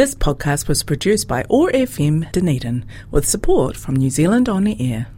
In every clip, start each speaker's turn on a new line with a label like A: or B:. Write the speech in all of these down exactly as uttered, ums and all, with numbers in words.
A: This podcast was produced by O R F M Dunedin with support from New Zealand On Air.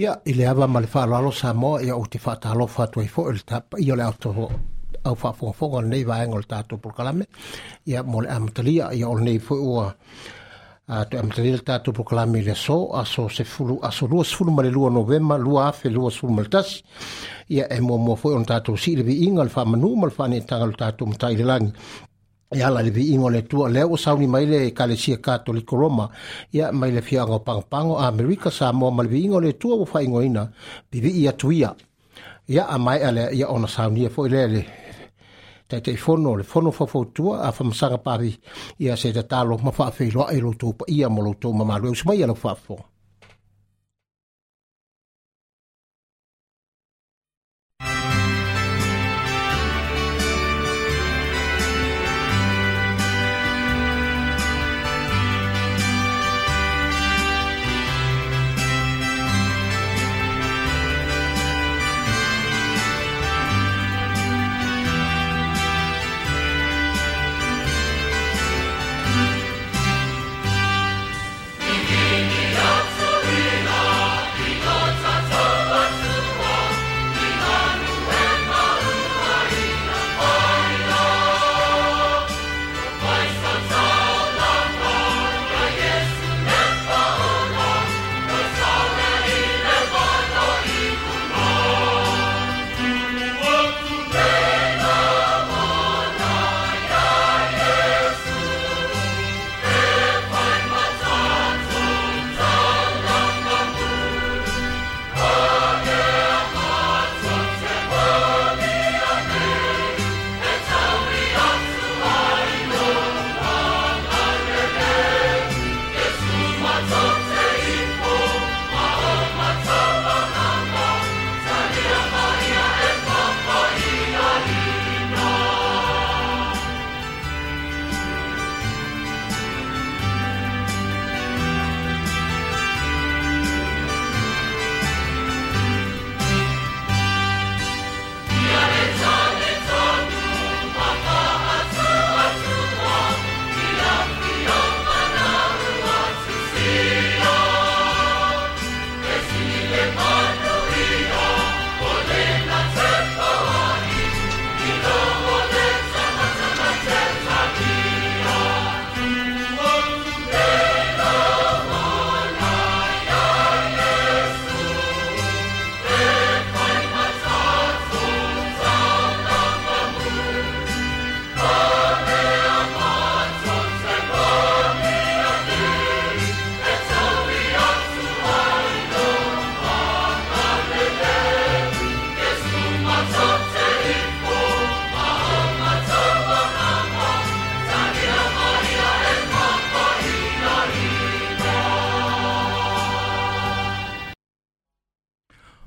B: Ia, i le ava ma le whaalalo Samoa, ia o te whaatalofa atu ai fo, le tapa ia le auto au whaafongafonga o lenei vaenga o le tātou polokalame. Ia, mo le amatalia, ia o lenei foi ua a te amatalia le tātou polokalame i le aso, aso sefulu, aso lua sefulu ma le lua Novema, lua afe lua sefulu ma le tasi. Ia, e muamua foi o le tātou sii le viiga, le whaamanu ma le whaanetaga o le tātou matai le langi. Ia ala le viiga o le Atua, lea ua sauni mai le Ekalesia Katoliko Roma, ia mai le fiaga o Pagopago, Amerika, Samoa ma le viiga o le Atua ua faaigoaina Pivii atu ia. Ia a maea lea, ia ona saunia foi lea le Taitaifono, le fono faufautua a Famasaga Pavi, ia se tatalo ma faafeiloai lo outou paia ma lo outou mamalu. E usu mai ia lau faafofoga.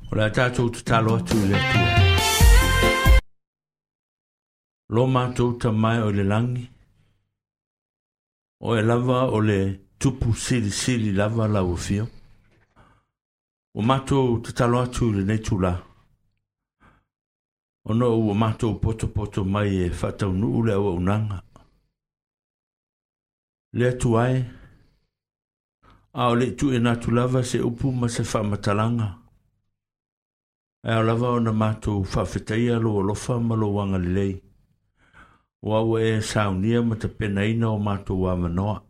C: O le tātou tatalo atu i le Atua. Lo mātou tamai o le langi, o e lava o le tupu sili sili lava lau afio. O mātou tatalo atu i lenei tula, ona ua mātou poto poto mai e faataunuu le auaunaga. Le atu ai, a o le tuuina atu lava se upu ma se faamatalaga, ae ao lava ona mātou faafetaia lou alofa ma lou agalelei, ua ua e saunia ma tapenaina o mātou avanoa.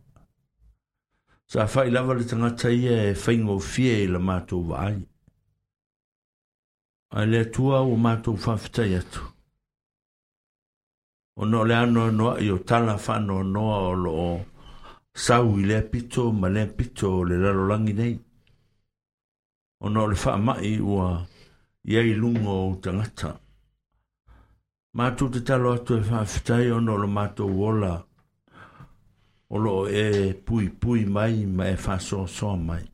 C: Sa fai lava le tagata ia e faigofie i la mātou vaai. Ae le Atua ua mātou faafetai atu, ona o le anoanoai o tala faanoanoa o loo sau i lea pito ma lea pito o le lalolagi nei, ona o le faamai ua i ai luga o tagata. Mātou tatalo atu e faafetai ona o le matou ola o loo e puipui mai ma e faasoasoa mai.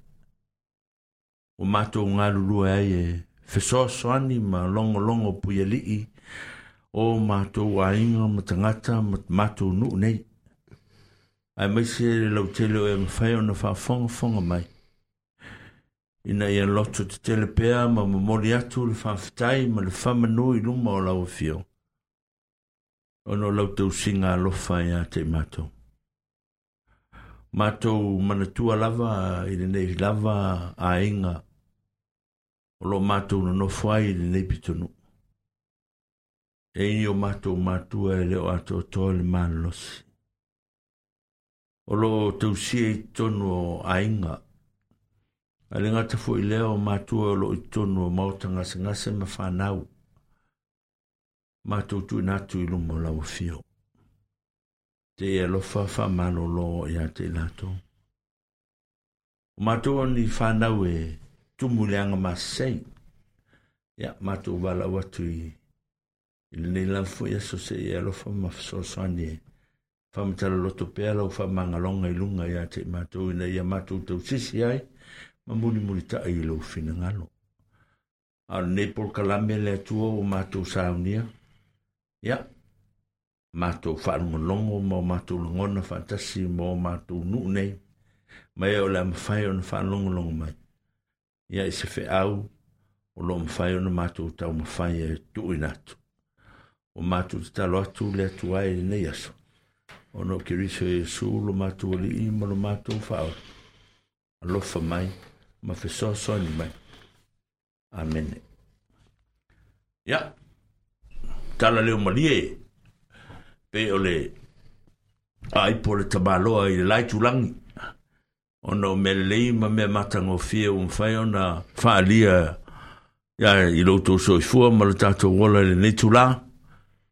C: O matou galulue ai e fesoasoani ma logologo puialii o matou aiga ma tagata ma matou nuu nei, aemaise le lautele o e mafai ona faafogafoga mai, ina ia loto tetele pea ma momoli atu le faafetai ma le faamanu i luma o lau afio, ona o lau tausiga alofa ia te i matou. Matou manatua lava i lenei lava aiga o loo matou nonofo ai i lenei pitonuu. E i o matou matua e le o atoatoa le malolosi, o loo tausia i totonu o aiga. Ae le gata foi lea o matua o loo i totonu o maota gasegase ma fanau. Matou tuuina atu i luma o lau afio, te e alofa faamalolo ia te i latou. O matou o ni fanau e tumu i le aga masei, ia matou valaau atu i i lenei lava foi aso se i alofa ma fesoasoani e faamatala pea lau faamagaloga i luga ia te i matou, ina ia matou tausisi ai ma mulimulitai i lou finagalo. A o lenei polokalame le Atua ua matou saunia, ia matou faalogologo ma o matou lagona faatasi ma o matou nuu nei, ma e o le a mafai ona faalogologo mai, ia i se feau o loo mafai ona matou taumafai e tuuina atu. O matou tatalo atu le Atua i lenei aso, ona o Keriso Iesu lo matou Alii ma lo matou Faaola. Alofa mai ma fesoasoani mai. Amene. Ia, tala leo malie, pe o le aipo le tamaloa i le lai tulangi, ona o mea lelei ma mea matagofie ua mafai ona faalia ia i lo outou soifua ma le tatou ola i lenei tula,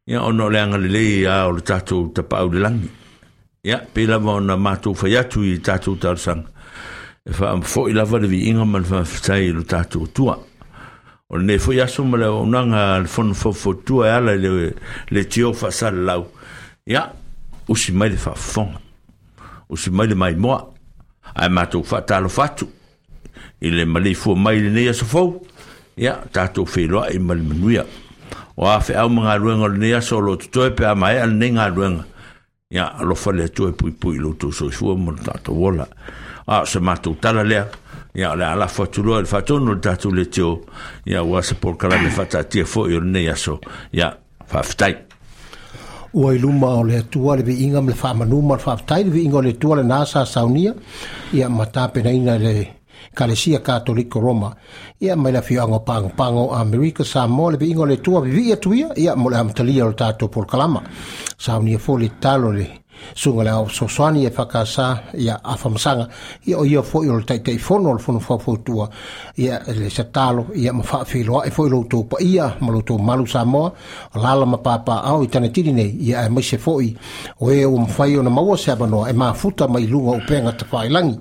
C: ia ona o le agalelei a o le tatou tapaau i le lagi. Ia, pei lava ona matou fai atu i tatou talosaga, e faamafo'i lava le viiga ma le faafetai i lo tatou Atua. O lenei foi aso ma le auaunaga a le Fono Faufautua e ala i le leitio faasalalau, ia, usi mai le faafofoga, usi mai le maimoa, ae matou faatalofa atu i le maleifua mai i lenei aso fou, ia, tatou feiloai ma le manuia. O a feau ma galuega o lenei aso o loo totoe pe a maea lenei galuega, ia, alofa le Atua e puipui i lo outou soifua ma lo tatou ola. A o se matou tala lea, ia o le a lafo atu loa i le faatonu o le tatou leitio, ia ua se polokalame faataatia foi o lenei aso. Ia, faafetai.
B: Ua i luma o le Atua le viiga ma le faamanu ma le faafetai, le viiga o le Atua lenā sa saunia ia ma tapenaina e le Ekalesia Katoliko Roma, ia mai le afioaga o Pagopago o Amerika Samoa. Le viiga o le Atua, vivii atu ia ia mo le amatalia o le tatou polokalama. Saunia foi le tatalo le susuga le ao fesoasoani e fakasa ia Afamasaga, ia o ia foi o le Taitaifono o le Fono Faufautua, ia le satalo ia ma faafeiloai foi lo outou paia ma lo outou malu Samoa o lala ma papaao i Tanetili nei, ia aemaise foi o e ua mafai ona maua se avanoa e mafuta mai luga o upega tafailagi.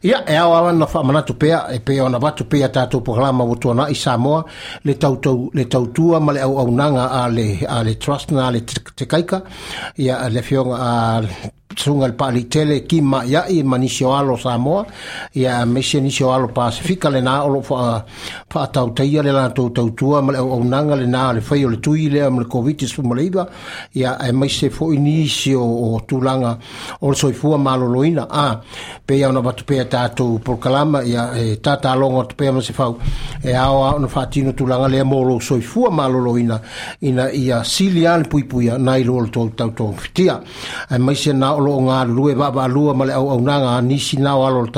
B: Ia e ao lava ona faamanatu pea e pei ona avatu pea tatou polokalama ua tuanai Samoa, le tautou le tautua ma le auaunaga a le a le trust na le Tekaika, ia le afioga a Sunga le Paalitele ki ma'ia'i ma nisi o alo Samoa ia aemaise nisi o alo Pasifika lenā o lo'o fa'atautaia le latou tautua ma le auaunaga lenā le fai o le tui lea ma le Koviti sefulumalaiva ia aemaise fo'i nisi o, o tulaga o le soifua maloloina a peia ona avatu pea tatou polokalama ia e tatalogo atu pea ma se fau e ao a ona faatino tulaga lea mo lou soifua maloloina ina ia sili a le puipuia nai lo le tou tautogafitia aemaise na o lo'o galulue vaavaalua ma le auaunaga a nisi na o alo o le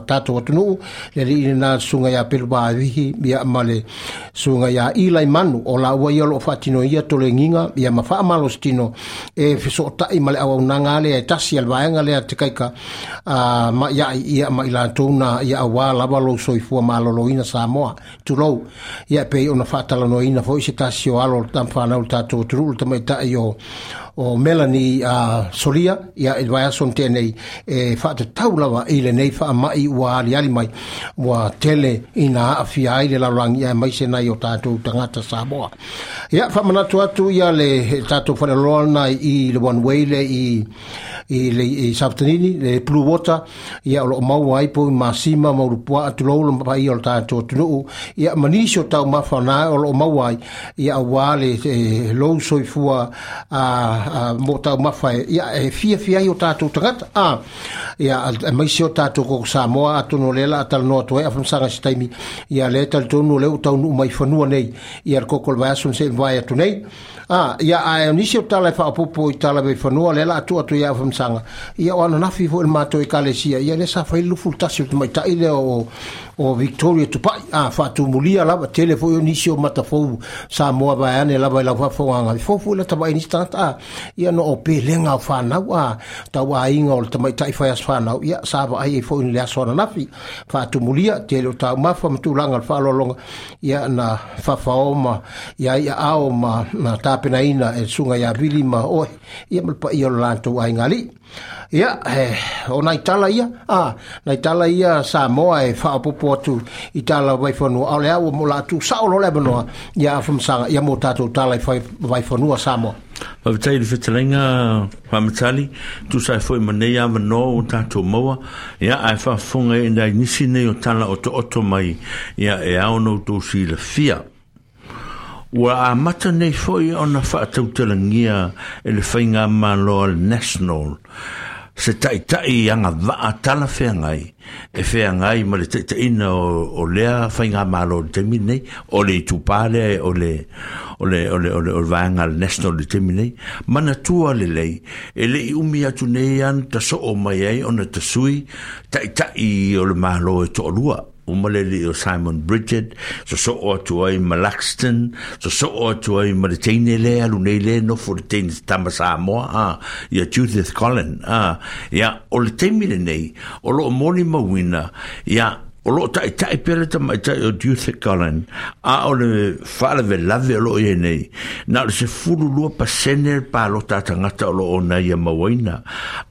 B: tatou atunuu le alii lenā susuga iā Pelu Vavihi ia ma le susuga iā Ilai Manu o laua ia o lo'o faatinoia tolegiga ia ma faamalositino e fesoota'i ma le auaunaga lea e tasi a le vaega lea te kaika a ma'ia'i ia ma i latou na ia auā lava lou soifua maloloina Samoa tulou ia pei ona faatalanoaina fo'i se tasi o alo o le tamafanau le tatou atunuu le tamaita'i o o Melanie uh, Solia ia i le vaiaso na tea nei e faatatau lava i lenei faama'i ua aliali mai ua tele ina aafia ai le lalolagi aemaise nai o tatou tagata Samoa. Ia faamanatu atu ia le tatou faleoloa lena i le One Way le i i le i Safatanini le Blue Water ia o lo'o maua ai povi masima ma ulupua'a tulou le paia o le tatou atunuu ia ma nisi o taumafa na o lo'o maua ai ia auā le e, lou soifua a mo taumafa e ia e fiafia ai o tatou tagata a ia aemaise o tatou koko Samoa atonu o lea la talanoa atu ai afamasaga se taimi ia lea talitonu o lea ua taunuu mai fanua nei ia le koko o le vaiaso na se'i mavae atu nei a ia ae o nisi o tala e faaopoopo i tala vaifanua lea la atu atu ia afamasaga ia o ananafi fo'i le matou ekalesia ia lea sa fai le lufulu tasi o le tamaita'i lea o o Victoria Tupa'i a faatumulia lava tele fo'i o nisi o matafou Samoa vaeane lava i lau faafofogaga fou fo'i la tava'i nisi tagata a ia no o pelega o fanau a tauaiga o le tamaita'i fai aso fanau ia sa vaai ai fo'i le aso ananafi faatumulia tele o taumafa ma tulaga o le faaaloaloga ia na fafao ma ia ia ao ma na tapenaina e susuga iā Vili ma oe ia ma le paia o le latou aiga alii. Ia e, o nai tala ia a nai tala ia Samoa e faaopoopo atu i tala vaifanua a o le a ua mo latou sa'o loa le avanoa ia afamasaga ia mo tatou tala i vaifanua Samoa.
C: Faafetai i le fetalaiga faamatali tusa ai foi ma nei avanoa ua tatou maua ia ae faafofoga ai nai nisi nei o tala otooto mai ia e ao ona outou silafia. Ua amata nei foi ona faatautalagia e le faigamalo a le National se ta'ita'i agava'a talafeagai e feagai ma le ta'ita'iga o, o lea faigamalo i le taimi lenei o le itupā lea o le o le o le o le, o le vaega a le National i le taimi lenei manatua lelei e le'i umi atu nei ana taso'o mai ai ona tasui ta'ita'i o le malo e to'alua uma le alii o Simon Bridget soso'o atu ai ma Laxton soso'o atu ai ma le teine lea alu nei lea nofo le teine tama Samoa a ia Judith Collin a ia o le taimi lenei o lo'o molimauina ia o lo'o ta'ita'i pea le tamaita'i o Judith Collin a o le faalavelave o lo'o iai nei na o le sefulu lua pasene le palota a tagata o lo'o ona ia mauaina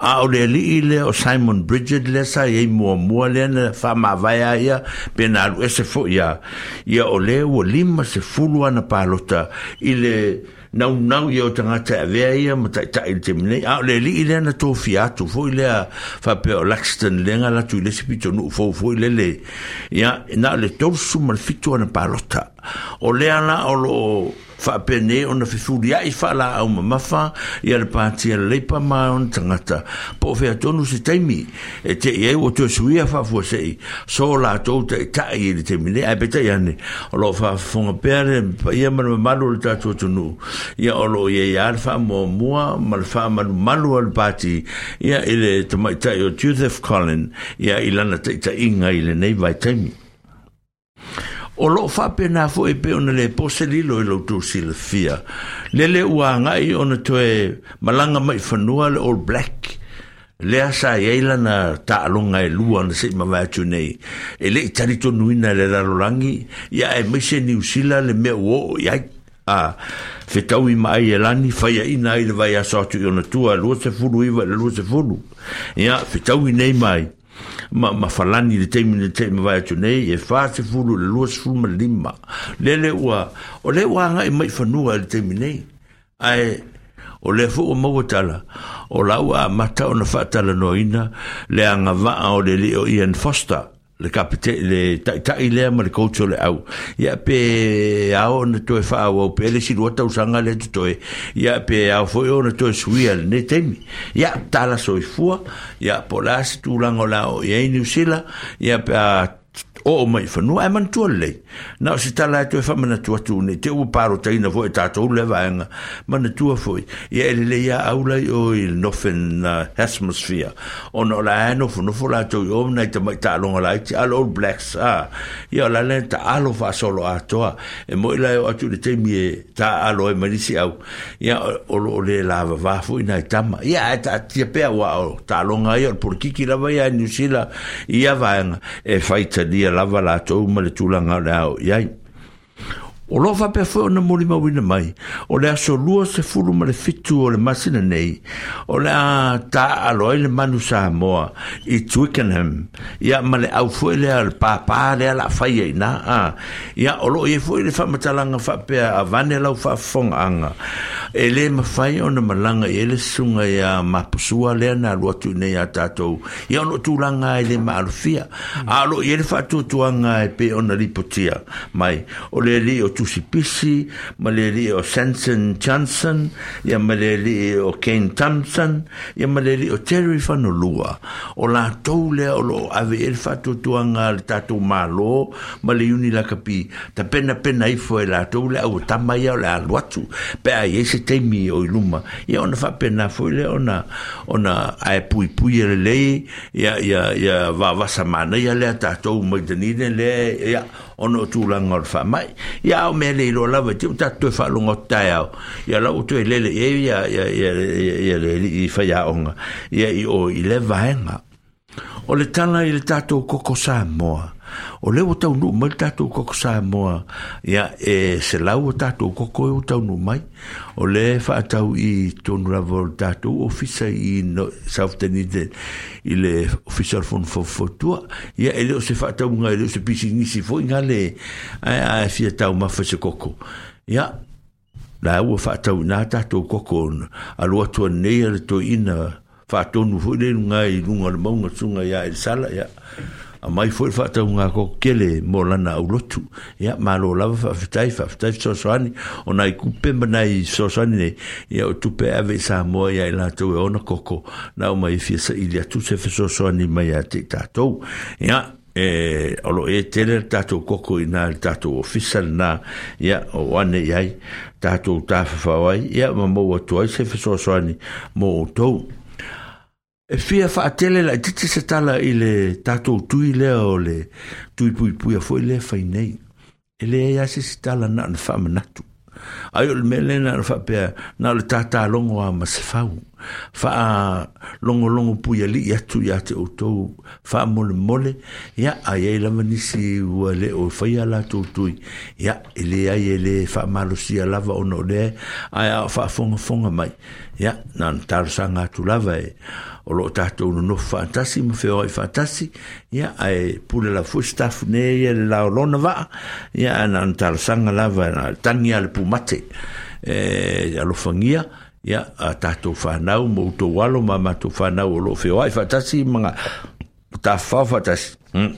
C: a o le alii lea o Simon Bridget lea sa iai muamua lea na faamavae a ia pe na alu ese fo'i a ia o lea ua lima sefulu ana palota i le naunau ia o tagata e avea ia ma ta'ita'i i le taimi nei a o le alii lea na tofia atu fo'i lea faapea o Laxton lea na alu atu i le isi pitonuu fou fo'i lele ia na o le tolusu ma le fitu ana palota o lea la o lo'o faapenei ona fefulia'i faalaau mamafa ia le pati a le Leipa ma ona tagata po o fea tonu se taimi e te'i ai ua toe suia faafuase'i so latou ta'ita'i i le taimi nei ae peitai ane o lo'o faafofoga pea le paia ma le mamalu o le tatou atunuu ia o lo'o iai lava le faamuamua ma le faamalumalu a le pati ia i le tamaita'i o Joseph Collin ia i lana ta'ita'iga i lenei vaitaimi. O lo'o faapena fo'i pei ona lē po se lilo i loutou silafia lele ua aga'i ona toe malaga mai fanua le All Black lea sa iai lana taaloga e lua na se'i mavae atu nei e le'i talitonuina e le lalolagi ia aemaise Niusila le mea ua oo i ai a fetaui ma ai e lani faiaʻina ai le vaiaso atu i ona tua lua sefulu iva i le lua sefulu ia fetaui nei mai ma, ma falani le taimi na te'i mavae atu nei e fa sefulu i le lua sefulu ma le lima lele ua o lea ua aga'i mai fanua i le taimi nei ae O le foʻi ua maua tala o la ua amata ona faatalanoaina le agavaa o le alii o Ian Foster le kapite le taitai lea ma le coach o le au ia pe ao ona toe faaauau pea le isi lua tausaga lea totoe ia pe ao foʻi ona toe suia lenei taimi ia tala soifua ia po o le a se tulaga o le a oo i ai Niusila ia pe a oo mai i fanua ae manatua lelei na o se tala e toe faamanatu atu nei te ua palotaina foʻi e tatou lea vaega manatua foʻi ia e lelei a au lai o i le Northern Hemisphere ona o la e nofonofo latou i o nai tamaʻi taaloga laiti a le All Blacks a ia o la lea taalo faasolo atoa e moʻi la e oo atu i le taimi e taaalo ai ma nisi au ia o loo le lavavā foʻi nai tama ia ae taatia pea ua o taaloga ia o le polokiki lava ia Niu Sila i ia vaega e faitalia lava latou ma le tulaga o le ao i ai. O loo faapea foi ona molimauina mai o le aso lua sefulu ma le fitu o le masina nei o le a taaalo ai le manu Samoa i Twickenham ia ma le au foi lea o le pāpā lea la faia i na a ia o loo i ai foi le faamatalaga faapea avane lau faafofogaaga e lē mafai ona malaga i ai le susuga ia Mapusua lea na alu atu i nei a tatou ia ona o tulaga e lē maalofia a o loo i ai le faatuatuaga e pei ona lipotia mai o le alii o Tusipisi ma le alii o Sanson Johnson ia ma le alii o Kane Thompson ia ma le alii o Terry Fanolua o latou lea o loo ave i ai le faatuatuaga a le tatou Malo ma le Iuni Lakapi tapenapena ifo e latou le au tama ia o le alu atu pe a i ai se taimi o i luma ia ona faapena foi lea ona ona ae puipui e lelei ia ia ia vavasa manaia lea tatou mai Dunedin lea ia ona o tulaga o le faamai ia ao mea le iloa lava te tatou toe faalogo atu taeao ia la ua toe lele i ai ia ia ia ia le alii faiaoga ia i o i le vaega. O le tala i le tatou koko Samoa o lea ua taunuu mai le tatou koko Samoa ia e selau o tatou koko e ua taunuu mai o le faatau i tonu lava o le tatou ofisa i South Dunedin i le ofisa o le fono faufautua ia e le o se faatauga e le o se pisinisi foi gale ae ae fia taumafa se koko ia la ua faatauina tatou koko alu atu anei a le toeaina faatonu foi le luga i luga o le mauga susuga ia Elisala ia aumai foi le faatauga koko tele mo lana aulotu ia malo lava faafetai faafetai fesoasoani o nai kupe ma nai fesoasoani nei ia o tupe e ave i Samoa ia i latou e ona koko na aumai e fia saili atu se fesoasoani mai ia te i tatou ia e o loo e tele le tatou koko i na le tatou ofisa lena ia o ane i ai tatou tafafao ai ia ma maua atu ai se fesoasoani mo outou. E fia faatele laitiiti se tala i le tatou tui lea o le tui puipuia foi lea fai nei. E leai lava se isi tala na ona faamanatu. Ai o le mea lea na ona faapea na o le tatalogo a ma se fau. Faalogologo puialii atu ia te outou faamolemole ia a i ai lava nisi ua le o faia latou tui ia e leai e le faamalosia lava ona o lea ae a o faafogafoga mai ia na ona talosaga atu lava e o loo tatou nonofo faatasi ma feoai faatasi ia ae pule lava foi staff nei ia le laolona vaa ia ae na ona talosaga lava na tagi a le pumate e alofagia ia a tatou whanau ma outou alo ma matou whanau o loo feoai faatasi ma ngā tafafao faatasi. Hmm.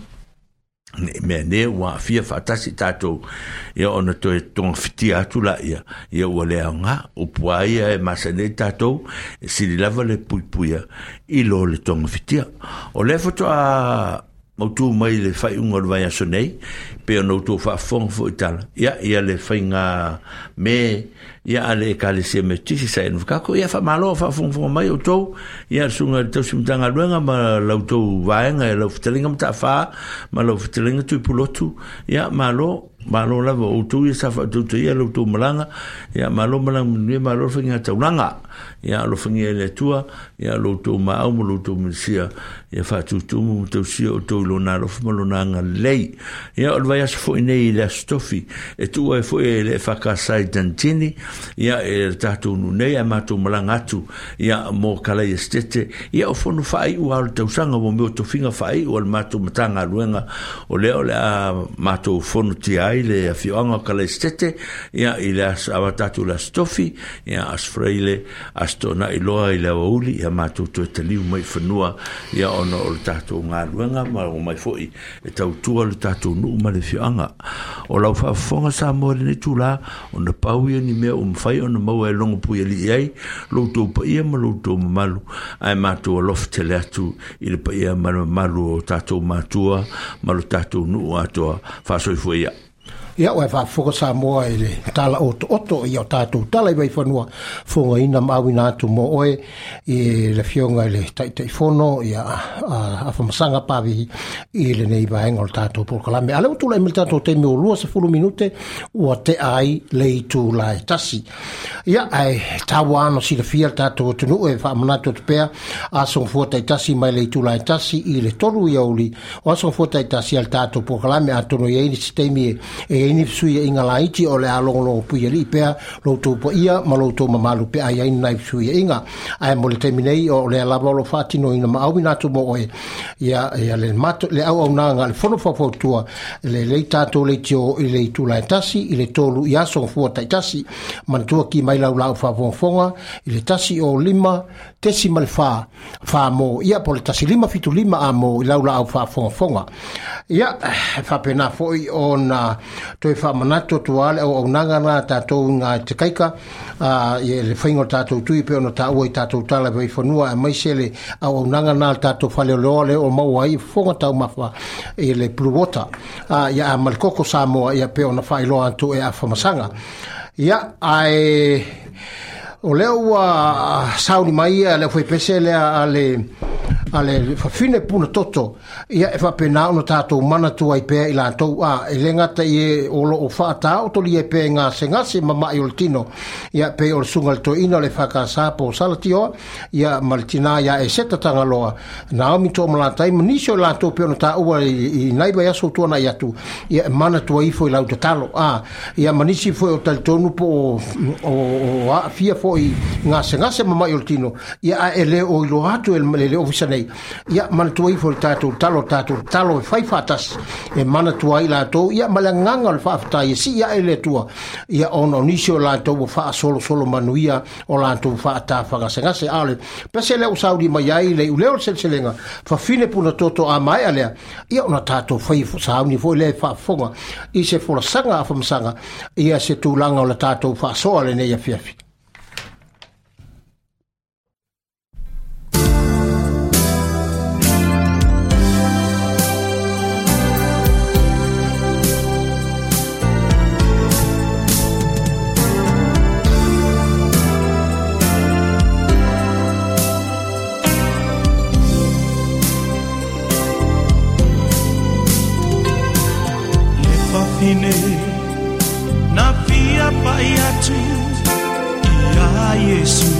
C: Ne mea ne ua aafia faatasi tatou ia ona toe togafitia atu la ia ia ua le aoga upu a ia e masani ai tatou e sili lava le puipuia i lo le togafitia. O lea faatoa mautū mai le faaiuga o le vaiaso nei pe ona outou faafofoga foi tala ia ia le faiga me ia a le Ekalesia Metotisi sa ena whakaako ia faamalo faafogafoga mai outou ia le susuga i le tausi Matagaluega ma la outou vaega e lau fetalaiga Matafā ma lau fetalaiga Tuipulotu ia malo malo lava o outou ia sa faatautaia la outou malaga ia malo malaga manuia malo le faiga taulaga ia alofagia e le Atua ia lo outou maau ma lo outou minisia ia faatutumu ma tausia outou i lona alofa ma lona agalelei ia o le vaiaso foi nei i le aso tofi e tuua ai foi e le E F K S i Dunedin ia e le tatou nuu nei ae matou malaga atu ia mo Kalaia Setete ia o fono faaiu a o le tausaga mo mea o tofiga faaiu a le matou Matagaluega o lea o le a matou fono tia ai ai le afioaga o Kalaisitete ia i le aso avata atu le Aso Tofi ia Aso Faraile Aso Toonai loa i le aoauli ia matou toe taliu mai i fanua ia ona o le tatou galuega ma omai fo'i e tautua le tatou nuu ma le afioaga. O lau faafofoga Samoa i lenei itulā ona pau ia ni mea ua mafai ona maua e logo puialii ai lo outou paia ma lo outou mamalu ae matou alofa tele atu i le paia ma le mamalu o tatou matua ma lo tatou nuu atoa faasoifua ia.
B: Ia ua faafofoga Samoa i le tala otooto ia o tatou tala i vaifanua fogaina ma auina atu mo oe i le afioga i le Taitaifono ia Afamasaga Pavihi i lenei vaega o le tatou polokalame. A lea ua tulai mai le tatou taimi o lua sefulu minute ua tea ai le itula e tasi. Ia ae taua ana silafia le tatou atunuu e faamanatu atu pea aso gafua taitasi mai le itula e tasi i le tolu iauli o aso gafua taitasi a le tatou polokalame atonu e i ai nisi taimi e e ai ni fesuiaiga laiti o le a logologo puialii pea lo outou paia ma lo outou mamalu pe a i ai ni nai fesuiaiga. Ae mo le taimi nei o lea lava o lo faatinoina ma auina atu mo oe ia, ia le, mato, le auaunaga a le fono faufautua le lei tatou leitio i le itula e tasi i le tolu i aso gafua taitasi. Manatua ki mai lau lau faafogafoga i le tasi o lima tesi ma le fa fa mo ia po le tasi lima fitu lima a mo i lau laau faafogafoga. Ia faapena fo'i ona toe faamanatu atu lava le auaunaga na tatou i te kaika a ia le faiga o le tatou tui pe ona taua i tatou tala i vaifanua aemaise le auaunaga na le tatou faleoloa lea o maua ai fofoga taumafa i le Blue Water a ia a ma le koko Samoa ia pe ona faailoa atu e Afamasaga. Ia ae o lea ua sauni mai ia le aufaipese lea a le a le fafine puna toto ia e faapena ona tatou manatu ai pea i latou a e le gata i e o loo faataotoli ai pea i gasegase ma ma'i o le tino ia pei o le susuga i le toeaina o le F K S po o Salatioa ia ma le tinā ia Eseta Tagaloa Naomi Toomalatai ma nisi o i latou pei ona taua i, i nai vaiaso tuana'i atu ia e manatu ai ifo i lau tatalo a ia ma nisi foi o talitonu po o, o, o aafia foi i gasegase ma ma'i o le tino ia ae e le o iloa atu e le, le ofisa nei ia manatua ifo i le tatou talo tatou talo e fai faatasi e manatua ai latou ia ma le agaga o le faafetai e sii ae le Atua ia ona o nisi o latou ua faasolosolo manuia o latou faatafagasegase. A o le pese lea ua sauni mai ai le iuleo o le seleselega fafine puna toto a maea lea ia ona tatou fai sauni foi lea e faafofoga i se folasaga Afamasaga ia se tulaga o le tatou faasoa lenei afiafi.
D: Le fafine na fia pai atu ia Iesu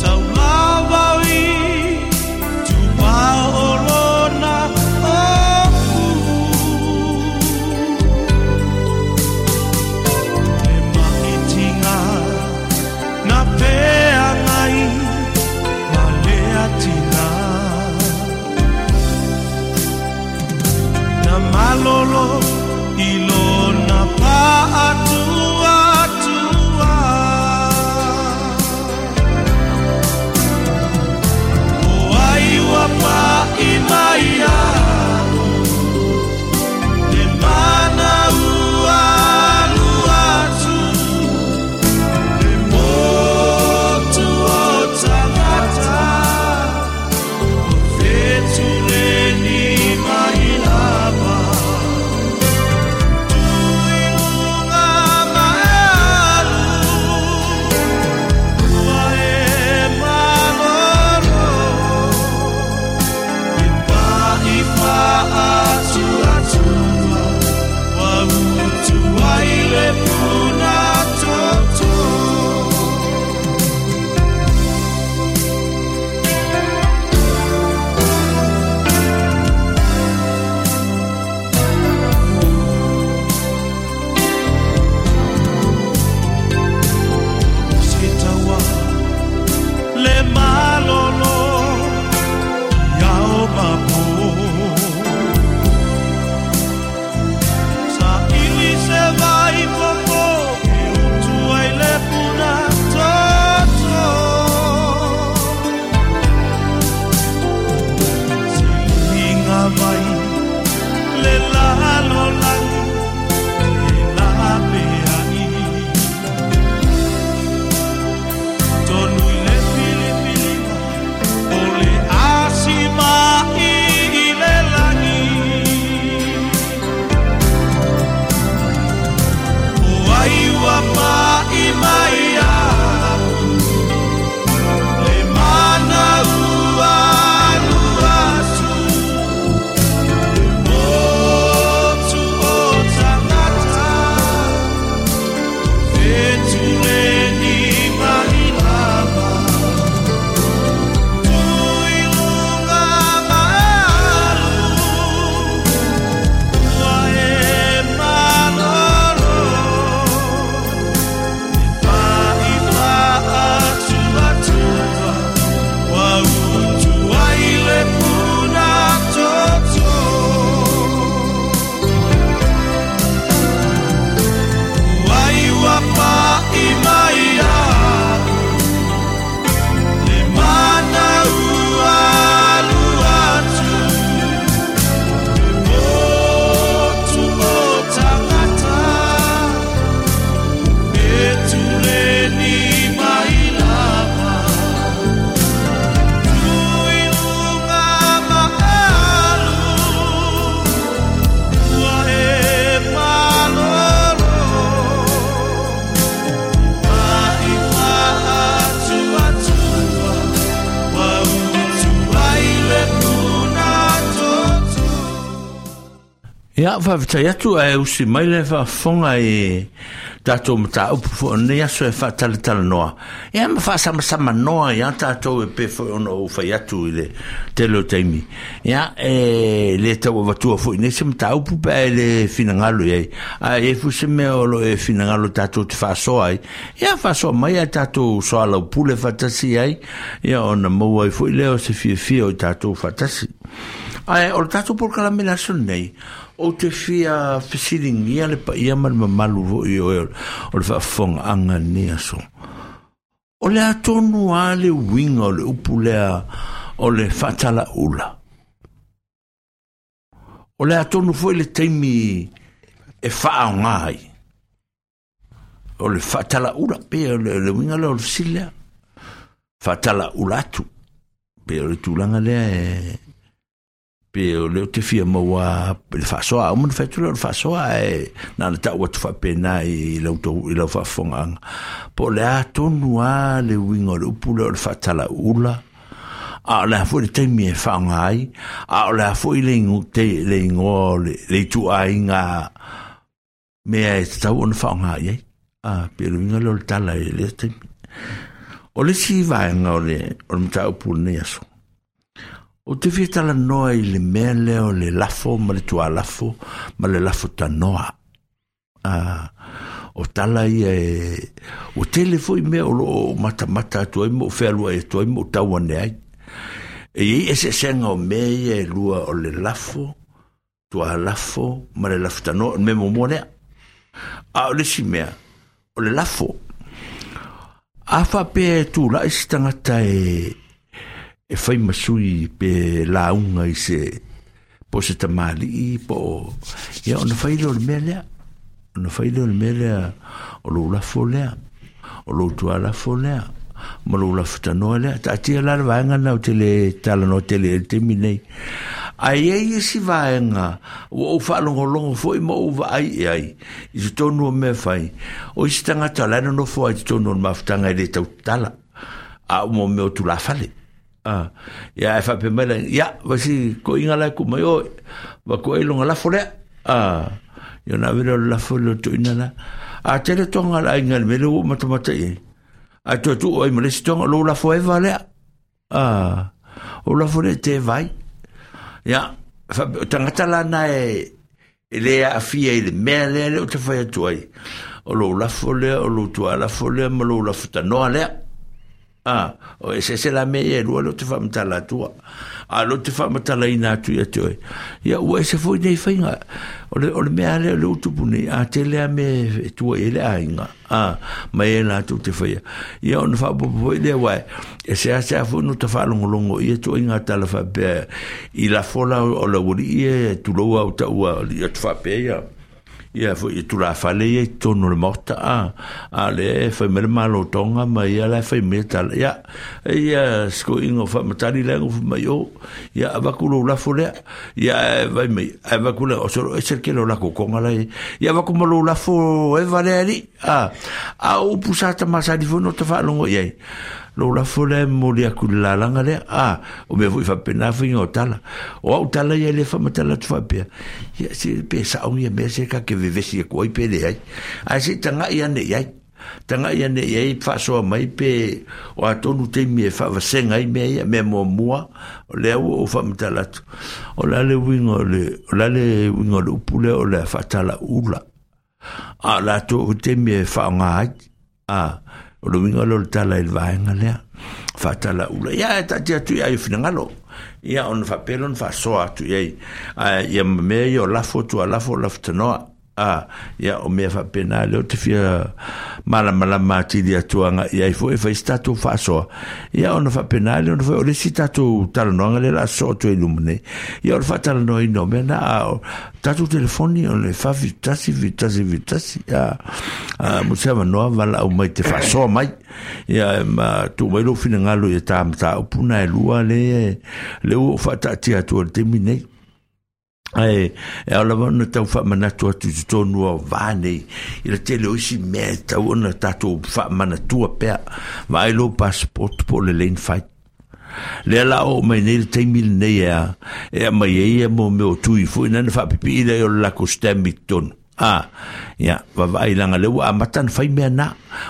D: Taulava i tua o lona ofu Le maitiga na feagai ma le atina
C: Ia, faafetai atu ae usi mai le faafofoga i tatou mataupu foi o lenei aso e faatalatalanoa. Ia ma faasamasamanoa ia tatou e pei foi ona ou fai atu i le tele o taimi. Ia, e le tau avatua foi nei se mataupu pe a e le finagalo i ai. Ae i ai foi se mea o lo o e finagalo tatou te faasoa ai. Ia, faasoa mai ae tatou soalaupule faatasi ai. Ia, ona maua ai foi lea o se fiafia o i tatou faatasi. Ae o le tatou polokalame le aso lenei, ou te fia fesiligia le paia ma le mamalu foi o o le faafofogaaga lenei aso. O le atonu a le uiga o le upu lea o le faatalaula. O le atonu foi le taimi e faaoga ai. O le faatalaula, pe o le, le uiga lea o le fesili lea. Faatalaula atu. Pe o le tulaga lea e pe o le o te fia maua le faasoa, uma na fai atu lea o le faasoa ae na ona tau atu faapena i lau tou- i lau faafofogaaga. Po o le a tonu a le uiga o le upu lea o le faatalaula, a o le a foi le taimi e faaaoga ai, a o le a foi le ingo- te- le igoa o le, le ituaiga mea e tatau ona faaaoga i ai. A, pe o le uiga lea o le tala i lea taimi. O le isi vaega o le, o le mataupu o lenei aso, ou te fia talanoa i le mea lea o le lafo ma le tualafo ma le lafo tanoa. Ah, o tala ia e, ua tele foi mea o loo matamata atu ai ma ou fealuai atu ai ma ou tau ane ai. E i ai eseesega o mea ia e lua o le lafo, tualafo ma le lafo tanoa, o le mea muamua lea. A o le isi mea, o le lafo. A faapea e tulai se tagata e e fai ma sui pe lauga i se po o se tamalii po o ia ona fai lea o le mea lea. Ona fai lea o le mea lea o lou lafo lea, o lou tualafo lea, ma lou lafo tanoa lea. Taatia la le vaega lena ou te le talanoa tele ai i le taimi nei. Ae i ai isi vaega ua ou faalogologo foi ma ou vaai i ai i totonu o mea fai. O isi tagata o la e nonofo ai i totonu o le mafutaga e le tautatala, a o mo mea o tulafale. Ah, ia e faapea mai la, ia, vasi koinga la ku mai oi, va ko ai longa lafo lea. Ah, ia na vele o le lafo le toina la. A tele tonga la inga le mele o matamata i. A toe tu oi ma le isi tonga lo lafo e va lea. Ah, o lafo le te vai. Ia, faapea, o tangata la na e, e le aafia i le mea lea le o te fai atu ai. O lou lafo lea, o lou tualafo lea, ma lou lafo tanoa lea. Ah, o eseese la mea ia e lua leo te faamatala atua. A leo te faamatalaina atu ia te oe. Ia, ua ese foi nei faiga. O le, o le mea lea o le utupu nei, a tele a mea e tua i ai le aiga. Ah, mai e latou te faia. Ia, ona faaopoopo foi lea, uae, e seasea foi no ta faalogologo ia tuaiga tala faapea i lafo la o le aualii e tulou au taua alii atu faapea ia. Ia foi i tulafale ia i totonu o le maota, a, a lea e fai mai le malotoga ma ia la e fai mai tala. Ia, ia sikoiga o faamatali lea fai mai o, ia avaku lou lafo lea. Ia e vai mai, ae avaku lea, o solo ese le kele o la kokonga la e. Ia avaku ma lou lafo e vale ali. A, a o upu sa tamasani foi no ta faalogo i ai. Lou lafo lea e momoli atu i le lalaga lea. A, o mea foi faapena faiga o tala. O au tala ia le faamatala atu faapea. Ia, se pe sao ia mea se ka ke vevesi atu ai pe leai. Ae se i taga'i ane i ai. Taga'i ane i ai faasoa mai pe o atonu taimi e faavasega ai mea ia, mea muamua, o lea ua ou faamatala atu. O le a le uiga o le, o le a le uiga o le upu lea o le a faatalaula. A o le atou taimi e faaaoga ai. A, o le uiga lea o le tala i le vaega lea, faatalaula. Ia, e taatia atu i ai o finagalo. Ia, ona faapea lea ona faasoa atu i ai. Ae, ia ma mea ia o lafo, tualafo, lafo tanoa. A, ia, o mea faapena lea o te fia malamalama atili atu aga i ai foi e fai se tatou faasoa. Ia, ona faapena lea ona fai o le isi tatou talanoaga lea o le a sosoo atu ai i luma nei. Ia, o le faatalanoaina o mea na, a o tatou telefoni o le fa fitu tasi, fitu tasi, fitu tasi. A, a, mo se avanoa valaau mai te faasoa mai. Ia, ma tuu mai lou finagalo ia ta mataupu na e lua le, le ua ou faataatia atu ai le taimi nei. Ae, e ao lava ona tau faamanatu atu i totonu o va nei, i le tele o isi mea e tau ona tatou faamanatua pea. Vaai lou passport po o le lane fight. Le la o mai nei le taimi lenei a e mai ai ia mo mea o tui foi na na faapipii lea o le lakou stamp i totonu. Ah, ia, vaavaai laga lea ua amata na fai mea na.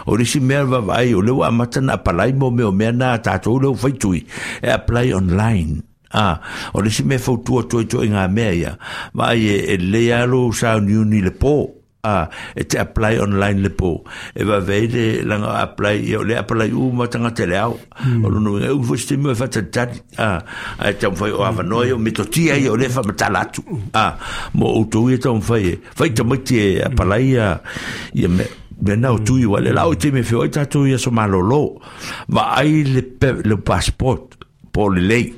C: O le isi mea vaavaai o lea ua amata na apalai mo mea o mea na a tatou lea ua fai tui e apply online. Ah, o le isi mea fautua atu ai toaiga mea ia. Vaai e, e lelei lava lou sauniuni i le po. Ah, e te apply online le po. E vaveai le laga apply ia o le apply uma tagata i le ao. O lona uiga e umi foi se taimi o e faatalitali. Ah, ae taumafai o avanoa ia o metotia ia o lea e faamatala atu. Ah, mo outou ia taumafai e fai tamaiti e apply ia ia mea mea na o tui ua le la o i taimi e feoai tatou i aso malolo. Vaai le pe, le passport po o lelei.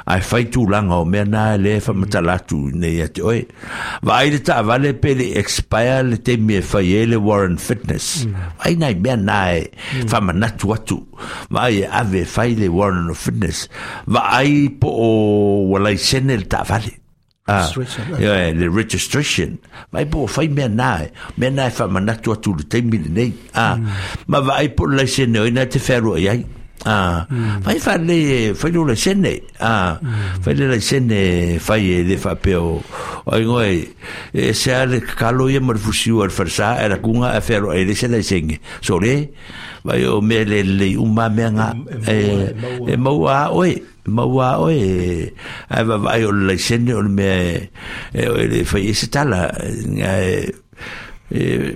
C: Ae fai tulaga o mea na lea e faamatala atu nei ia te oe. Vaai le taavale pe le i expire le taimi e fai ai le warrant fitness. Vaai nai mea na e faamanatu atu. Vaai e ave e fai le warrant of fitness. Vaai po o ua laisene le taavale. Ah,
B: Registration.
C: ia, le registration. Vaai po o fai mea na e. Mea na e faamanatu atu i le taimi lenei. Ah, ma vaai po o le laisene o ai na e te fealuai ai. Ah, fai faalelei e fai lou laisene. Ah, fai le laisene fai e le faapea o o aiga e e ese lava le kakalo ia ma le fusiua i le falesa ae lakuga ae fealuai ai le isi laisene. So le, vaai o mea le lelei uma lava mea na. E e maua lava oe, e maua lava oe ae vaavaai o le laisene o le mea e e le fai ai se tala ae e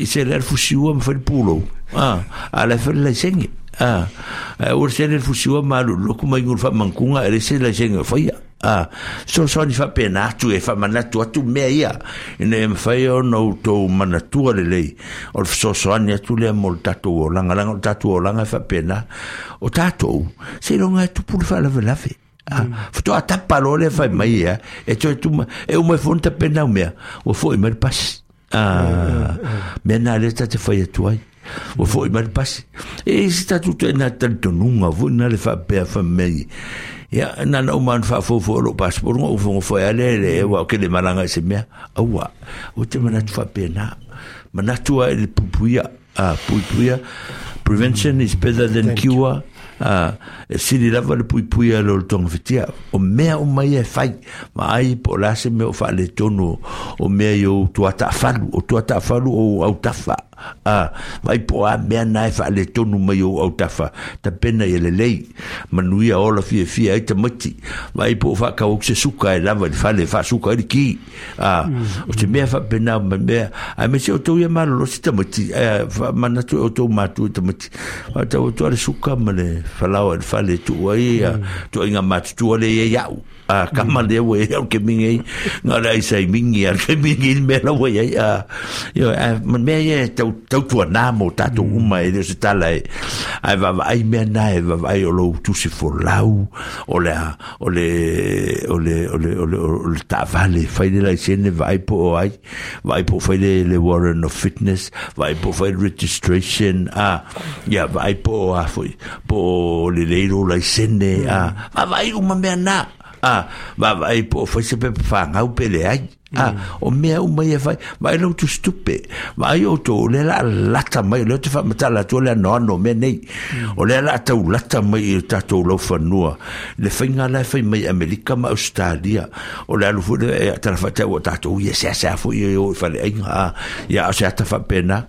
C: i se lea le fusiua ma fai le pulou. Ah, a o la e fai le laisene. Ah, ae aua le sele le fusiua ma alu i le lotu ma inu i le faamanatuga e leai se laisene o faia. Ah, fesoasoani faapena atu e faamanatu atu mea ia ina ia mafai ona outou manatua lelei o le fesoasoani atu lea mo le tatou olaga leaga o le tatou olaga e faapena. O tatou, seiloga e tupu le faalavelave. Ah, faatoa tapa loa lea fai mai ia e toe tuma e uma ai foi ona tapena au mea ua foi mai le pasi. Ah, mea na lea ta te fai atu ai. Ua foi mai le pasi. E i se tatou toaiga talitonuga foi na le faapea fai mai. Ia, na na uma ona faafoufou lou passport ona ou fogofoe lava lea i le aua ou te le malaga i se mea. Aua, ou te manatu faapena. Manatu lava i le puipuia. Ah, puipuia. Prevention is better than cure. Ah, e sili lava le puipuia i lo le togafitia. O mea uma ia e fai. Vaai po o le a se mea o faaletonu o mea i ou tuataafalu. O tuataafalu o ou autafa. Ah, vaai po o a mea na e faaletonu mai i ou autafa. Tapena ia lelei. Manuia ola fiafia ai tamaiti. Vaai po o faatau atu se suka e lava i le fale e faasuka ai le ki. Ah, o se mea faapena ma mea. Aemaise outou ia malolosi tamaiti. Eh, faamanatu e outou matua i tamaiti. Faatau atu lava le suka ma le falaoa i le fale e tuu ai ia toaiga matutua lea e i ai au. Ah, kama lea ua i ai au ke mingi ai. Nga le aisa i mingi a ke mingi i le mea la ua i ai. Ah, ioe, ae ma mea ia e tau, tautuanā mo tatou uma e le o se tala e. Ae vaavaai mea na e vaavaai o lou tusi folau, o le a, o le, o le, o le, o le, o le taavale, fai le laisene, vaai po o ai, vaai po o fai le, le warrant of fitness, vaai po o fai le registration, ah, ia, vaai po o a foi, po o lelei lou laisene, ah, vaavaai uma mea na. Ah, vaavaai po o fai se pepa fagau pe leai. Ah, o mea uma ia e fai, vaai lou tusitupe, vaai outou o lea o le a lata mai, o lea ou te faamatala atu o le anoano o mea nei. O lea o le a tau lata mai i o tatou laufanua, le faiga la e fai mai i Amerika ma Ausetalia. O le alu foi lea e tala faatau ua tatou ia seasea foi ia e o i faleaiga. Ah, ia a o se ata faapena.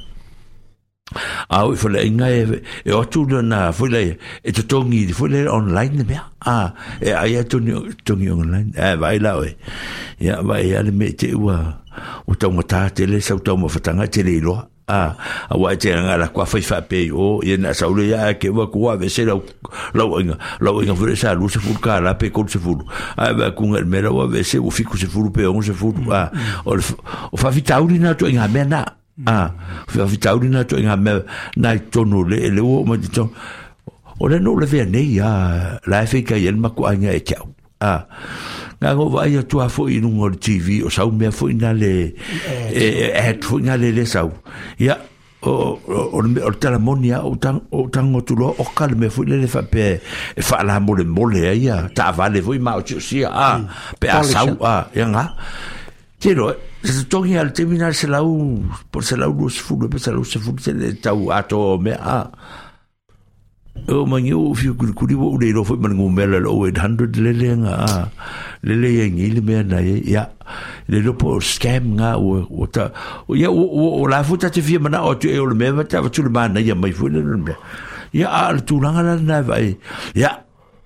C: A o i faleaiga e, e o atu lona foi lea e totogi foi lea online le mea. Ah, e ai a totogi, totogi online. Eh, vaai la oe. Ia, vaai a le mea i te ua, ua taumatā tele sau taumafatanga e te le iloa. Ah, aua e te aga la kua fai faapea i o, ia na sau le ia ke ua kua vese lau, lau aiga, lau aiga foi le sa lua sefulu kālā pe tolu sefulu. Ae vaai kuga i le mea la ua vese ua fitu sefulu pe ono sefulu. Ah, o le, o faafitauli na atoaiga mea na. Ah, faafitauli na atoaiga mea na i totonu o le, le ua oo mai totonu. O le no le vea nei, ah, la e faikai ai le makuaiga e te au. Ah, nga ngo vaai atu lava foi i luga o le T V, o sau mea foi na le, e, e, ad foi na le le sau. Ia, o, o, o le mea, o le talamoni lava, o tang-, o tago atu loa, oka le mea foi lele faapea e faalamolemole ai ia taavale foi ma o tiosia, ah, pe a sau, ah, ia nga. Te loa, se totogi lava le taimi na le selau, po o le selau lua sefulu, pe selau sefulu tele tau atoa o mea, ah. O mangi o fiu kulikuli wa ule ilo foi mana ngumela le oh eight hundred lele nga a lele ia ngi le mea na ia le lopo scam nga o o ta ia o o la futa te fia mana o tu e o le mea ta tu le mana ia mai foi le mea ia a le tulaga la na vai ia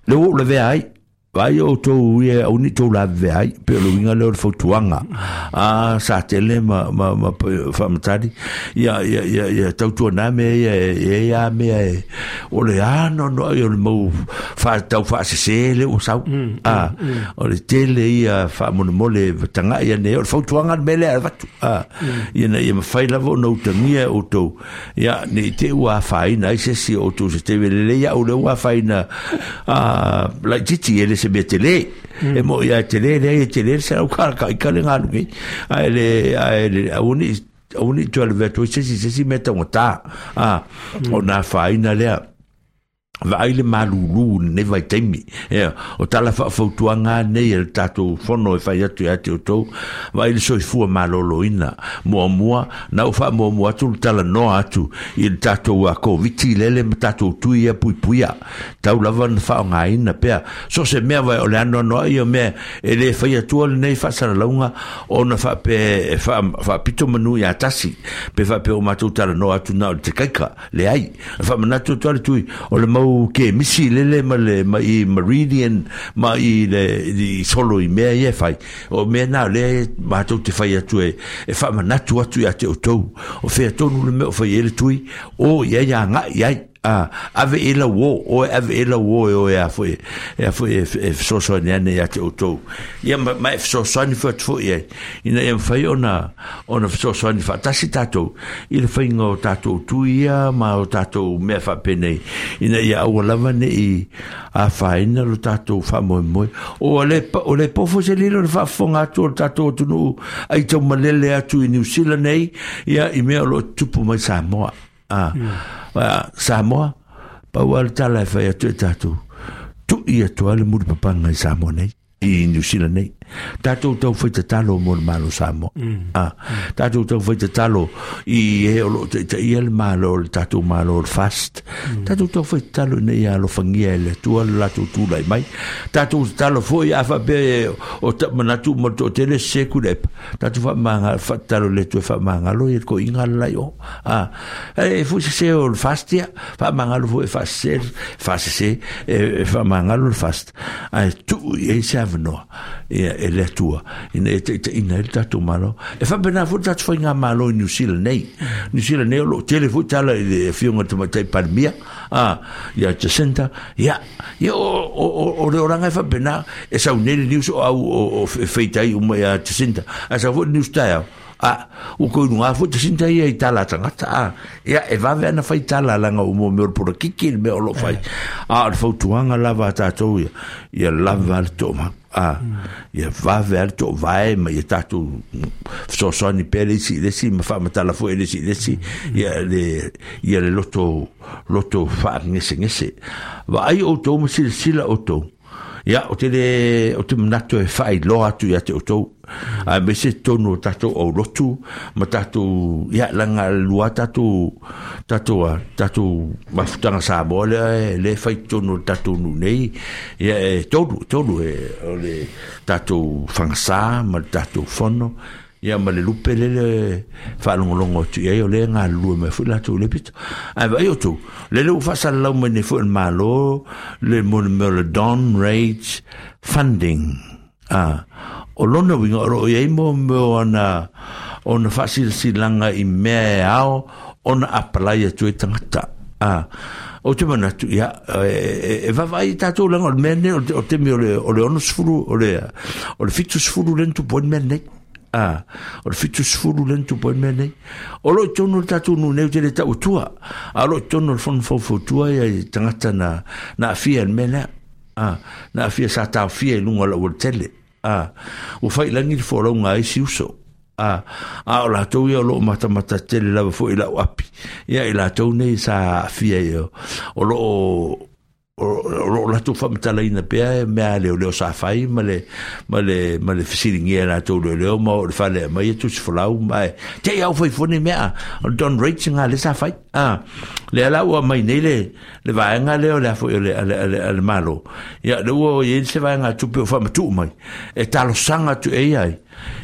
C: le o le vea ai vai o tau ia au ni tau la vea ai pe o le winga le o le fautuanga a sa tele ma ma ma whamatari ia ia ia ia tautua nā mea ia ia ia mea e o le ano no ai o le mau wha tau whaasese le o sau a o le tele ia whaamonemole tanga ia ne o le fautuanga le mele a watu a ia na ia mawhai lava o na utangia o tau ia ne i te ua whaina ai sesi o tau se te welele ia o le ua whaina a lai titi ele se mea tele e mo ia tele le ia tele se au ka ka ka le ngalu ke ai le ai le au ni au ni tu le vetu se se se mea tangata a o na whaina lea vaai le malulu nei vai taimi ia o tala faafautuaga nei e le tatou fono e fai atu ia te outou vaai le soifua malōlōina muamua na ou faamuamua atu le talanoa atu i le tatou koviti lele ma tatou tui ia puipuia tau lava na faaaogāina pea so se mea vai o le anoanoa ia mea e lē fai atua lenei faasalalauga ona faapea e faapito manu iā tasi pe faapea o matou talanoa atu na o le tekaika leai faamanatu atu a le tui o le mau ke misi lele ma le ma i meridian ma i le i solo i mea ia fai o mea na le matou te fai atu e e faamanatu atu ia te outou o fea tonu le mea o fai e le tui o ia ia agai ai a ave e lau o o ave e lau o e o e a foi e a foi e fesoasoani ane ia te outou ia ma e fesoasoani foi atu foi ai ina ia mafai ona ona fesoasoani faatasi tatou i le faiga o tatou tui ia ma o tatou mea faapenei ina ia aua lava nei afaina lo tatou faamoemoe o le o le pofo se lilo le faafofoga atu o le tatou atunuu ai taumalele atu i New Zealand nei ia i mea o loo tupu mai Samoa. Ah, mm. Samoa, pau a le tala e fai atu e tātou. Tu ia tua le muri papanga i Samoa nei, i New Zealand nei. Tātou tau whai tatalo mo le malo Samoa. Mm. Ah, mm. Tātou tau whai tatalo i e o lo te ia le malo, le tātou malo le fast. Mm. Tātou tau whai tatalo nei a alofangia e le tua le latou tūlai mai. Tātou tatalo foi a whapea o ta manatu mo to tele seku lepa. Tātou wha whatalo le tua whamangalo i ko inga lai o. Ah, e fui se o le fast ia, whamangalo foi e whasese, whasese, e whamangalo le fast. Ai tu i e se avanoa. Ia e le atua ina e te ina e tatou malo e faapena foi tatou faiga malo i New Zealand nei New Zealand nei o loo tele foi tala i le afioga tamaitai Palemia a ia Jacinda ia ia o o o le oraga e faapena e sau nei le news o au o feitai uma ia Jacinda a sau foi news taeao a o koinunga foi Jacinda ia i tala tagata a ia e vave ana fai tala laga o mo mea o le polokiki le mea o loo fai a o le fautuaga lava a tatou ia ia lava le toomau a ia vave a le toovae ma ia tatou fesoasoani pea le isi i le isi ma faamatala foi e le isi i le isi ia le ia le loto loto faagesegese vaai outou ma silasila outou ia o te le o te manatu e faailoa atu ia te outou a me se tonu o tatou aulotu ma tatou ia laga lua tatou tatou tatou mafutaga Samoa lea e lē fai tonu o le tatou nuu nei ia e tolu tolu e o le tatou fagasā ma le tatou fono ia ma le lupe lele faalogologo atu i ai o lea galulue mai foi latou i le pito ae vaai outou lele ua faasalalau mai nei foi le Mālō le mo le mea o le Don Rage Funding a o lona uiga o loo iai mo mea ona ona faasilasilaga i mea e ao ona apalai atu ai tagata a o te manatu ia e vavaai tatou laga o le mea nei o temi o le o le ono sefulu o le o le fitu sefulu le na tupu ai le mea nei a o le fitu sefulu le na tupu ai le mea nei o loo i tonu le tatou nuu nei o te le tauatua a o loo i tonu le fono faufautua ia i tagata na na afia le mea lea a na afia sa taofia i luga o lau tele a ua failagi le folauga ai si uso a a o latou ia o loo matamata tele lava foi i lau api ia i latou nei sa afia ia o loo o latou faamatalaina pea e mea leoleo sa fai ma le ma le ma le fesiligia latou leoleo ma o le fale mai e tusi folau ma e te i au faifoni mea o Don Rates nga le sa fai a le ala ua mai nei le le vaega lea o le afo o le ale ale ale malo ia le ua i se vaega tupe o faamatuu mai e talosaga atu e ai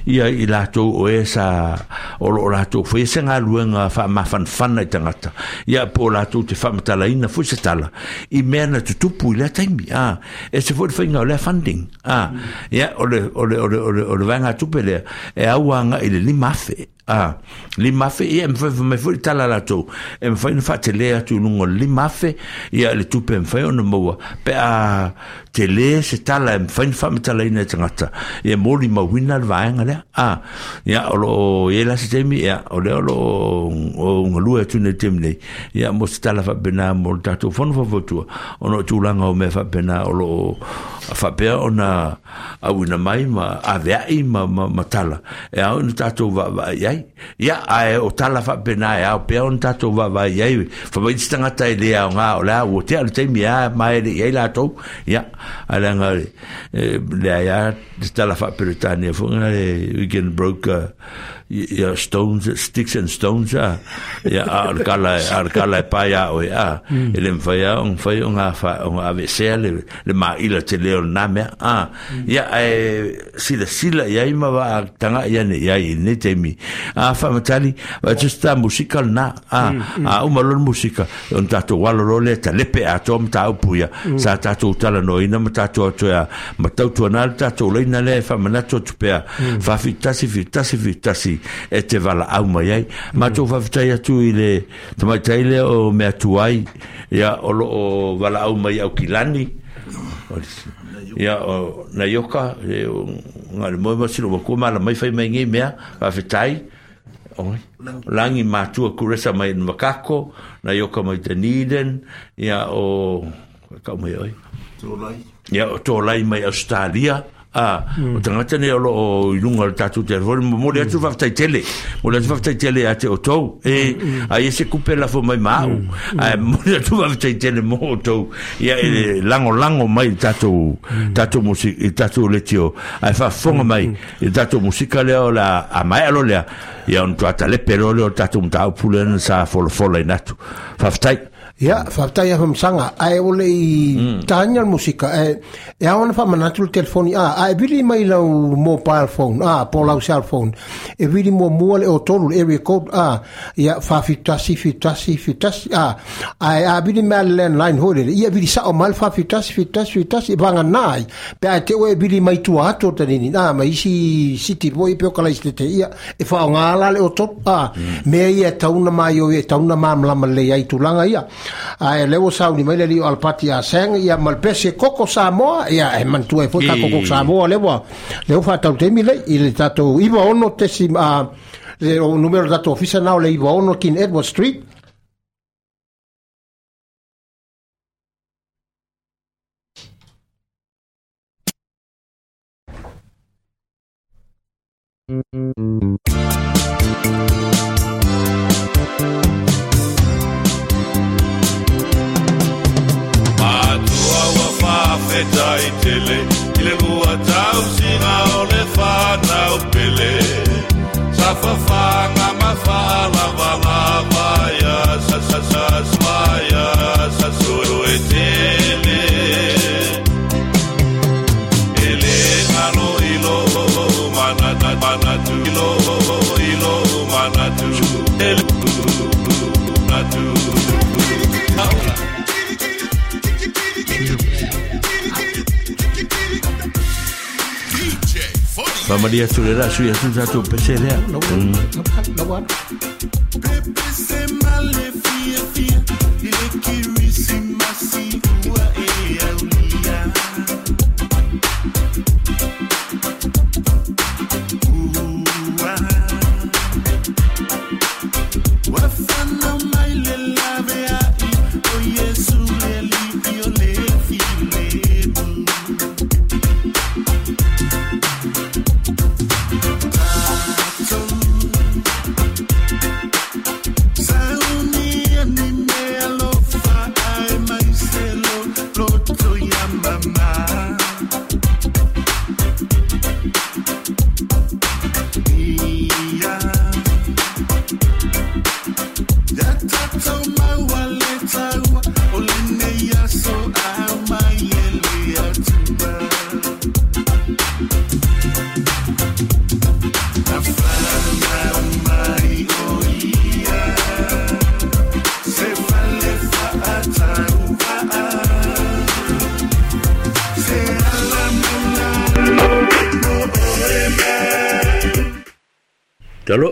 C: ia i latou o e sa o lo latou foi se galuega faamafanafana i tagata ia po latou te faamatalaina foi se tala i mea na tutupu i lea taimi a e se foi le faiga o lea funding a ia o le o le o le o le o le vaega tupe lea e auaga i le lima afe a lima afe ia e mafai mai foi le tala latou e mafai ona faatelē atu i luga o le lima afe ia le tupe e mafai ona maua pe a telē se tala e mafai ona faamatalaina e tagata ia molimauina le vaega lea a ia o loo i ai la se taimi ia o lea o loo o galue atu nei taimi nei ia mo se tala faapena mo le tatou fono faufautua ona o tulaga o mea faapena o loo faapea ona auina mai ma aveai ma, ma, ma tala e ao ina tatou vaavaai ai ia ae o tala faapena e ao pea ona tatou vaavaai ai famai se tagata e lē aogā o le a ua tea le taimi a ma e le'i ai latou ia ae leaga leai a le tala faaperetania foi le we can broke uh, ia stones, sticks and stones a ia a le kala a le kala e pai a oe a e le mafai a ona fai ona fa ona avesea le le maila tele o lena mea a ia ae silasila i ai ma vaataga ia nei ai i lenei taimi a faamatali vaatusi musika lena a a uma loa le musika ona tatou alo loa lea talepe atoa mataupu ia sa tatou talanoaina ma tatou atoea ma tautuana le tatou laina lea e faamanatu atu pea faafitasi fitasi fitasi e te valaau mai ai matou faafetai atu i le tamaitai lea o mea tuai ia o loo valaau mai Aukilani ia o Naioka nga le moe masilo makua mala mai fai mai ngei mea faafetai oi langi matua kuresa mai Makako Naioka mai Dunedin ia o kau mai oi
E: Tolai
C: ia o Tolai mai Australia a o tagata nei o loo i luga o le tatou telefoni momoli atu faafetai tele momoli atu faafetai tele ia te outou e ai e se kupe lafo mai ma au ae momoli atu faafetai tele mo outou ia e lagolago mai i tatou tatou musika i tatou letio ae faafofoga mai i tatou musika lea o le a maea lo lea ia ona tuatalepe loa lea o le tatou mataupu lea na sa folafola ina atu faafetai.
B: Ia, faafetai a famasaga ae o le i taina le musika e e ao ona faamanatu le telefoni a ae vili mai lau mobile phone a po lau cell phone e vili muamua le otolu le area code a ia faafitasi fitasi fitasi a ae a vili mai le landline hoi lele ia vili sao mai le faafitasi fitasi fitasi e vaganā ai pe ae te oe e vili mai tua atu o tanini a ma isi city foi pe o kalaisitete ia e faaaogā la le otolu a mea ia e tauna mai o e tauna malamalama lelei ai tulaga ia ae lea ua sauni mai le alii o Alapati a Sang ia ma le pese koko Samoa ia e manatua ai foi tatou koko Samoa lea ua lea ua faatau taimi lei i le tatou iva ono tesi a le o numero tatou ofisa na o le iva ono King Edward Street.
D: Faafetai tele i le lua tausiga o le fanau pele sa fafaga ma faalavalava ia sa sa sa sa ia sa sue tele e le galo i lo manatu manatu i lo i lo manatu e natu.
C: Faamalia atu le la sui atu tatou pese lea.
D: Sound
C: Talo.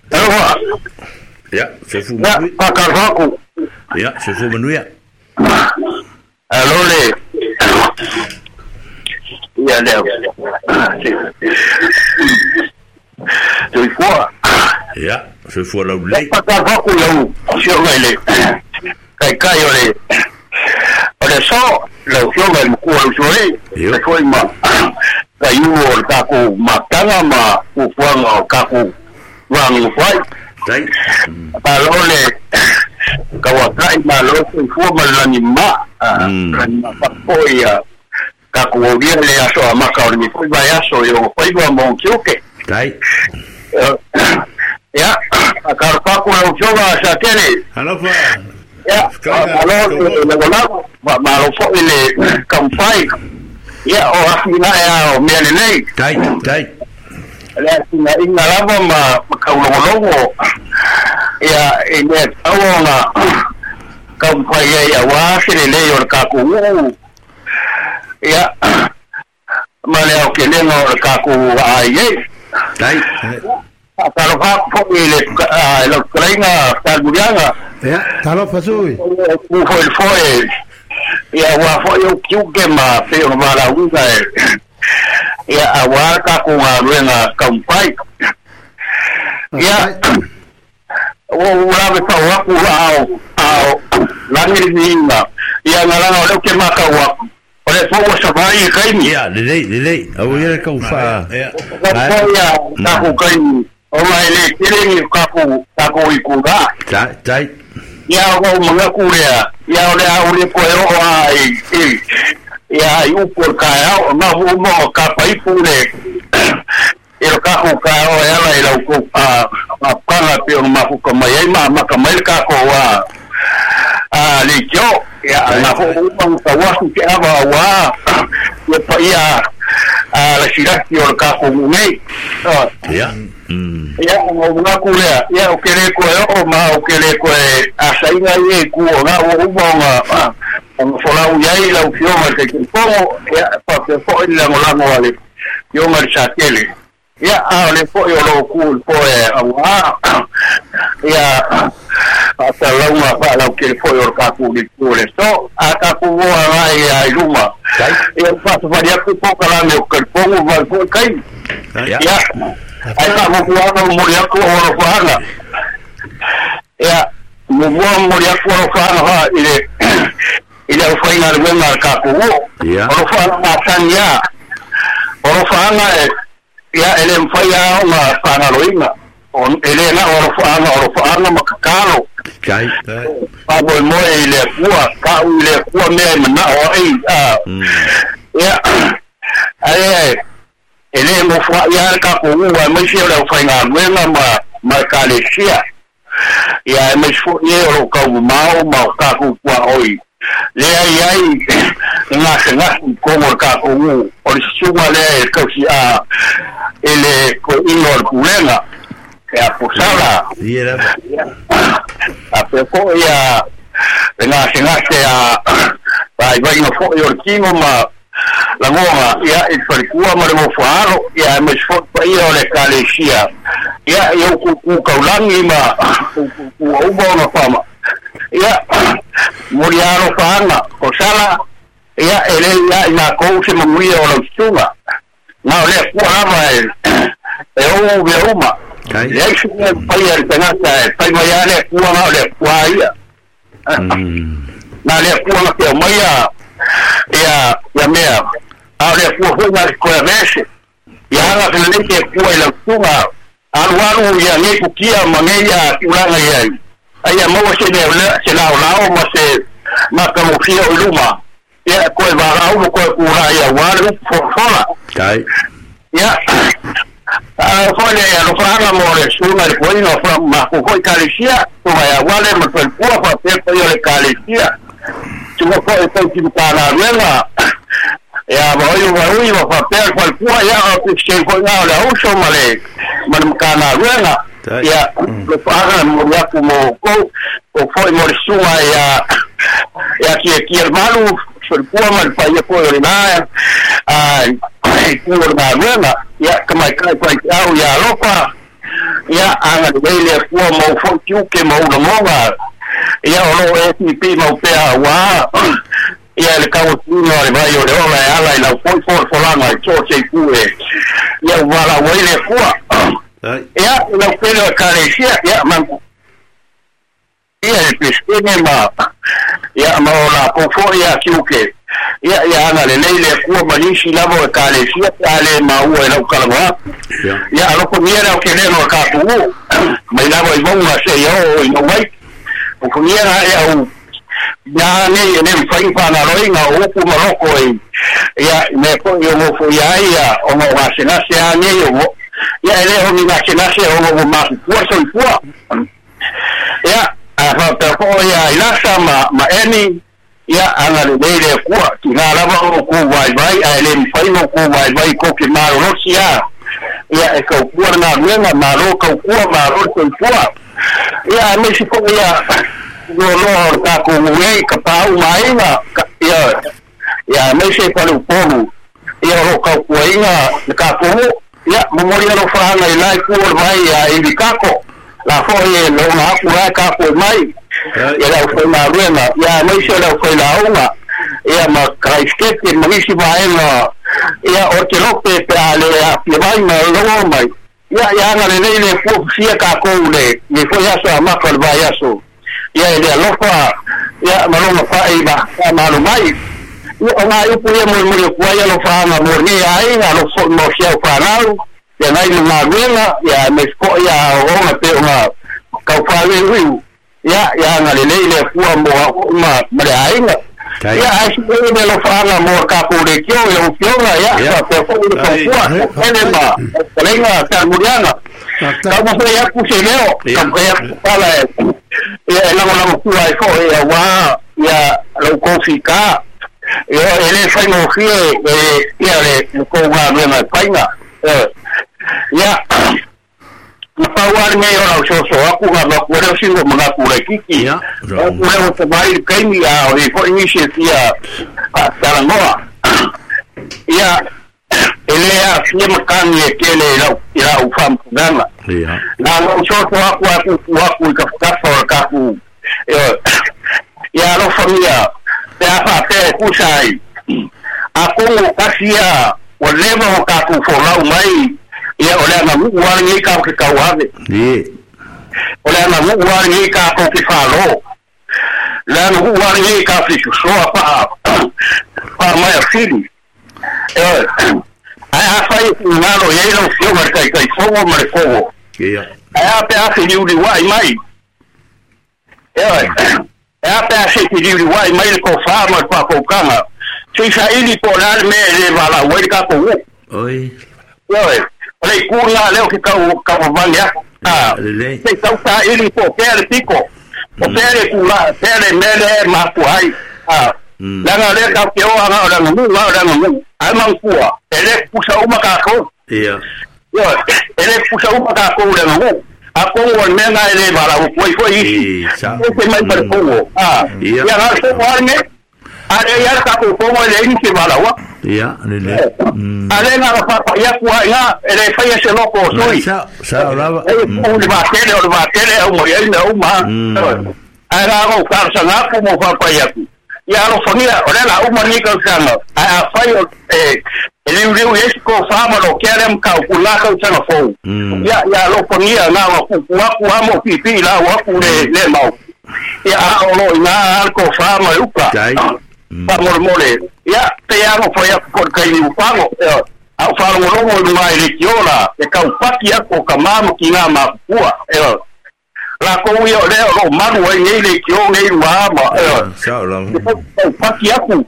E: Talo.
C: Ya, sofu
E: Ya,
C: manuia.
E: Pakarvaku.
C: Ya, sofu manuia.
E: Alo le. Ya le. Soifua.
C: Ya, soifua lau lei.
E: Pakarvaku lau. Sioga le. Kai kai ole. Ole so, lau sioga le mkua lau sore.
C: Yo.
E: Foi ma. Kai u o kaku makanga ma ufuanga o kaku wangu fai.
C: Tai.
E: Alo le. Kawakai ma lo soifua ma lani ma.
C: Mm.
E: Lani ma papoi a. Kaku oria le aso a maka o le foi vai aso i o foi va mo kioke.
C: Tai.
E: Ya, a karpaku lau sioga sa tele.
D: Alofa.
E: Ya, alo le gola ma ma lo foi le kampai. Ya, o afina ya o mea lelei.
C: Tai, tai.
E: Le afina inga lava ma ma kaulongolongo. Ya, e le tauonga kampai ai a wa se lelei o le kaku uu. Ya, ma le au ke lenga o le kaku ai e.
C: Tai.
E: Talofa foi le le kainga talmurianga.
B: Ia, talofa sui.
E: Ku foi foi. Ia wa foi o kiuke ma pe o mala uga e. Ia a wa ka ku nga ruenga kampai. Ia o ula be pa wa ku ao ao langi ni inga. Ia ngala o le ke maka wa. O le fo sa vai kai ni.
C: Ya, lelei, lelei. Au ia kau fa.
D: Ya.
E: Ka ko ia ka ku kai ni. O mai le kere ni ka ku ka ku i ku ga.
C: Tai, tai.
E: Ia o mga kurea, ia o le au le koe o a i, i, ia i upu o kai au, nga hu mo ka paipu le, i lo kaku kai o e ala i lau kou, a, a kanga pe o mafuka mai ai, ma maka mai le kako a, a le kio, ia nga hu uma ka wasu ke awa wa, ia pa ia, a le siraki o le kako ngei.
C: Ya. Mm.
E: Ia o mga kurea, ia o kere koe o ma o kere koe a sainga i e ku o ngā o uma o ngā o ngā folau iai lau fionga te kiripongo, ia pa te fo'i le langolango a le fionga le satele. Ia a o le fo'i o lo ku le poe a ngā, ia a ta launga wha lau kere fo'i o le kaku le ku le so, a kaku moa ngā ia i luma.
C: Tai.
E: Ia whasawari aku pokalame o kiripongo vai fo'i kai.
C: Ya.
E: Ia. Ai ka mo kuanga mo ri aku o ro whanga. Ia mo mua mo ri aku o ro whanga ha i le i le whainga le wenga ka ku o.
C: Ia.
E: O ro whanga ngā tania. O ro whanga e ia ele mwhai ao ngā whanga roinga. O ele ngā o ro whanga o ro whanga makakalo.
C: Tai.
D: Tai.
E: Pa moe moe i le kua, ka u i le kua mea i mana o ai.
C: Mm.
E: Ia ai ai ele mo fwa ia ka ku ua mai se o le whainga wenga ma ma kalesia. Ia mai fo ie o ka mau ma ka ku kua oi. Le ai ai nga se nga ko mo ka ku o le suga le ka si a ele ko ino kulenga. E a posala.
C: Ia lava.
E: A pe ko ia nga se nga se a vai vai no fo o kino ma langonga ia i farikua ma le mofuaro ia me sfo pa ia o le kalesia ia ia ku ku kaulangi ma ku ku uba ona fama ia moriaro fanga o sala ia ele ia ina kou se mamuia o lau tunga na o le kua lava e e o ve uma
C: Tai.
E: ia isi e pai e tangata e pai mai a le kua na o le kua ia
C: Mm.
E: na le kua na te mai a ia ia mea a le kua foi na koe vese ia hanga ke le ke kua i lau tunga alu alu ia nei kukia ma nei ia tulaga ia ai ia maua se le se lao lao ma se ma ka mofia o luma ia koe varau mo koe kura ia wale fofola
C: Tai.
E: ia a foi le ia lo mo le suna le koe no fa ma ku foi kalesia tunga ia wale ma koe kua fa pe koe le kalesia tunga foi tau ki mutana ruenga ia ma oi wa oi wa fa pe koe kua ia o ku se koe ngā le auso ma le ma le mutana ruenga
D: Tai.
E: ia le paga mo ia ku mo ko o foi mo le suna ia ia ki ki el malu sul kua ma le pa ia koe le na a ku o le ruenga ia ka mai kai koe au ia alofa Ia anga le le kua mau fo tiuke mau longa. Ia o lo e ti pi mau pea wa. Ia le kau tino le vai o le ola e ala i lau foi fo folanga i tō te kue. Ia wala wai le kua. Ia lau pele o kalesia ia mangu. Ia le peskene ma. Ia ma o la kofo ia tiuke. Ia ia ana le leile kua manisi lavo e kalesia ale maua e lau kalangua. Ia aloko miera o ke leno ka tu. Mai lavo i vonga se ia o i mai. O kumiera e au ia nei e nem whai whana roinga o upu maroko e ia me ko i o mofo ia ia o ngā wasenase a nei o mo ia e leho ni wasenase o ngā mahu pua soi pua. Ia a whapea ia i lasa ma, ma eni ia anga le leile kua ki ngā lava o ku vai vai a e le mwhai mo ku vai vai ko ke marorosi a ia e kau pua ngā ruenga maro kau kua maro soi pua. Ia me si ko ia no no ka ko ngue ka pau mai na ia ia me se pa lu polu ia ro ka kuinga ka ko ia memori ro fa na ilai ku mai ia i kako la fo e lo na ku ra ka ko mai ia la fo na ruena ia me se la fo la unga ia ma kraiskete ma si vai na ia o te lo pe pe ale a pe vai ma lo mai ia ia na le le fu sia ka ko le ni fo ia so ma ko vai so ia le alofa ia malonga fa i ba ma mai ia o ngai pu ia mo mo ku ia lo fa na mo ni ai na lo fo mo sia fa na ia nai na ruena ia me ko ia o na pe o na ka fa le ru ia ia na le le fu mo ma ma le ai na ia ai si le lo fa na mo ka ko le kio ia o kio na ia ka ko ko ko ele ma lenga ta muriana ka mo ia ku se leo ka ia pala ia la la ku ai ko ia wa ia lo ko fika ia ele fai mo fie ia le ko wa me na paina ia na pa wa me ora so so aku ga ma ku re singo ma ku le kiki
C: ia
E: ku re o te mai kai mi a o ko ni se tia a tarangoa ia ele a fie makani e kele lau ila u fam gana
C: ia
E: na no so so aku aku aku ka ka fa ka ku ia lo familia te afa te kusai aku kasia o leva o ka ku fo lau mai ia o le na mu wa ni ka ke ka wa
C: ni
E: o le na mu wa ni ka ko ke fa lo le na mu wa ni ka fi so pa pa mai fili eh ai a fai na lo ye lo fio mar kai kai fo mar ko
C: ia
E: ai a pe a fi ni wa mai eh ai a pe a fi ni wa mai ko fa mar pa ko kanga si sa ili po la me le va la wa ka ko
C: oi
E: oi le ku na le ke ka ka va ya ah
C: le
E: se ka sa ili po pe le pico o pe le ku la pe le me le ma ku ai ah la na le ka ke o ana la nu la la nu ai man kua ele pusa uma ka ko
C: ia
E: yo ele pusa uma ka ko le nu a ko o me na ele va la ko foi
C: i sa
E: o ke mai par ko ah
C: ia
E: ya na so wa me are ya ka ko ko le ni ke va la wa
C: ia le le
E: ale na fa ya ku ya ele fa ya se loko soi
C: sa sa lava
E: o le va tele o le va tele o mo ya na o ma ara o ka sa na ko mo fa pa ya ku ia alo fangia o le la uma ni ka sanga a a fai o e ele uriu esi ko fa ma lo kere m ka ku la ka sanga fo ia ia alo fangia na wa ku ku ku amo pi pi la wa ku le le mau ia a o lo ina al ko fa ma uka pa mo mole ia te amo fo ia ko kai ni upango a fa lo lo mo mai le kiola e ka upaki ko ka mamo ki nga ma kua e la ko ia le o maru ai nei le kio nei ma ma
C: sa la
E: o paki aku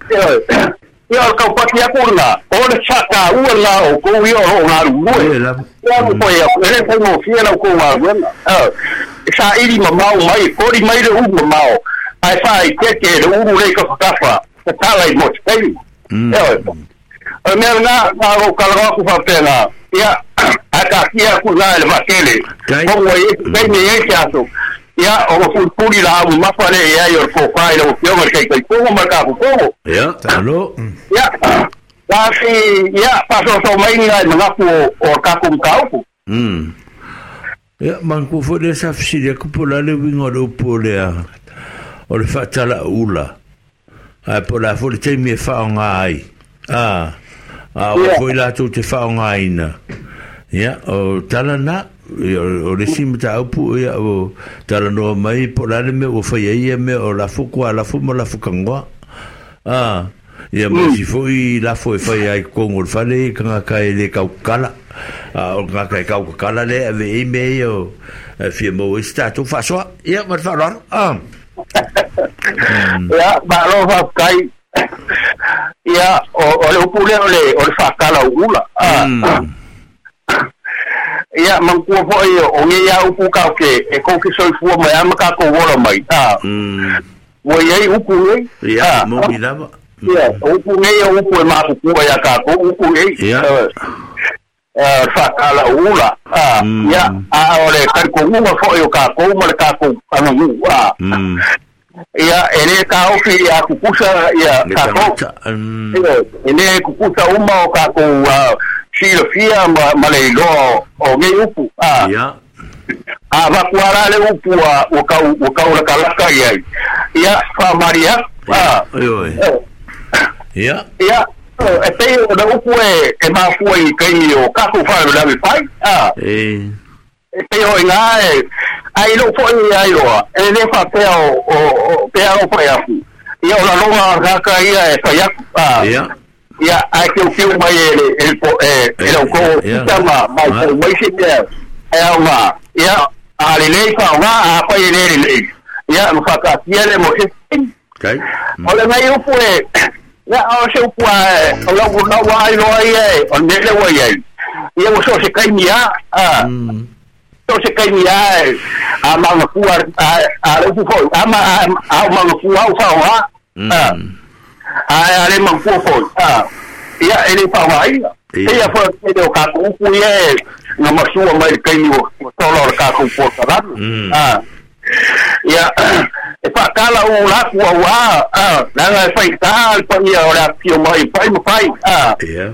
E: ia o ka paki aku na o le chaka u la o ko ia o nga ru
C: e la
E: ia ko ia ele ko mo fie la ko wa e sa iri ma mau mai ko ri mai le u ma mau ai fa i ke ke le uru le ka ka fa ka tala i mo te e o me na na o ka la ku fa pena ia a ka kia ku na le makele ko mo e pe ni e ke aso ia o fu puri la u ma fa le ia o ko fa ile o fio ma ke ko ma ka ko
C: ia alo
E: ia la si ia paso so mai ni ma ku o ka ku ka ku
C: mm Ia man ku foi le sa fesili aku po la le uiga o le upu o le o le faatalaula ae po o le a foi le taimi e faaaoga ai a a o foi latou te faaaogaina ia o tala na o le isi mataupu ia o talanoa mai po o le a le mea ua faia ia mea o lafo kualafo ma lafo kagoa a ia ma isi foi lafo e faia ai totonu o le fale tagata e le taukakala a o le tagata e taukakala lea e ave ai mea ia o fia maua ai se tatou faasoa ia ma le faaaloalo a
E: ia malo faafetai ia o o le upu lea o le o le faatalaula a ia manatua foi o nei upu tatou e kou te soifua mai a ma tatou ola mai a ua iai upu nei
C: ia moni lava
E: ia o upu nei o upu e mafukua ia tatou upu nei
C: ia
E: faatalaula a ia a o le talitonuga foi o tatou ma le tatou aganuu a ia e lē taofi ia tutusa ia tatou e lē tutusa uma o tatou silafia ma ma le iloa o nei upu a
C: ia
E: a avatu a la le upu ua ua kau ua kaulakalaka iai ia faamalia a
C: ioe ia
E: ia e pei o le upu e e mafua i taimi o tatou faalavelave fai a
C: e
E: e pei o iga e ai lou foi ai loa e lē faapea o o pea o fai aku ia o laloga kaka ia e fai aku a
C: ia
E: ia ae kiukiu mai e le e e e lau kou puta ma mai foi mai se mea e aoga ia a lelei faaaoga a fai e lē lelei ia ma faataatia le mo se
C: kai
E: o lenei upu e ia o se upu a o lau lau ai loa ia e o le mea lea ua iai ia ua so o se taimi a a so o se taimi a e a magafua a a le upu foi a ma a o magafua au faaaoga a a a le magafua foi a ia e le faaaogaina ia foi e le o tatou upu ia e na masua mai le taimi ua tola o le tatou polokalame a ia e faatala ula aku auā a leaga e faitā le paia o le afifio mai fai ma fai a
C: ia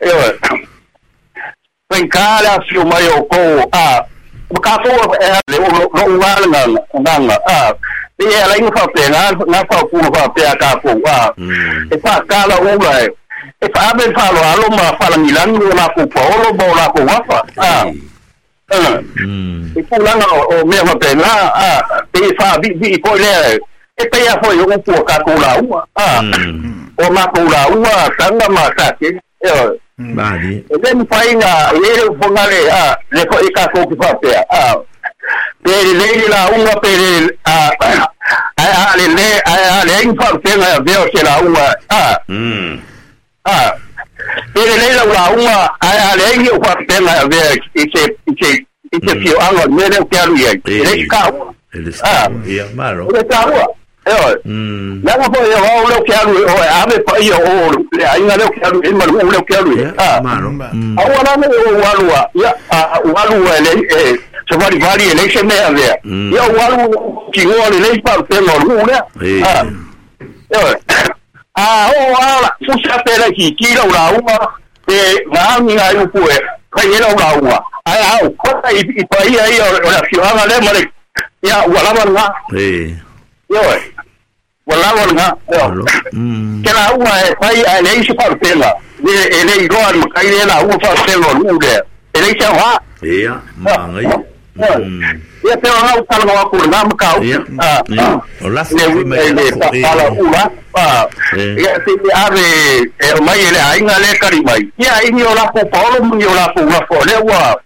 E: ioe faigā le afifio mai o outou a ma tatou e le lou a le gagaga a pei e ala ai ona faapena na faaupuga faapea a tatou a e faatala ula e e faaave le faaaloalo ma faalagilagi o latou paolo ma o latou afa a e tulaga o mea faapena a pei e faaviivii foi lea e pei a foi o upu o tatou lauga a o matou lauga taga ma satele ioe
C: mali
E: e lē mafai na e le ufogale a le foi tatou te faapea a pe lelei le lauga pe le a ae a lelē ae a leai ni faalupega e avea o se lauga a a pe lelei lau lauga ae a leai ni ou faalupega e avea i se i se i se fioaga o le mea lea ou te alu i ai e le taua a
C: ia malo
E: o le taua ioe leaga foi o au lea ou te alu o e ave paia o le aiga lea ou te alu i ai ma le nuu lea ou te alu i ai a
C: malo
E: aua la ne ou alu a ia a ou alu e le e savalivali e leai se mea avea ia ou alu tigoa lelei faalupega o le nuu lea a ioe a oo a fusi a pe laititi lau lauga pe gaagi nai upu e fai ai lau lauga ae a ou kota i i paia ia o le afioaga lea ma le ia ua lava lena
C: e
E: ioe ua lava lena ioe ke lauga e fai ae leai se faalupega e le iloa le matai lea lauga faalupega o le nuu lea e leai se aoga
C: ia magaia
E: ia pe ona ou talanoa atu lena mataupu
C: ia o lafo
E: le
C: mai
E: le faatalaula a ia se i ave e aumai e le aiga lea e kali mai ia ai ni o latou paolo ma ni o latou lafo lea ua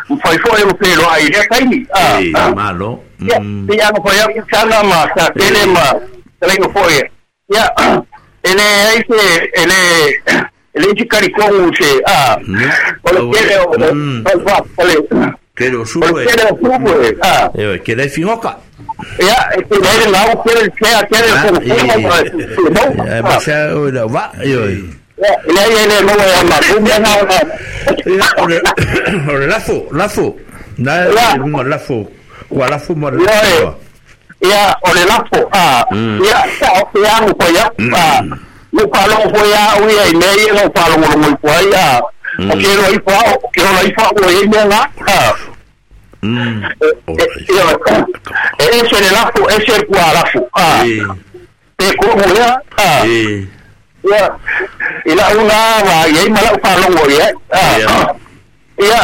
E: mafai foi ona feloai i lea taimi a
C: e malo
E: ia pei ana fai atu saga ma satele ma talaiga foi ia e leai se e le e leai se talitonu se a o le tele o o le
C: Tele o
E: o
C: subu
E: le
C: e
E: tele o subu e a
C: e ke le fingoka
E: ia e te le lau tele le tele le fofoga
C: e ma sa o la va io
E: ia e leai e le maua ia matou mea na
C: ia o le o le lafo lafo na
E: ia
C: le lafo kua lafo ma le
E: ia ia o le lafo a ia sa o te agu fai aku a mo faalogo foi a au ia i mea ia na ou faalogologo ifo ai a o ke loa ifo ao ke ola ifo au e ai mea ga a E ese le lafo ese le kualafu ah e ko mo ya ah ya ila una va ye mala pa longo ye ah ya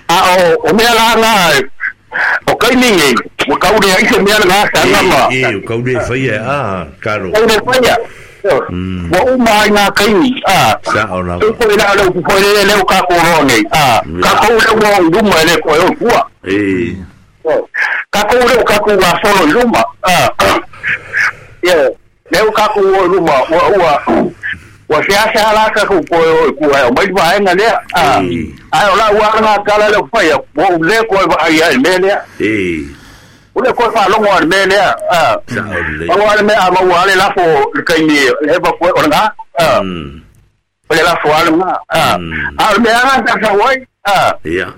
E: a o o mea la nga o kai ni ngi o kau le ai se mea nga sa nga ma
C: e o kau le fai a karo
E: kau le fai wa uma nga kai ni a
C: sa o la
E: ko le la ko le le ka ko ro nei a ka ko le wo luma le ko o kua
C: e
E: ka ko le ka ko wa solo luma a ye le ka ko luma wa wa wa se ase ala ka ko ko ko ai mai va nga le a ai ola wa nga kala le fa ya wo le ko va ai ai me le
C: e
E: o le ko fa longo al me le a o wa me a wa le la fo le kai ni le ba ko o nga a o le la fo al nga a a me a ta sa wai a
C: ya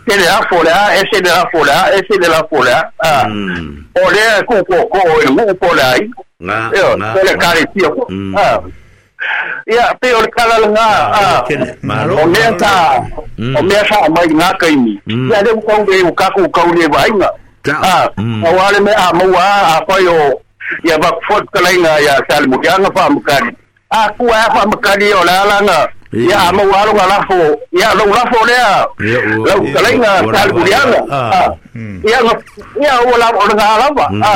E: ke le la fo la ese de la fo la ese de la fo la a o le ko ko ko o ko la ai
C: nga
E: nga le kare ti a ia pe o kala nga a o mea ta o mea sa mai nga kai ni ia le ko le o ka ko ka le vai nga a o ale me a mo a a o ia va fot kala nga ia sal mo ya nga fa mo kali a ku a fa mo kali o la la nga ia mo a lo la fo ia lo la fo le a lo kala nga sal mo ya nga ia nga ia o la o nga la va a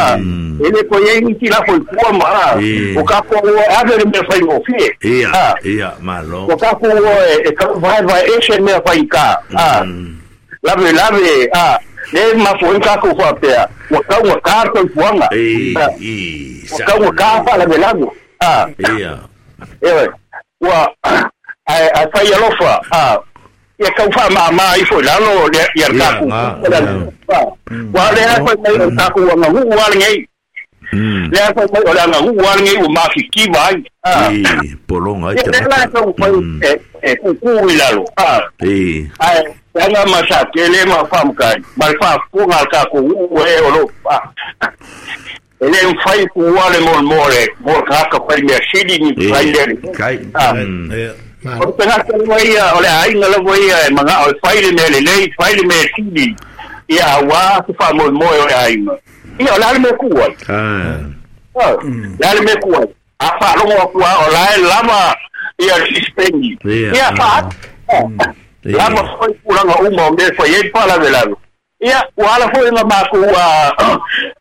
E: ele ko ye ni ti la fo ko ma o ka ko a ver me fai o fie
C: ia ia malo
E: o ka ko e ka vai vai e se me fai ka a la ve la ve a le ma fo ka ko fa pe o ka o ka ko fuanga
C: e e
E: o ka o ka fa la ve la a
C: ia
E: e wa a a fai alofa a ia kau fa ma ma ifo lalo le ia ka ku wa le a fai mai ka ku wa ngu wa le ngai le a fai mai o la ngu wa le ngai o ma fi ki vai
C: a e polonga
E: ai te la ka ku e e ku ku i lalo a
C: e
E: ai nga ma sa ke le ma fa mka ma fa ku nga ka ku e o lo ele um fai ku wa le mol more mol ka ka fai me sidi ni fai le
C: kai
E: o te ngā ia, o le ainga lavo ia, e manga, o le whaile me le lei, whaile me sidi, ia wā te wha moe moe o le ainga. Ia, o le ale me kuai. Le ale me kuai. A wha longo akua, o la e lama, ia le sispengi. Ia, wha, lama whai kuranga uma o me whai e wha lawe lawe. Ia, ua ala fo inga māku,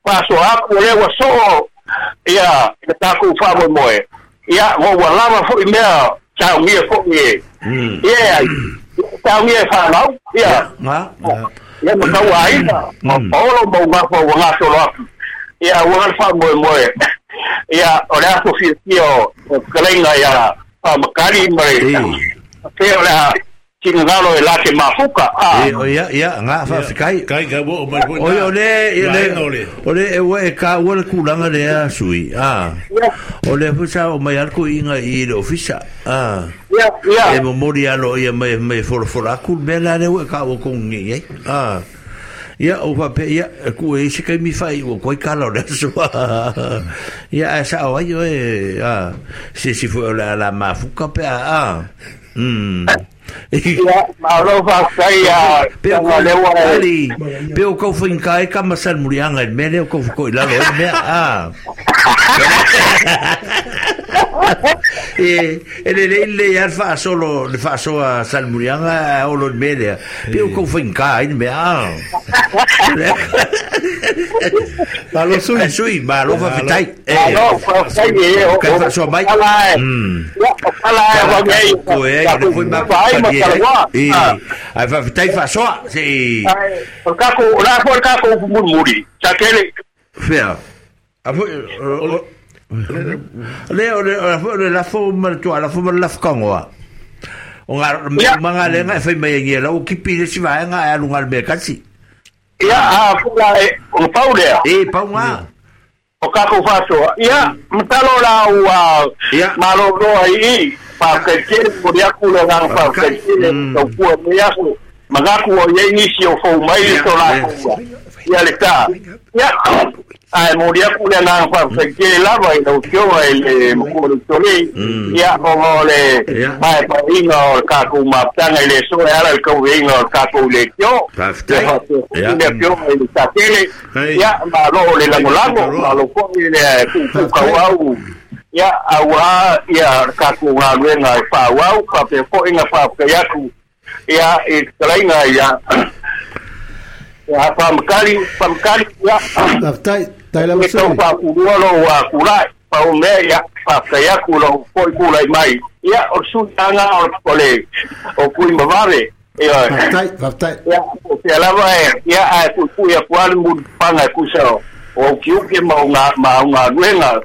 E: wha so aku, o le ua so, ia, le tāku wha moe moe. Ia, ua lama fo i mea, tau ngia fo ngie. Ia, tau ngia whanau, ia. Ia, ma kau aina, ma paolo mau ngā wha ngā solo aku. Ia, ua ngā wha moe moe. Ia, o le aso whitia o kaleinga ia, wha makari mare. Te o le a tingalo e lake mafuka.
C: E, ia, ia, ngā wha whikai.
D: Kai, kai, wo, mai
C: o o le, le, o le, e ua e ka ua le kulanga lea sui, a. O le fusa o mai alko inga i le ofisa, a.
E: Ia, ia.
C: E momori alo ia mai, mai forofola aku, mea la le ua ka ua kongi, eh, a. Ia, o pape, ia, ku e isi kai mi whai, ua koi kala o le asoa. Ia, a sa o ai o e, a, se si fue o la, la mafuka pe, a, a. Mm.
E: Ia, malo whai a
C: Peo ali, peo kau whinka e ka masal murianga e mele o kau whakoi lalo e mea, a. E, e le le le ia wha solo, le wha soa sal murianga a olo e mele, peo kau whinka e mea, a.
D: Malo sui.
C: Sui, malo whawhitai.
E: Malo whawhitai e, o
C: Kai wha soa mai.
E: Pala e, pala e,
C: Ko e, le foi ma e, ai whawhitai wha soa, se.
E: O kako, o la fo kako murmuri. Sa kele.
C: Fea. A fo le o le o le la fo ma tu ala fo ma la fkangoa. O nga manga le nga fai mai ngi la o kipi le siva nga alu nga me kasi.
E: Ia a fula e o paulea.
C: E paunga.
E: O kako fasoa. Ia matalo la ua malo roa i pa ke kere mo ya ku le nga pa ke kere o ku me ya ku magaku o ye nisi o fo mai to la ku. Ia le ta. Ia Ae moli aku le agaga faafetai tele lava i lau Afioga i le matua o le Usolei, ia ona o le paepaeina o le tatou mafutaga i le aso e ala i le tauveina o le tatou leitio. Ia faapea foi le Afioga i le Satele, ia malo o le lagolago, malo foi le tuutuukauau, ia auā ia le tatou galuega e faaauau, faapea foi na faafetai atu ia i le fetalaiga ia ia faamakali faamakali ia
B: faafetai tai lava
E: e tau faapulua lou tulai pau mea ia faafetai atu lou foi tulai mai ia o le suitaga o le o Tuimavave ia
B: faafetai faafetai
E: ia o pea lava e ia ae puipui atu lava le mulipapaga e tusa o ukiuki ma o ma o galuega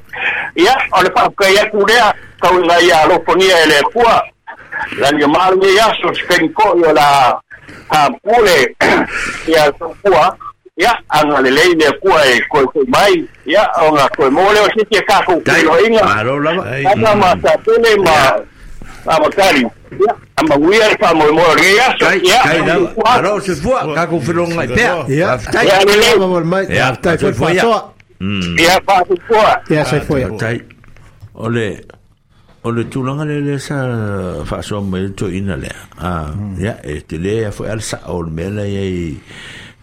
E: ia o le faafetai atu lea tauiga ia alofagia e le Atua lagi o malu nei aso se taimi foi o la apule ia soifua ia agalelei le Atua e koekoi mai ia ona toe maua lea o se isi e tatou feiloaiga
C: Malo lava.
E: aga ma Satele ma Amakali ia amanuia le faamoemoe o lenei aso
C: Tai,
E: ia
C: tai lava.
E: soifua atu.
C: Malo soifua, tatou felogai pea.
B: Ia.
C: Faafetai.
E: Ia lelei
B: Lava mai.
C: Ia,
B: Faafetai foi
C: soifua ia.
B: faasoa.
E: ia faasoifua
B: Ia soifua ia.
C: Tai. O le o le tulaga le le sa faasoa mai le toeaina lea. Ah, ia e tele ia foi a le sao o le mea la i ai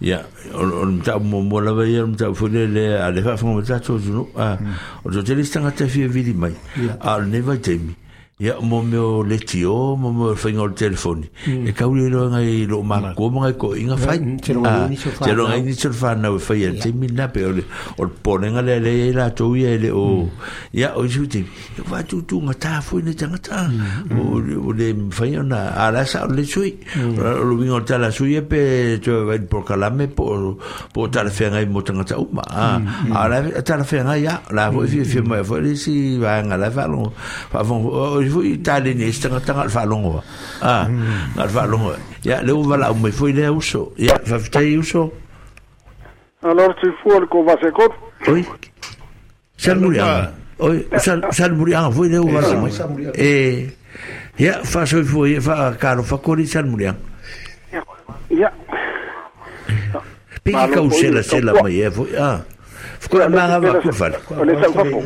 C: ia o o le mataupu muamua lava ia o le mataupu foi le le a le faafofoga mai tatou atunuu. Ah, o le toatele isi tagata e fia vili mai. A o lenei vaitaimi ia mo mea o leitio mo mea o le faiga o le telefoni e tau le iloa ngai loo matua ma ngai toeaiga fai.
B: Mm, te loga
C: Ah,
B: i nisi o
C: te loga i
B: whanau.
C: nisi o le whanau e fai a le taimi lena pe o le o le popolega lea lea i ai latou ia e le o ia o isi taimi ia faatutugata foi nei tagata o o le mafai ona a la sa o le sui o le uiga o le tala sui e pe toe vai le polokalame po o po o talafeagai mo tagata uma a a la talafeagai ia la foi fiafia mai foi le isi vaega la e faalogo faafofoga o foi taleni e isi tagata na o le faalogo a na o le faalogo ia le ua valaau mai foi lea uso ia faafetai uso.
F: Alors, soifua le kovase koro.
C: Oi Salmuriaga. Oi, sal Salmuriaga foi lea ua valaau mai. E ia faasoifua ia faakalofa koli Salmuriaga.
F: Ia,
C: Pe ki
F: malo
C: kau
F: foi le
C: sela sela
F: taupua.
C: mai e foi a. Fukura
F: Ia, le
C: manga
F: pela
C: va ku fale.
F: o le saufafo.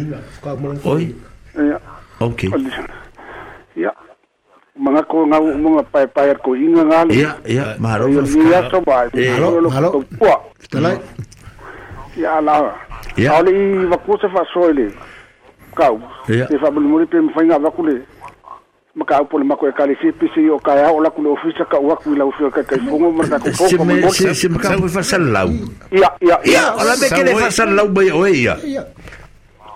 C: Oi,
F: Ia,
C: okay.
F: o le ia. Mga ko ngau mga pae pae ko inga ngale.
C: Ia, ia, malo
F: Ia
C: faafetai.
F: ni aso ba.
C: Eh.
B: Malo,
F: Lo
B: malo.
F: taupua.
B: Fetalai.
F: Ia la.
C: Ia.
F: Aole i vaku se faasoa i le kau.
C: Ia.
F: Te faamolimoli pe mafai ona avaku le makaupu le mako ekalesia pese i o kaeao o laku le ofisa ka'u aku i lau afioga taitaifogo ma le tatou
C: Se
F: pou
C: me
F: faamolemole.
C: se se makapu faasalalau.
F: Ia ia
C: Ia,
F: ia
C: o la me ke le faasalalau mai oe ia.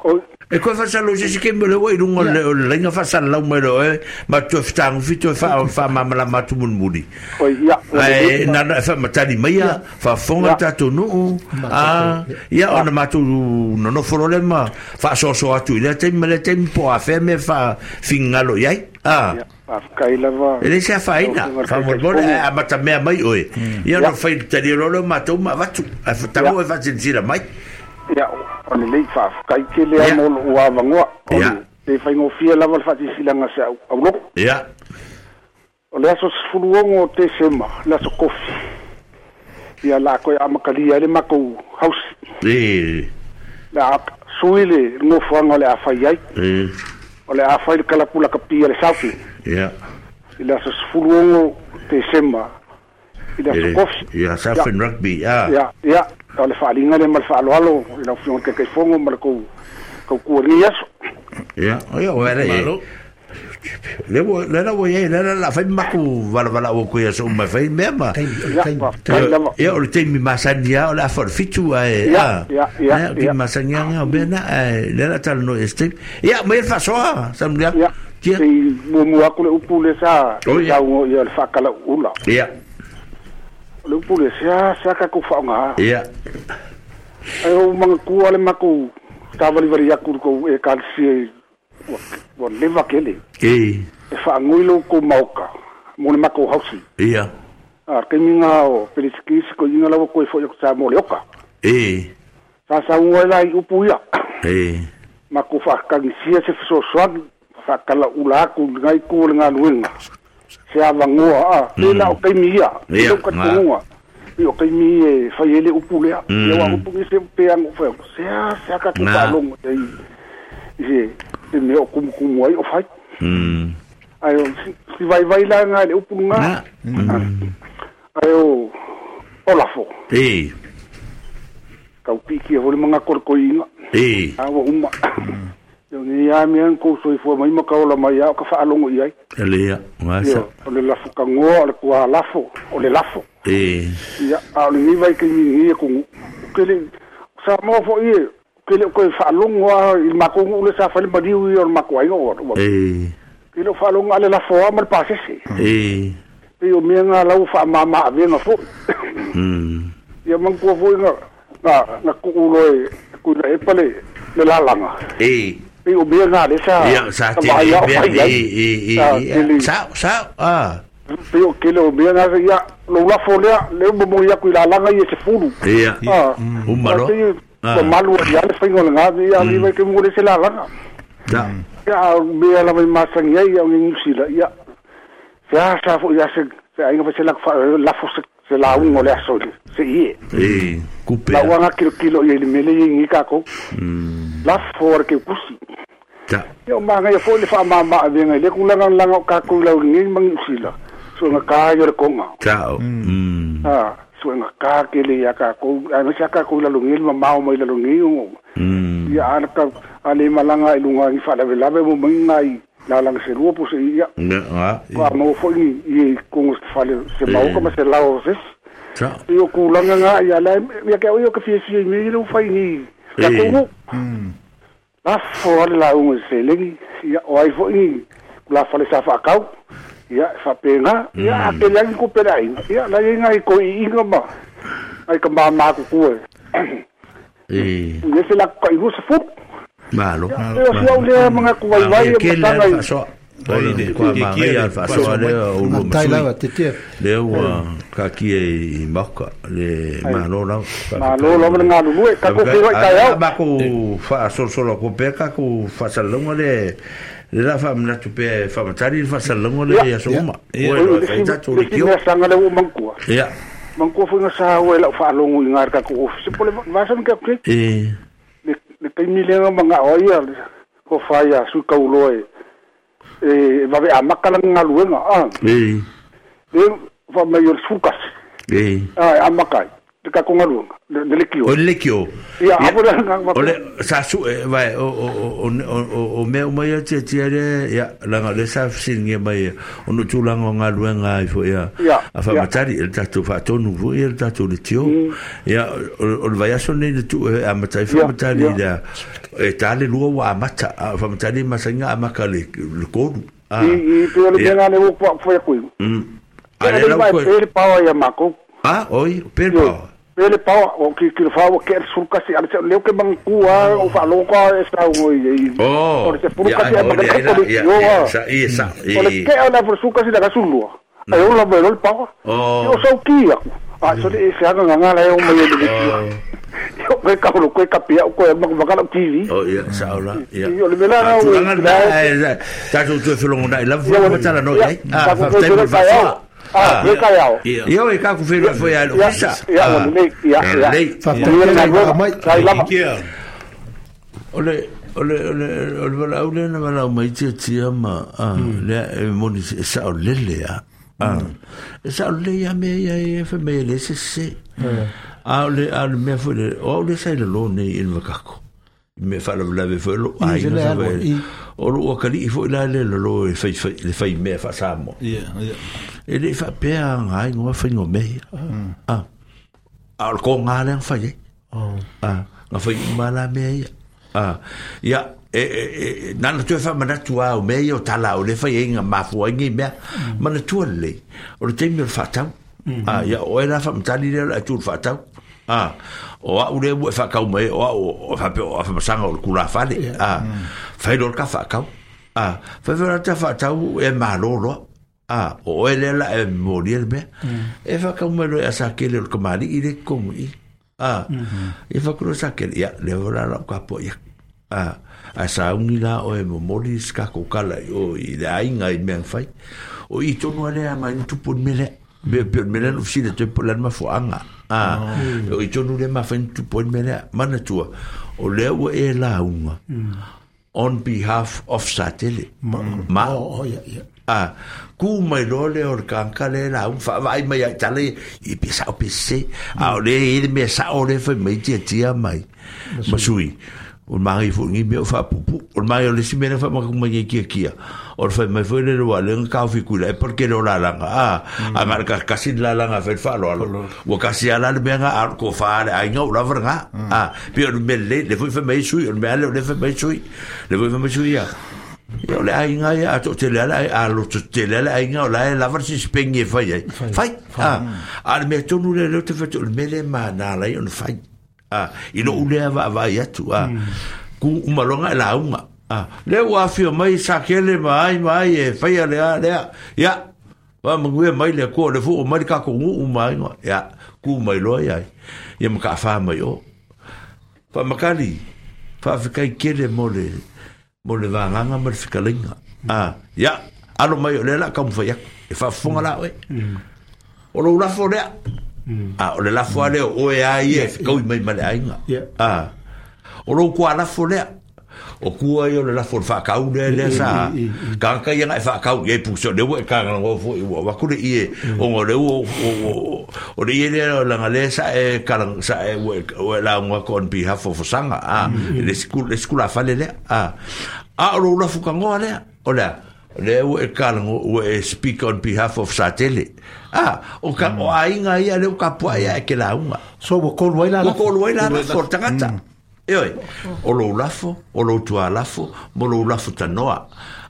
F: O
C: E koe faasalalau se se ke me le ua i lunga o le o le laina faasalalau mai le oe ma toe fetagofi toe faa faamamalama atu mulimuli.
F: o ia ua
C: Ae
F: lelei
C: na na faamatali mai ia faafofoga le tatou nuu a ia ona matou nonofo loa lea ma faasoasoa atu i lea taimi ma lea taimi po o afea mea faafigagalo i ai a
F: ia faafetai lava
C: e le se
F: lau
C: afaina
F: afioga i le
C: faamolemole
F: taitaifogo.
C: ae amatamea mai oe ia ona fai talia loa lea o matou ma avatu ae
F: Ia
C: tago e faasilasila mai
F: ia o lelei faafetai tele a
C: ia
F: mo lo'u avanoa o
C: ia
F: le le faigofie lava le faasilasila se au auloko.
C: ia
F: O le aso sefulu ono o Tesema, le aso kofi. Ia la koe amakalia ai le makou hausi.
C: e
F: Le a sui le nofoaga o le a fai ai.
C: e
F: O le a fai le kalapula kapia le Southland.
C: ia
F: I le aso sefulu ono Tesema, i le aso
C: e
F: kofi.
C: ia
F: Ia,
C: Southland Rugby a
F: ia, ia, o le faaaliga lea ma le faaaloalo i lau afioga i le taitaifogo ma le kou kaukua i lenei aso.
C: ia ia o ele e
D: Malo.
C: Le ua le la ua iai le la la fai maku valavala'u aku ia so uma fai mea ma
B: Taimi, o le
F: Ia,
B: taimi.
F: faafetai lava.
C: ia o le taimi masani a o le afa o le fitu ae
F: Ia,
C: a
F: ia, ia,
C: ia o taimi
F: ia,
C: masani a o mea na ae le la talanoa i se taimi ia mai le faasoa Samuliaga
F: ia.
C: tia
F: Sei muamua aku le upu le sa
C: o ia
F: saugo ia le faakalau'ula.
C: ia
F: O le upu le sea sea tatou faaaogā.
C: ia
F: Ae ou magatua le makou tavalivali aku i le kou ekalesia i ua ua leva kele.
C: e
F: E faagoi lou kou maoka mo le makou hausi.
C: ia
F: A le taimiga o Pelesikisi koiga lava koe fo'i aku sa mo le oka.
C: e
F: Sa sauga ai la i upu ia.
C: e
F: Makou faakagisia se fesoasoani faakalau'ula aku i legai ku o le galuega. Se avagoa a le la o taimi ia. I
C: ia
F: lou
C: ga
F: talitonuga. I o kaimi e fai ele upu lea. Ia wa upu ni se pe ango fai. Se a se aka ku palongo i i se me o kumu kumu ai o fai.
C: Mm.
F: Ai o si vai vai la nga le upu nga. Ai o o lafo.
C: E.
F: Kau piki holi manga korkoinga.
C: E.
F: A wa uma. Yo ni a mi an ko soi fo mai makaola mai a ka faalongo i ai.
C: Ele masa.
F: O le lafo kangoa o le kua lafo, o le lafo.
C: E.
F: Ia a le ni vai ke ni ni ko ke le sa mo fo i ke le ko faalongo a i makongu le sa fa le madiu i o mako ai o.
C: E.
F: Ke le faalongo ale lafo a ma le pasese.
C: E.
F: E o mi nga lau fa mama a venga fo.
C: Mm.
F: Ia manku fo nga na na ku ulo e ku le pale le lalanga.
C: E.
F: E o mea ngā le sa...
C: Ia, sa te le mea, e, e, e, sa, sa, a.
F: Pe o kele o mea ngā, ia, lo lafo lea, le o momo ia kui lalanga ia se fulu.
C: Ia, umaro.
F: Ua malu a ia le whainga le ngā, ia, le wai ke mungo le se lalanga.
C: Ia.
F: Ia, mea la mai masangi ai, ia, o ngi Nusila, ia. Se a sa fo, ia, se, se ainga fa se lafo se, se laungo le aso, se ie.
C: E, kupe.
F: La uanga kilo kilo ia i le mele ia ngi kako. Lafo ar ke kusi.
C: Ta.
F: Ia o manga ia fo le wha mama a venga le kulanga langa o kako lau ngi mangi usila. So nga ka yo le konga.
C: Tao. Mm.
F: Ah, so nga ka ke le ia kako, a me sa kako lau ngi mamao mai lau ngi o.
C: Mm.
F: Ia ana ka ale malanga i lunga i wha lave lave mo mangi i la langa se rua po se ia.
C: Nga.
F: Wa mo fo i i kongo se fale se mauka ma se lao se.
C: Ta.
F: Ia kulanga nga ia la ia ke o ia ka fia fia mi le fai ni. Ia kongo.
G: Mm.
F: La fo la unga se lengi ia o ai fo i la fale sa fa kau ia fa penga ia a ke lengi ko pera ia la inga i ko inga ma ai ka ma ma ku ku
C: e
F: e se la ko i se fu
C: malo
F: e o se o le manga ku vai vai
C: e ma so o le kwa ma ia fa so le o lo
B: tai lava te te
C: le o ka ki e maka le malo la
F: malo la nga lu ka ko fi kai au
C: ba ko fa so so lo ko pe ka ko fa sa longo le le la fa mna tu pe fa matari fa sa longo le ya so ma o le fa ta to le kio
F: sanga le o mankua
C: ya
F: mankua fo nga sa o la fa longo ngar ka ko se pole va sa ka ke
C: e
F: le le kai mi le nga o ia ko fa ya su ka ulo e e va a makala ngaluenga ah
C: e
F: e va mai o sukas
C: e
F: ah amakai te ka ko ngaluenga de le kio
C: o le kio
F: ia abora nga
C: o le sa su vai o o o o me o mai te te le ia la nga le sa singe mai o no tulanga ngaluenga i fo ia a fa matari el tatu fa tonu vo el tatu le tio ia o le vai so ne tu a matai fa matari la e tale lua wa mata a fa matari masinga amaka le le kodu
F: a i i pe le nga le o fo ya kui
C: a le la
F: ko pe pa ia mako
C: ah oi pe pa
F: Pele pau o ki ki fa o ke surka si ale le ke mangkua o fa loka e sa o i
C: oh
F: o se purka si ma ka ko
C: yo sa i sa i
F: o le ke ala for surka si da kasulua ai o la belo pau o sa ki ya a so le se nga nga la o mo le yo ke ka lo ke ka pia ko ma ma ka T V
C: oh ya sa ola ya
F: yo le mela
C: na na ta tu tu felo na la fo ta la no ai ah fa te
F: Ah, e kai
C: Io e ka ku felo foi a lo sa.
F: Ia, ia, ia.
B: Fa te
F: lava.
C: Ole ole ole ole wala ole na wala mai te tia ma a le moni sa o lele a. Sa o le ia me ia e fa me le se se. A le a le me fo le o le sa le lo nei in vakako. Me fa la la fo lo ai na o lo kali fo la le lo e fai fai le fai me fa sa mo.
G: Ia, ia.
C: E le fa pe a ngai ngo fa ngo me. Ah. A ko nga le fa ye. Ah, nga fa ma la me. Ah. Ya e e nana tu fa mana tu au me yo tala o le fa ye nga ma fu ngi me. Mana tu le. O le temi fa tau. Ah, ya o era fa mtali le tu fa tau. Ah, o a ule ua fa kau mai o a o fa pe o fa masanga o kula fale. Ah, fa lo ka fa kau. Ah, fa fa ta fa tau e malolo. Ah, o ele la e mori me. E fa kau mai lo asa ke le ko mali i le komu i. Ah, e fa ko sa ke ya le ora la ka po ya. Ah, a sa ungi la o e mori ska ko kala o i le ainga i me fai. O i tonu ale ma ntupu mele. Me pe me le no te po le mafuanga. Ah, o i tonu le mafai tu po me le manatua. O le ua e launga. On behalf of Satele. Ma.
B: Oh, oh, yeah, yeah.
C: Ah, ku mai lo le o kanka le la un fa vai mai ai tale i pisa o pc a o le i me sa o le fa mai tia tia mai masui o mai fu ni me fa pupu o mai o le si me fa ma ku mai kia kia o fa mai fu le wa le ka fi ku le porque lo la la ah a mar ka kasi la la fa fa lo lo o kasi ala le me nga ko fa le ai no la verga ah pe o me le le fu fa mai sui o me le le fa mai sui le fu fa mai sui ya. Ia le aiga ia a to te le a lo te le aiga o la la versi spengi fai ai fai ah a me tonu le le te fetu me le ma na la on fai ah i lo le va va ia tu ah ku malonga la unga ah le wa fi mai sa kele mai mai e fai le a le ia va mangue mai le ko le fu o mai ka ko u mai ia ku mai lo ia ia ma ka fa mai o fa makali fa kai kele mo le mo le vanganga ma le fikalinga. Ah, ia, alo mai o le la ka mfai e fa funga la oe. O lo lafo lea. Ah, o le lafo ale o e ai e kau mai ma le ainga. Ah. O lo kwa lafo lea. O kua i o le lafo fa kau le le sa. Ka ka ia ngai fa kau e puso le we ka ngo fo i wa ku le i o ngo le o o le i le la le sa e ka sa e we la ngo on behalf of sanga ah le school le school fa le ah a o la fu ka ngo le o le le we ka ngo we speak on behalf of Satele ah o ka o ainga ia le ka po ia ke la unga
B: so wo ko loi la
C: ko loi la for tangata. Eoi, o lo lafo, o lo tua lafo, mo lo lafo tanoa.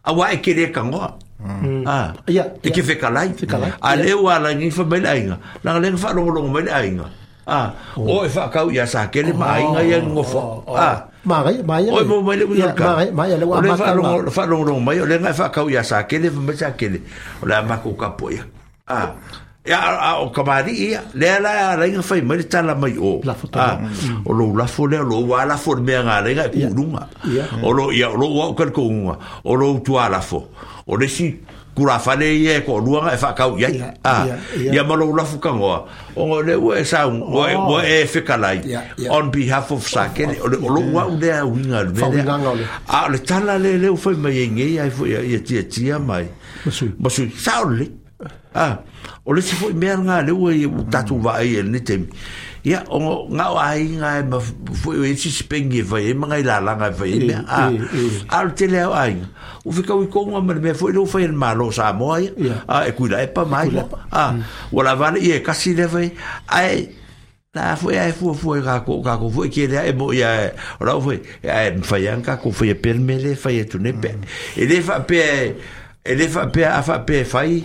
C: Awa e kere kangoa. Ah, e ke fekalai. A leo ala ngi fa mai ainga. La le fa longo longo mai ainga. Ah, o e fa kau ia sa kele ma ainga ia ngofo. Ah,
B: ma gai ma ia.
C: O mo mai le
B: ka. Ma mai le wa
C: ma ka longo fa longo longo mai o le ngai fa kau ia sa kele fa mai sa kele. O la ma ko ka po ia. Ah, ia a o kamari ia le la la inga fai mai tala mai o ah o lo lafo le lo wa lafo me nga le ga ku lunga o lo ia lo wa ka ko unga o lo tu ala fo o le si kura fale ia ko luanga e fa kau ia ah ia ma lo lafo ka ngoa o le we sa o o e fekalai on behalf of Sakele o lo wa u le winga le a le tala le le fai mai ngi ai fo ia tia tia mai masu sa le ah o le si foi mea ngā le ua i tatu vai e le temi. Ia, o ngā o ai ngā e ma foi o e si spengi e fai e mga i lalanga e fai e mea. Ah, a le tele au ai. U whika ui konga ma le mea foi le u fai e le malo Samoa ia. Ah, e kuila e pa mai. Ah, wala vale ia e kasi le fai. Ai, la foi ai fua fua i kako kako foi ke lea e mo ia o lau foi ai mwhai ang kako foi e permele fai e tunepe. E le fa pe e le fa pe a fa pe fai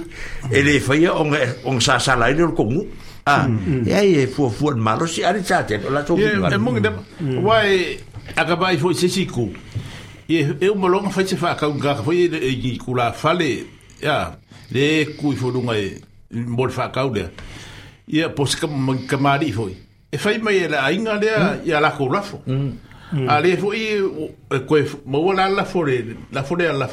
C: e le fai o o sa sa lai le kongu ah e ai e fu fu malo si ari chate la to
G: e mo ngde wai akaba i foi se siku e e o malonga fai se fa ka nga foi e i kula fale ya le ku i fo lunga e mo fa ka le ia pos ka kamari foi e fai mai la ainga le ia la ko lafo a le foi e ko mo la la fore la fore la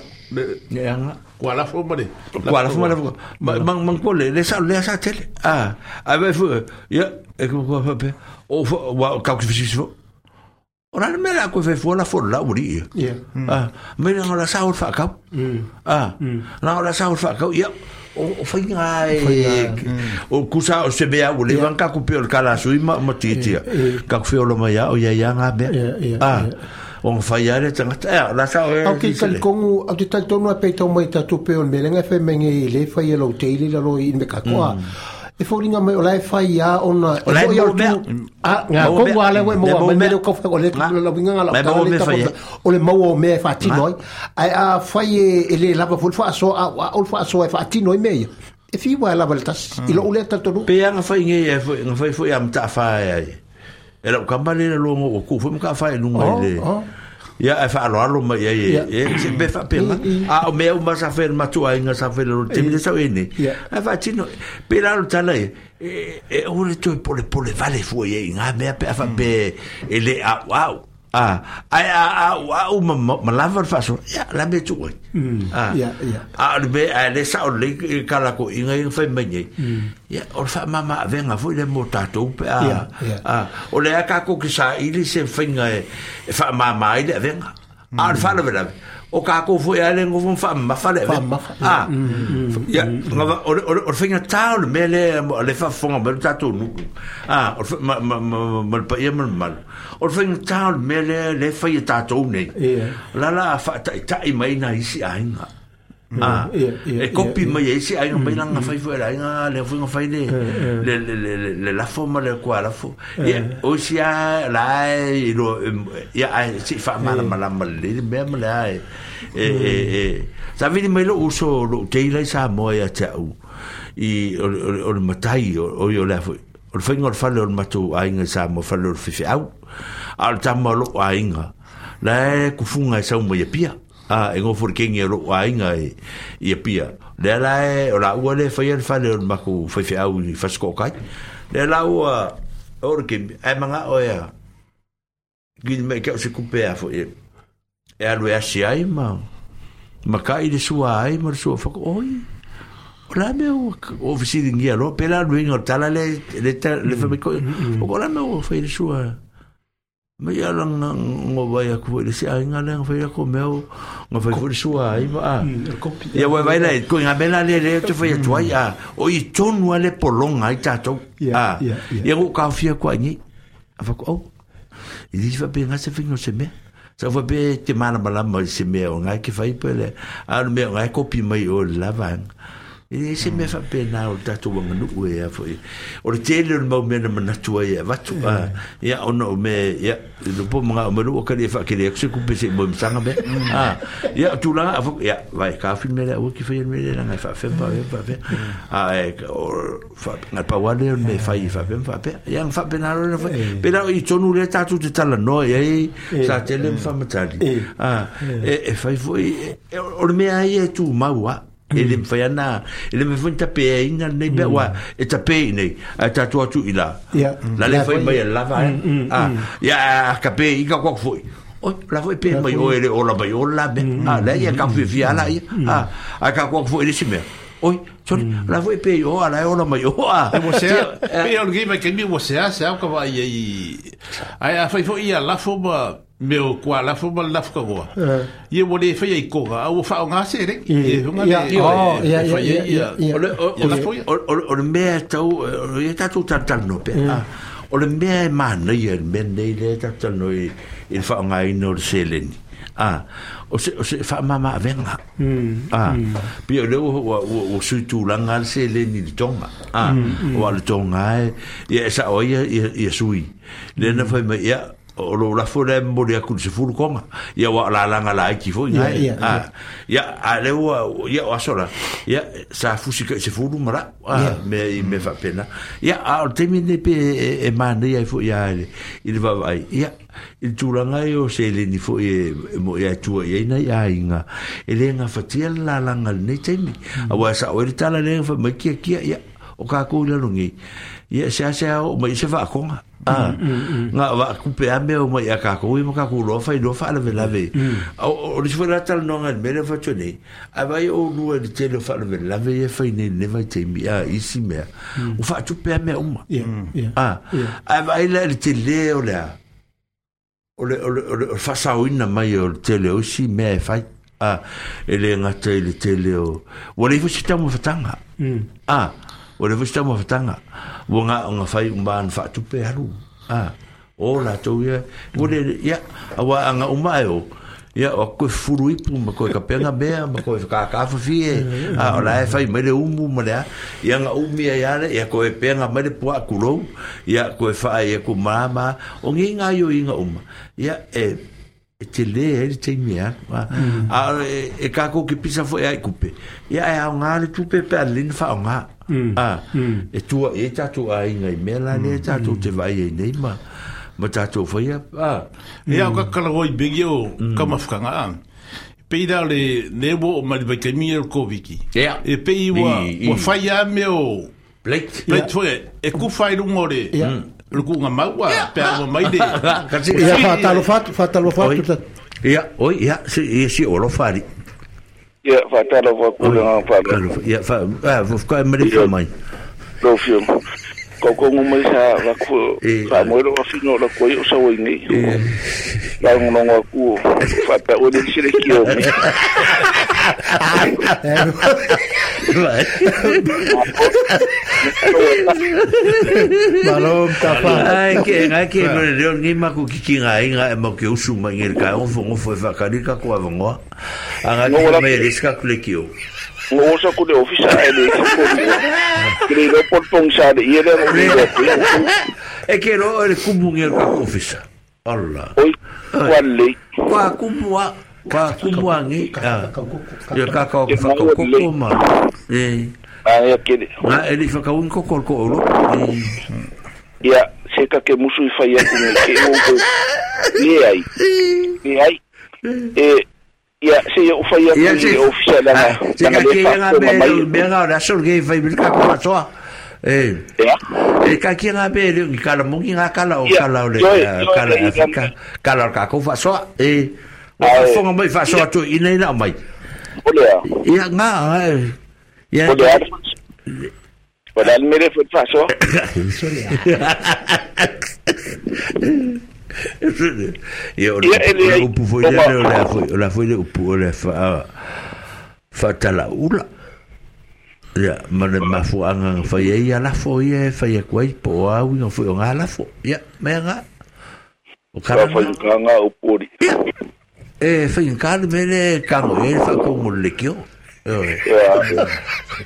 C: ya nga
G: kwa la fo mare
C: kwa la fo mare mang mang ko le le sa le sa tele ah a ve fu ya e ko ko pe o wa ka ko fi fo ora me la ko fe fo la fo la uri
B: ya
C: ah me la la sa fa ka ah la la sa fa ka ya o fai ngai o kusa o se bea o le van ka ku pe o kala sui ma ma titia ka ku fe o lo mai o ya ya nga be ah o fai ale tangata eh la sa
B: o ke kal kongu au te tonu a peita mai tatu pe o melenga fe menge le fai e lo teile la lo i me ka koa e foringa mai o la fai ia ona
C: e foi o
B: a nga kongu ale we mo mai me ko fa o le la winga la o le mau o me fa tinoi ai a fai e le lava fo fa so a o fa so e fa tinoi me e fi wa la voltas i lo le tatu
C: pe nga fai nge e foi nga fai foi am ta fa ai e lo kambale le longo o ku foi ka fa e lunga ile ia e fa alo alo mai ia e se be fa pe a o me o ma sa fe ma tu ai nga sa fe lo te me sa ene a fa tino pe la lo tala e e o le to pole pole vale fu e nga me pe fa pe ele a wow A ai a a a u ma ma lava le faasoa ia la mea tuu ai a a o le mea ae le sao lelei i kala ko inga inga fai mai nei ia o le faamama avega foi le mo tatou pe a a o le a kākou ke saili se faiga e e faamama ai le avega a o le faalavelave o kākou foi a le gofo faamamafa le avega a ia o le o le faigatā o le mea lea le faafofoga mai le tatou nuu a o le ma ma ma le paia ma le mamalu o le faigatā o le mea lea le fai e tatou nei la la faataitai mai nai isi aiga a e kopi mai e isi aiga mai langa fai foi le aiga le foi fai le le le le lafo ma le kua lafo ia o isi a la e lo ia ai si fa mala mala le mea ma le ai e e e sa vili mai lo uso lo teila i Samoa ia te au i o o le matai o o le foi o le fainga o le fale o le matou aiga i Samoa fale o le fifeau a o le tama o lou aiga la e kufunga e sau mai e pia a e ngofo le kengi o lou aiga e i Apia lea la e o la ua le faia le fale o le makou faifeau i Fasiko'okai lea la ua o le kemi ae maga'o ea kini mai ke o se kupe a fo'i e alu e asi ai ma ma ka'i le sua ai ma le sua fako oi o la mea ua o fesiligia loa pe la luiga o le tala le le le faamaiko'i o ko la mea ua fai le sua mai ala ngo vai aku foi le se aiga le nga fai ko meo nga fai foi le sua ai ma a ia wai vai lai ko nga mela le le te fai atu ai a o i tonu ale polonga ai tatou a ia go ka fia ko ni a fa ko i di fa pe nga se fingo se me sa fa pe te mana malama se me o nga ke fai pe le a me nga kopi mai o la vang e se me fa pena o tatou wanganu e a foi o le tele o le mau mea na manatu ai e avatu a ia ona o me ia lo po mga o me lua kali e whaakere aku se kupe se mo msanga me a ia tulaga a fo ia vai ka fi me le ua ki whai me le ngai whaafem whaafem whaafem a e o wha ngai pawale o me whai whaafem whaafem ia nga whaapena ro na whai pena o i tonu le tātou te tala noa ia e sa tele mwhamatali a e e whai foi o le mea ai e tū maua e le mwhai ana e le mwhai tape e ina nei mea wa e tape i nei a tātou atu i la la le whai mai e lava e ia a kape i ka koak foi oi la foi pe mai o e le ola mai o la me a la ia ka whiwhi ala ia a a ka koak foi le si mea oi sorry la foi pe o ala e ola mai o a
G: e sea pe o le mai kemi o sea sea ka vai i ai a fai foi ia lafo ma me o kua lafo ma lafo ka goa ia mo le fai ai koga au fa o ngase re e hunga le
B: ia ia ia
C: o le o le mea tau o ia tatou talanoa pe a o le mea e manaia le mea nei le talanoa i le faaaogaina o le seleni a o se o se faamama avega a pei o le ua ua sui tulaga le seleni i le tonga a o le tonga e ia e sa'o ai ia ia sui le na fai mai ia o lo lafo le mo le aku se fulu konga ia wa la langa la ki fo ia a ia a le ua ia o asola ia sa fusi ka se fulu mara a me me fa pena ia a o temi ne pe e mane ia fo ia i le vai ia i tulaga ai o seleni foi e mo ia tua ia ina ia inga e le nga fatia la langa nei temi a wa sa o le tala le fa mai kia kia ia o ka ko le longi ia se se o mai se fa konga a nga va kupe a mea o mai a kākou i ma kākou loa fai loa faalavelave o le sifo la talanoaga i le mea lea fatua nei a vai o lua i le tele o faalavelave ia fai nei le vaitaimi a isi mea o faatupe a mea uma a ae vaai la i le tele o le a o le o le o le faasaoina mai o le tele o isi mea e fai a e le gata i le tele o ua le ifo se taumafataga a o le foi taumafataga ua nga nga fai uma ana faatupe alu a o latou ia ua le ia aua anga uma e o ia o koe fulu ipu ma koe kapenga mea ma koe whakakāwhawhi e a o la e whai mai le umu ma le a ia nga umi ai ale ia koe penga mai le pua kulou ia koe whaai ia ku mama o ngi ngā io inga uma ia e e te le e le teimi a a e kākou ki pisa fo e ai kupe ia e au ngā le tupe pe a lina wha o ngā a e tua e tātou a inga i mea la le tātou te vai e nei ma ma tātou whaia a
G: e au ka kalagoi bengi o kamafukanga a pei la le newo o mali vai kaimi e Koviki e pei ua ua whai a mea o
C: plate
G: plate foi e ku whai runga o le le kuga mau a pe a mai le
B: ia faatalofa atu faatalofa atu
C: ia oi ia si ia si o lo fari
E: ia faatalofa ku le fa
C: ia fa ah vo ka me le mai
E: lo fio ko ko mai sa va ku fa mo ro fino lo ko yo sa wo ni la ngo ngo ku fa ta o le si le ki o mi
B: Malo tafa
C: ai ke ngai ke no le ni ma ku ki ngai ngai mo ke usu mai ngai ka o fo fo fa ka ni ka ko avongo anga ki me le ska ku le ki o
E: ngo sa ku le ofisa e le ko le lo por pong sa le ile mo le
C: e ke ro le kumu ngai ka ofisa Allah
E: oi kwale
C: kwa kumu a kwa kumu angi ya ka ka fa ko ko ma eh
E: ah ya ke
C: na ele fa ka un ko ko ko lo
E: ya se ka ke musu fa ya ku ke o ko ni ai ni ai eh ya se yo fa ya ku ofisa la
C: se ka ke nga me me nga la sol ke fa ka ko so eh e ka ke nga be le ka la mo nga ka la o ka la le ka la Afrika ka la ka ko fa so eh o fonga mai fa so atu ina ina mai
E: olea
C: ia nga ia
E: olea olea mere fa so
C: ia o upu foi le la foi la foi le upu le fa fa tala ula ia ma le mafuanga fa ia la fo ia fa ia kwai po au ia foi nga la fo ia me nga o
E: kara foi nga o pori
C: e foi un cal mele kango e fa ko mo le kio eh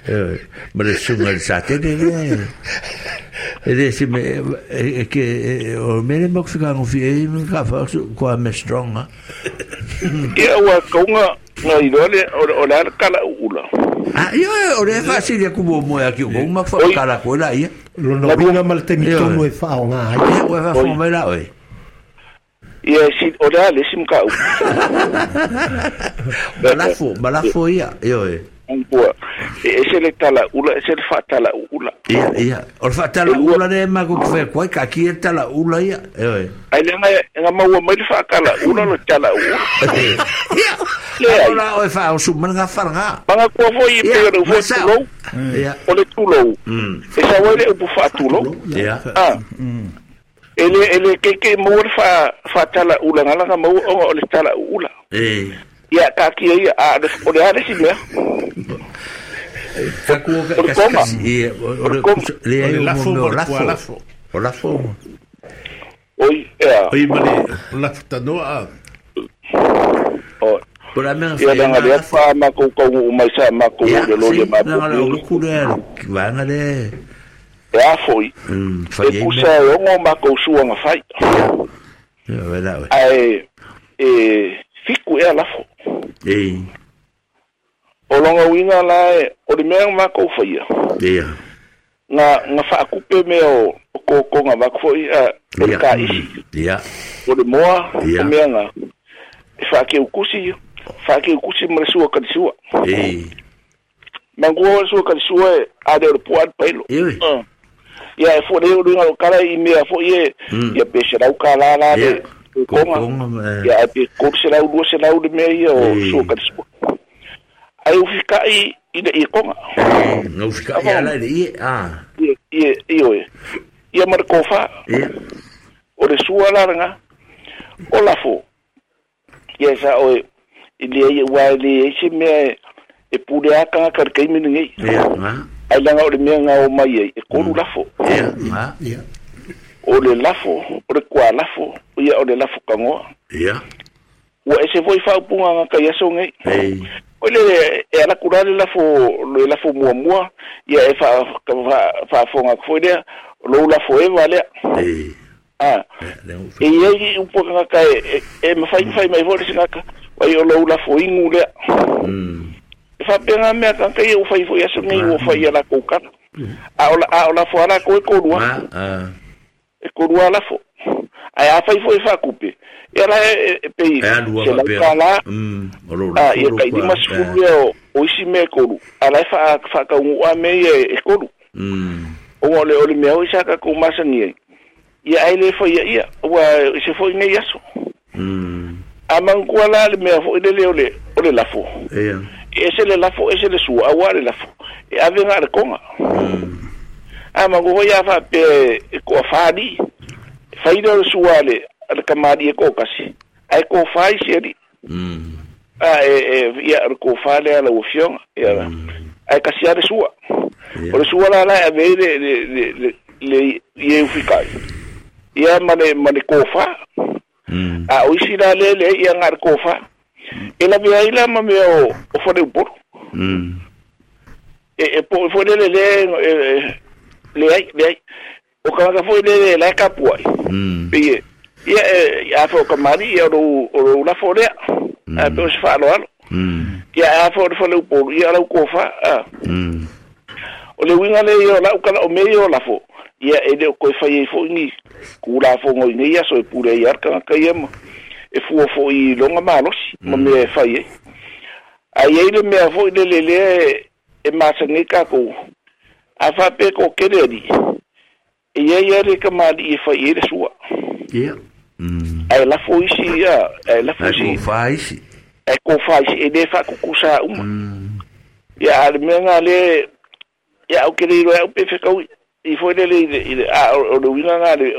C: eh ma le sunga sa te le e se me e ke o mele mo fi kango fi e ka fa ko me strong
E: ia wa konga no idole o la kala ula
C: ah io o le fa si le kubo mo ya ki ko ma fa kala ko la ia
B: lo no vinga mal te mi tono e fa o nga
C: ai o fa fo me la oi
E: ia si ora le sim ka
C: balafo balafo ia io e
E: pua e se le tala ula e se le fa tala ula
C: ia ia o fa tala ula le ma ko fe ko ka ki tala ula ia io e
E: ai le nga nga ma mai fa kala ula lo tala ula
C: ia le ora o fa o su nga fa nga
E: nga ko fo i pe ro fo tulo
C: ia
E: o le tulo e sa wa le o fa tulo
C: ia
E: ah ele ele ke ke mo fa fa tala ula ngala nga mo o le tala ula
C: eh
E: ia ka ki ia a o le ale si me
C: ka ku ka ka e o le le
G: la fo la fo
C: o la fo
E: oi ia
G: oi male la tano a
E: o
C: por a me
E: ia nga le fa ma ko ko mai sa ma ko le lo le ma
C: ko le ku le va nga le
E: e a foi e pusa e ongo ma kou suanga fai
C: ia vela
E: ai e fiku e lafo
C: e
E: o longa uiga la e o le mea ma kou faia
C: ia
E: nga nga faakupe mea o o kokoga vaku fo'i a o le ka'isi
C: ia
E: o le moa o mea nga e faakeukusi faakeukusi ma le sua kalisua
C: e
E: mangua o le sua kalisua e a le o le pu'a le pailo ia e fo le o luga o kala i mea fo'i e ia pe selau kalā la le kokoga ia ae pe kolu selau lua selau le mea ia o sua kalisua ai ufika'i i le iekoga
C: nga ufika'i ala i le ie a
E: ie ioe ia ma le kofā o le sua la laga o lafo ia sa oe i le ua e leai se mea e pule a tagata i le taimi lenei ai laga o le mea ga o mai ai e kolu lafo o le lafo o le kualafo ia o le lafo kagoa ua ese foi faaupuga aga kai aso nei o le e ala kula le lafo le lafo muamua ia e fa faafoga atu foi lea lou lafo eva lea a e iai upu tagata e e mafaimafai mai foi le segata ai o lou lafo igu lea e faapega mea tagata ia ua fai foi aso nei ua fai ia lakou kala a o a o lafo a lakou e kolua e kolua lafo ae a fai foi faakupe ia la e pei se laukalā a ia tailima sefulu ea o isi mea e kolu a la e faakauguʻa mea ia e kolu ona o le o le mea oi sa tatou masani ai Ia ai le fai ia ua se foi nei aso.
C: Mm.
E: A mangua la le mea foi le o le o le lafo.
C: Ia.
E: E se le lafo e se le sua aua le lafo. E ave ngā le konga.
C: Mm.
E: A mangua ia fa pe e ko fali. Fai le sua le le kamari e ko kasi. Ai ko fai se ri.
C: Mm.
E: A e e ia ko fale ala o fionga. Ia. Ai kasi ale sua. O le sua la la ave le le le le ie ufikai. Ia mane mane kofa.
C: Mm.
E: A o isi la le le ia ngā kofa. E la vea ila ma mea o o fone uporo.
C: Mm.
E: E e po fone le le le ai le ai. O ka ka fone le le ka puai.
C: Mm.
E: Pe ia e a fo kamari ia ro o la fone. A pe o se falo alo.
C: Mm.
E: Ia a fo fone uporo ia la kofa. A.
C: Mm.
E: O le winga le ia la ukala o me ia la fo. Ia e le ko fai fo ni kula fo ngoi nei aso e pure ia ka ka ia e fua fo i longa malosi ma me fai e ai ai le mea fo le le le e masangi ka ko a fa pe ko kele e ia ia le ka mali e fai e le sua
C: ia mm
E: ai la fo isi ia ai la fo isi
C: ai ko fai isi
E: ai ko fai isi e le fa kukusa uma ia a le mea nga le ia o kele ro au pe fe kau i foi le le a o le winga nga le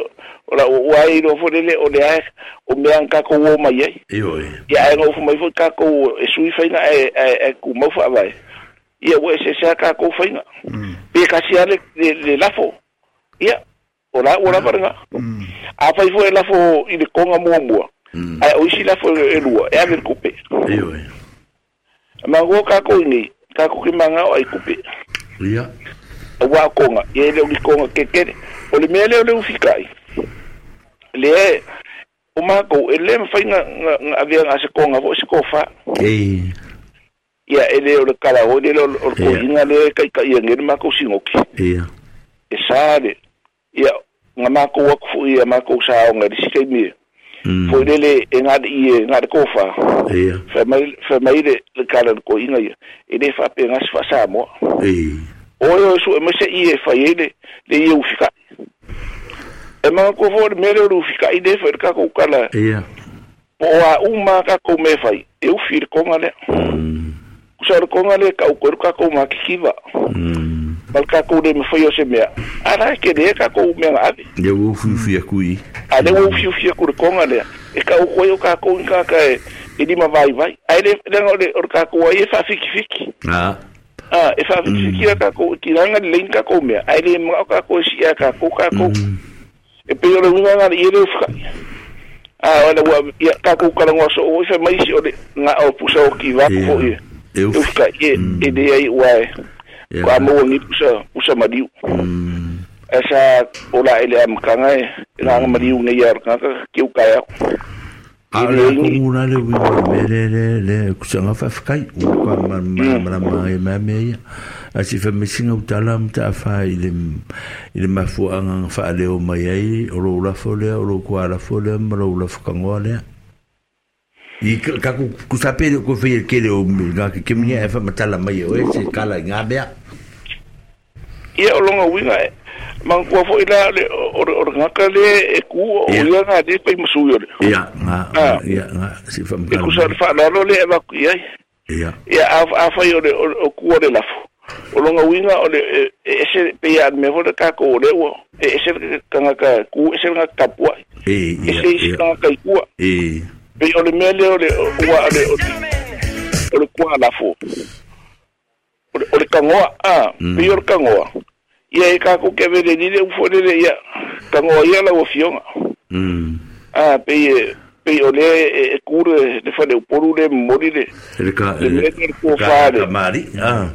E: o la o ai ro foi le o le ai o mea ka ko o mai ai
C: io
E: ia ai ngo mai foi ka ko e sui fai na e e ku mau fa vai ia o se se ka ko fai na pe ka sia le le lafo ia o la o la paranga a fai foi lafo i le konga mua mua ai o isi lafo e lua e ave kupe
C: io
E: ma go ka ko ni ka ko ki manga o ai kupe
C: ia
E: wa konga ye le uli konga kekere o le mele o le ufikai le o mako e le mfai nga nga avia nga se konga fo se kofa
C: e
E: ia ele o le kala o le o ko inga le kai kai ngi mako singoki
C: ia
E: e sale ia nga mako wa fu ia mako sa o nga sikai mi fo le le e nga i nga kofa
C: ia
E: fa mai fa mai le kala ko inga ia e le fa pe nga se fa sa mo
C: e
E: o yo su e mese i e fai le le i ufika e ma ko fo me le ufika i de fa ka ko kala
C: ia
E: po a uma ka ko me fai e ufi ko ngale
C: mm
E: so ko ngale ka ko ka ko ma kiva
C: mm
E: mal ka ko de me fai o se mea ara ke de ka ko me ave
C: ia wo fi fi kui
E: a le wo fi fi ko ko ngale e ka ko yo ka ko ka ka e di ma vai vai ai le le o ka ko e fa fiki fiki
C: ah
E: ah e fa fiki ka ko tiranga le ka ko me ai le ma ka ko si ka ko ka ko e pe yo le winga i le ufika ah wala wa ya ka ko ka ngo so o fe mai si o le nga o pusa o ki va ko e ufika e e de ai wa kwa mo ni pusa pusa madiu esa ola ele am kanga e nga madiu ne ya ka ki u ka ya
C: A le komuna le winga me le le le kusanga fa fkai u ka ma ma ma ma ma me ia a si fa misinga u tala mta fa i le i le mafu anga fa le o mai ai o lo la fo le o lo kwa la fo le ma lo la fo kangoa le i ka ku ku sape ko fe ke le o nga ke mi e fa matala mai o e se kala nga bea
E: ia o longa winga e mangua foi la le o o nga le e ku o ia nga de pe musu yo
C: ia nga ia nga si fa
E: e ku sa fa la lo le va ku ia
C: ia
E: ia a a fa yo le o ku o le lafo o longa winga o le e se pe ia me fo ka ko le o e se ka nga ka ku e se nga ka pua
C: e
E: e se
C: ia
E: nga ka ku
C: e
E: pe o le me le o le o wa le o o le ku la fo o le kangoa a pe yo le kangoa ia e ka ko ke vele ni le ufo le ia kangoa ia la o fionga
C: mm
E: a pe pe o le e kure le fa le poru le mori le
C: le ka
E: le le ko fa le
C: mari ah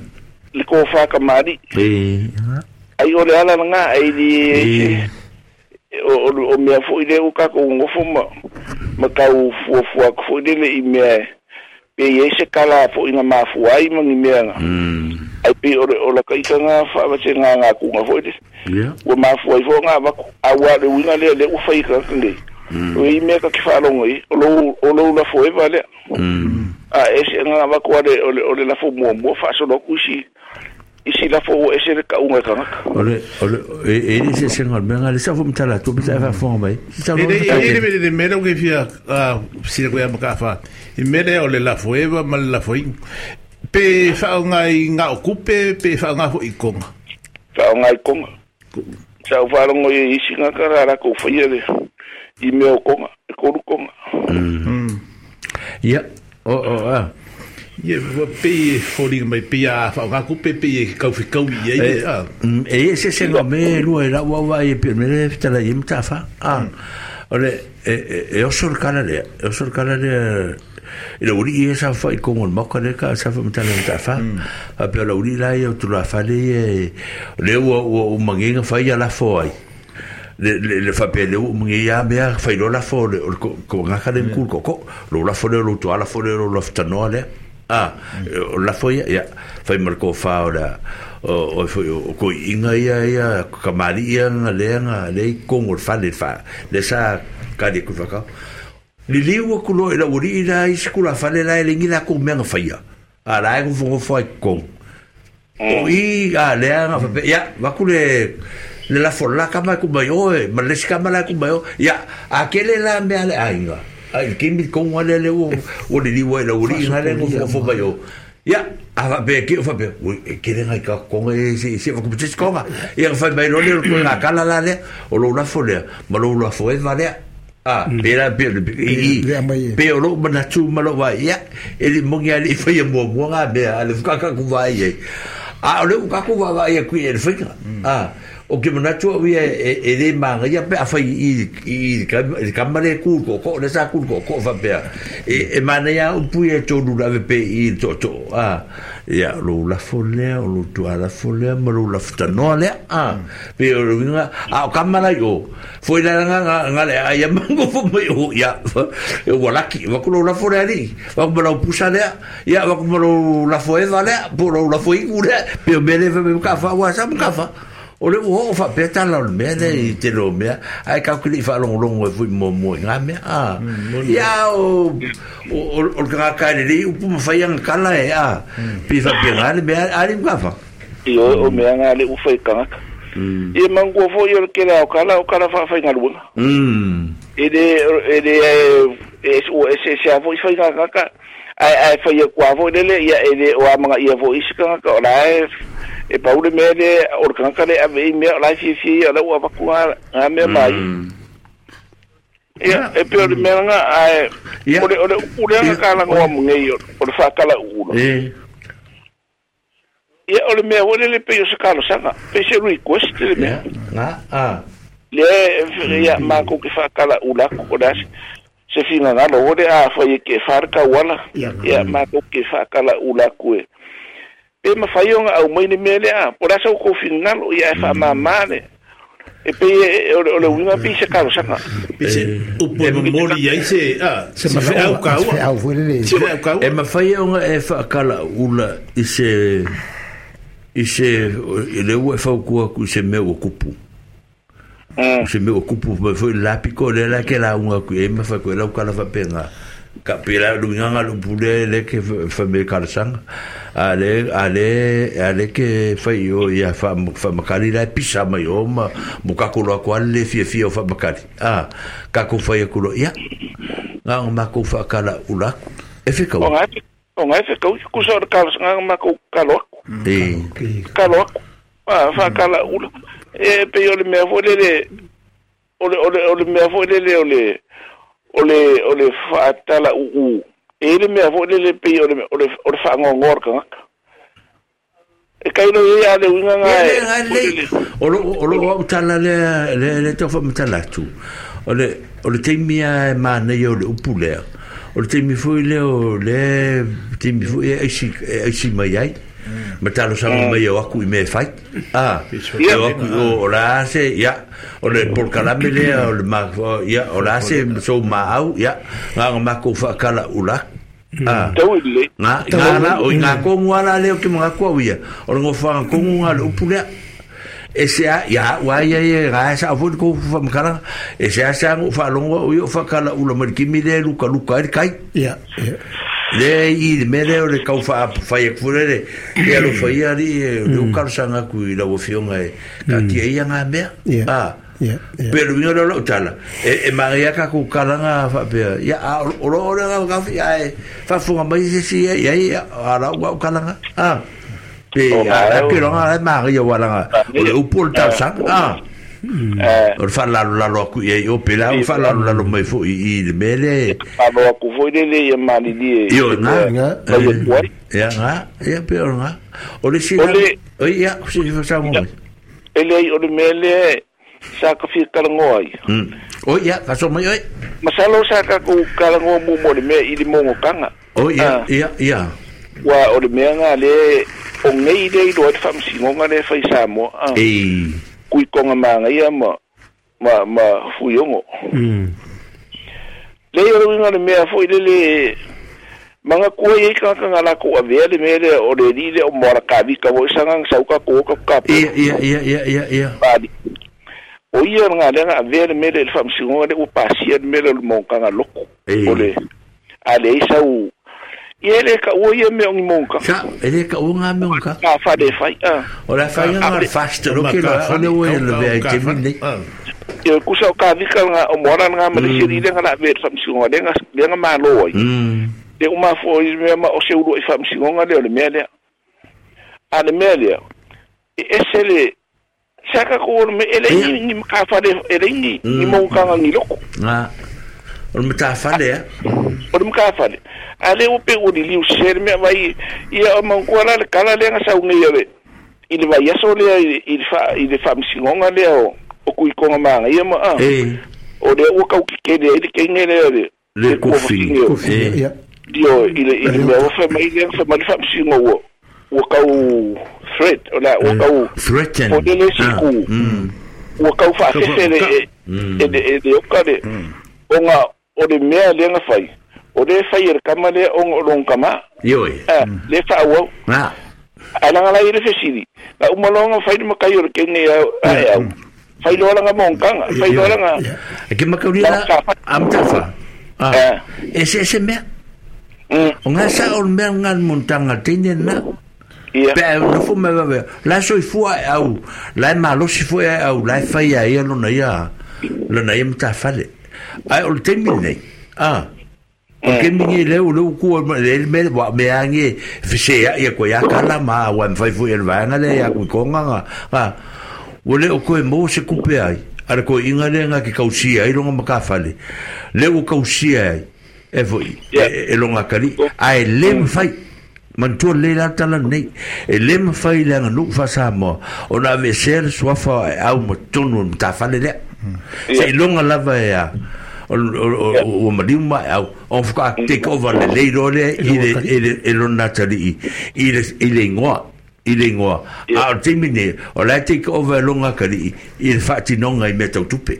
E: le ko fa ka mari
C: e
E: ai o le ala nga ai di o o mea fo ile o ka ko ngofo ma ma ka u fu fu ko fo ile i mea pe ye se kala fo ina mafu ai ma ni mea
C: mm
E: ai pe o o la ka ikanga fa va se nga nga ku nga fo ile
C: yeah
E: o mafu ai fo nga va a wa le winga le le u fa ika nge o i mea ka ki fa longo i o lo o lo la fo e va le
C: mm
E: a e se nga va ko le o le o le la fo mo mo fa so lo ku si Isi lafo ua ese le kauga e tagata.
C: O le o le e le se se ngal menga le sa fu mtala tu pisa fa fo mai.
G: E le le le mera ke fia a sila ko ya makafa. I mele o le lafo eva ma le lafo i. Pe fa ngai nga okupe pe fa nga fo ikonga.
E: Fa ngai konga. Sa fa longo i isi nga kara la ko fa le i me o konga, e koru konga.
C: Mm. Ya, o o a.
G: Ye pe fori mai pe a fa nga ku pe pe kau fi kau i ai a
C: e se se no me lu era wa wa e pe me tala i mta fa a ole e e o sol kala le o sol kala le e lo uri e sa fa i kongo mo ka le ka sa fa mta le mta fa a pe lo uri la e tu la fa le le o o mangenga fa ia la fo ai le le le fa pe le o mangi ia mea fa lo la fo le ko nga ka le ku ko ko lo la fo le lo tu ala fo le lo la ftanoa le ah la foia ya fai marko fa ora o o ko inga ia ia kamari ia nga le nga le kongo fa le fa le sa ka de ku fa ka li li wo ku lo ila uri ila iskula fa le la le ngi la ko menga fa ia a la ko fo fo ko o i a le nga fa ya va ku le le la fo la kama ku mai o ma le ska ma la ku mai o ya a ke le la me ale ainga ai ke mi kon wale le o o le liwa le uri ngale ngo fo fo bayo ya a va be ke fa be ke le ngai ka kon e se se va ku tse konga ya fa mai lo le ko la kala la le o lo la fo le ma lo la fo e va le a be la be i be o lo mana tu ma lo va ya e le mo ngia le fa ya mo mo nga be a le ka ka ku va ye a o le ka ku va va ye ku e le fa a o ke mana tu o e e le manga ia pe a fai i i ka male ku ko ko le sa ku ko ko fa pe e e mana ia o pu e tonu la pe i to to a ia lo la fole o lo tu ala fole ma lo la ftano le a pe o nga a o kamala yo foi la nga nga le a ia mango fo mai o ia e wala ki va ko lo la fole ali va ko lo pusa le ia va ko lo la fo e va le po lo la fo i ku le pe me le me ka fa wa sa ka fa o le o fa peta la me le i te lo me ai ka ku li fa long long fu mo mo nga me a ia o o o ka ka le u pu fa yang kala e a pi fa pe nga le me a li ka fa
E: i o me nga le u fa ka i mango fo yo ke la o kala o kala fa fa nga lu mm e de e de e o e se se a fo fa nga ka ai ai fa ye kwa fo le le ia e le o amanga ia fo isika ka o la e e paule me le o ka ka le ave me la fi fi la o va ku a me mai ia e pe o me nga ai o le o le o le nga ka la ngo mo ngi o le fa ka la u
C: e
E: ia o le me o le le pe o se ka lo sanga pe se request le me
C: nga a
E: le ia ma ko ke fa ka la u la ko das se fina nga lo le a fa ye ke fa ka wala ia ma ko ke fa ka la u la ku e e ma fai au mai ni mele a por asa o finalo ia fa mamane e pe o le winga pe se kalo sanga
G: pe se o po mori ai se a se fa au ka
C: e ma fai o e fa kala ula i se i se le o fa ku ku se me o kupu se me o kupu me foi la pico le la ke la unga ku e ma fa ku la kala fa penga ka pela lu nganga lu pule le ke fa me kala sanga ale ale ale ke fai o ia fa fa makali la pisa mai o ma mo ka ko lo ko le fia fia fa makali a ka ko fai ko lo ia nga ma ko fa kala ula e fe ka
E: o ngai o ngai fe ka ku so ka nga ma ko ka lo
C: e
E: ka lo a fa kala ula e pe yo le me fo le le o le o le o le me fo le le o le o le o le fa tala u u e le mea fo le le pe o le o le o le fa ngongor ka e kai lo ia le winga nga
C: e o lo o lo o tala le le le to fa mtala tu o le o le temia e mana yo le upule o le temi foi le o le temi foi e si e si mai ai ma talo sa mai o aku i me fai ah o aku o la se ya o le porkalame le o le ma ya o la se so ma au ya nga ma ko fa kala ula ah nga nga la o nga ko ngala le o ke nga ko ia o ngo fa ko nga le upule e se a ya wa ya ya ga sa fo ko fa mkala e se a sa ngo fa longo o fa kala ula ma kimi le luka luka kai
B: ya
C: Le i le mele o le kau wha e kufurere e alo whaia li e le ukaro sanga kui lau fionga e ka tia ia ngā mea. Ah. Pero winga lo tala e e maria ka ku kalanga fa pe ya o lo o le ka fi ai fa funga mai se si ya ya ala wa kalanga ah pe a ke lo nga maria wala nga o le upol ta sa ah o fa la la lo ku e o pe la o fa la la lo mai fu i le mele
E: fa lo ku fu le le mali li
C: yo nga ya nga ya pe o nga o le si o ya si fa sa mo
E: ele o le mele sa ka fi kalangoa ai.
C: Oh ya, faso mai oi.
E: Masalo sa ka ku kalangoa mo mo le me i le mongo kanga.
C: Oh ya, ya, ya.
E: Wa o le mea nga le o ngei le ilo ai whamsingonga le whai Samoa.
C: Ei.
E: Kui konga maanga ia ma ma ma fuiongo.
B: Mm.
E: Le o winga le mea fo i le le manga kua i ka ka ngala ko avea le mea le o le li le o moara kavika wo isanga sauka ko ka ka.
C: Ia ia ia ia ia ia.
E: Pali. O ia nga le nga avea le mea le whamsingonga le upasia le mea le mongkanga loko. O le a le isau ia le ka ua ia mea o ngi mongka.
C: Sa, e le ka ua ngā mea ka.
E: Ka whare whai.
C: O la whai nga fast lo ke la o le ua le vea i te mine.
E: Ia kusa o ka vika nga o moara nga ma le siri le nga la avea le whamsingonga le nga le nga malo ai. Le umafo i mea ma o se ulu i whamsingonga le o le mea lea. A le mea lea. E ese le saka ko me ele ni ni ka fa le ele ni ni mo ka ngi loko
C: na o me ta fa le
E: o me ka fa le ale o pe o li u ser me vai ia o mo ko la kala le nga sa ngi ye i le vai so le i fa i le fa msingonga le o o ku ko ma ia ma a o le o ka ke ke le ke nge le le
C: le kofi
B: kofi
E: dio i le i le o fa mai le fa ma fa msingo o kau threat o la o kau
C: threaten
E: o le siku o kau fa se le e e e o ka le o nga o le mea le nga fai o le fai le kama le o lo kama
C: yo
E: le fa o
C: na
E: ala nga la ile fesili la umalonga fai le makai o ke ne a fai lo nga monkanga fai lo nga
C: e ke makauri la amtafa ah ese ese mea o nga sa o mea nga montanga tene na
E: Ia.
C: Pe no fu me va la so fu au la malo si fu au la fa ia ia lo na ia lo na ia mta fale ai o temi nei ah o ke mi le o le ku le me wa me ange se ia ko ia kala ma wa mfai fu el va na le ia ku konga nga o le o ko mo se kupe ai ara ko inga le nga ke kausia ai lo nga ka fale le o kausia ai e foi e lo nga kali ai le mfai man tu le la tala nei e le mfai le nga nu fa sa mo o na ve ser swafa au mo tonu ta fale le se longa lava ya o o ma au o fa take over le le ro le ile ile e lo natali ile ile ngoa ile ngoa a timine o la take over longa kali ile fa tinonga i meta tupe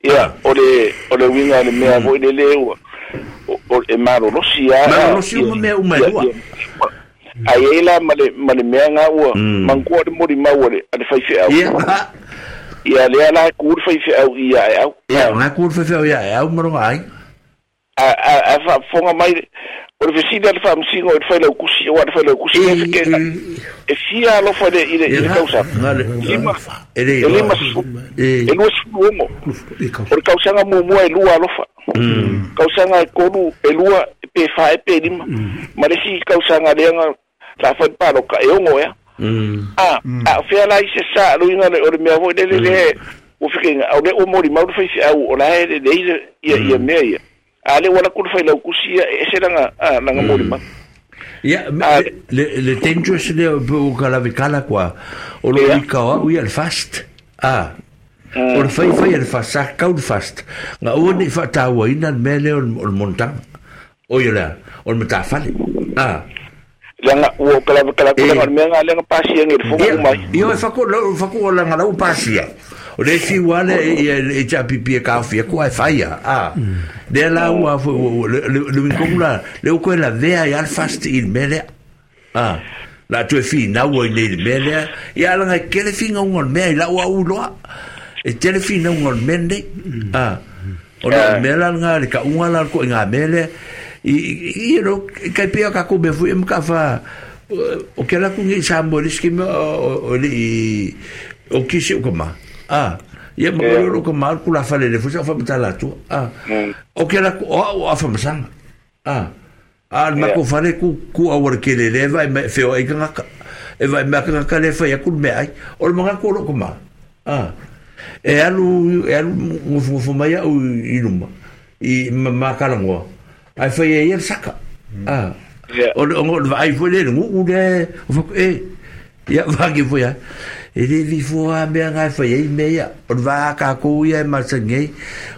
E: ia o le o le winga le mea voi le le o o e malo rosia
C: malo rosia o mea uma lua
E: ai ela male male mea nga ua mankoa le mori mau le ale fai fe au
C: ia
E: ia le ala ku fai fe au ia au
C: ia nga ku fai fe au ia au maronga ai
E: a a a fa fonga mai o le fesili ale fa msingo o le fai lau kusi o le fai lau kusi e ke e fia lo fa le ile ile kausa lima
C: e le
E: lima e lua sulu o le kausanga muamua e lua alofa kausanga e kolu e lua e pe fa e pe lima ma le si kausanga le nga la fa pa lo ka e ongo ya a a fia la ise sa lo inga le o le mea voi le le o fikenga o le o mori mau fai fi au o la le le ia ia mea ia ale wala ku fai lau kusi e se langa langa mori ma
C: ia le le dangerous le o kala vikala kwa o lo ika o ia fast ah o le fai fai le fast sa kau fast nga o ni fa taua ina mele o o montang o ia la o mata fale ah
E: langa o kala kala kala me nga langa pasia ngi fo mai
C: io fa ko fa ko langa la pasia o le fi wale e e cha pipi ka fi ko ai faia ah de la ua le le la le ko la vea ya fast in mele ah la tu fi na wo ni mele ya langa ke le fi ngon me la ua u lo e tele fi na ngon mende ah o la mele nga le ka unga la ko nga mele I you know kai pia ka ko me fu em ka fa o ke la ku ngi sa mo le skema o le o kisi o kama ah ia ma ko ko ma ku la fa le fu sa fa matala tu ah o ke la ku o a fa masanga ah a ma ko fa le ku ku a wor ke le le vai me fe o e ka e vai me ka ka le fa ya ku me ai o ma ko lo ko ma ah e alu e alu ngofu ngofu mai au i luma i ma kalangoa ai fai e ia saka ah o o vai foi le ngu le o fa e ia va ki foi e le vi fua me ngai fai e me ia o va ka ko ia ma sange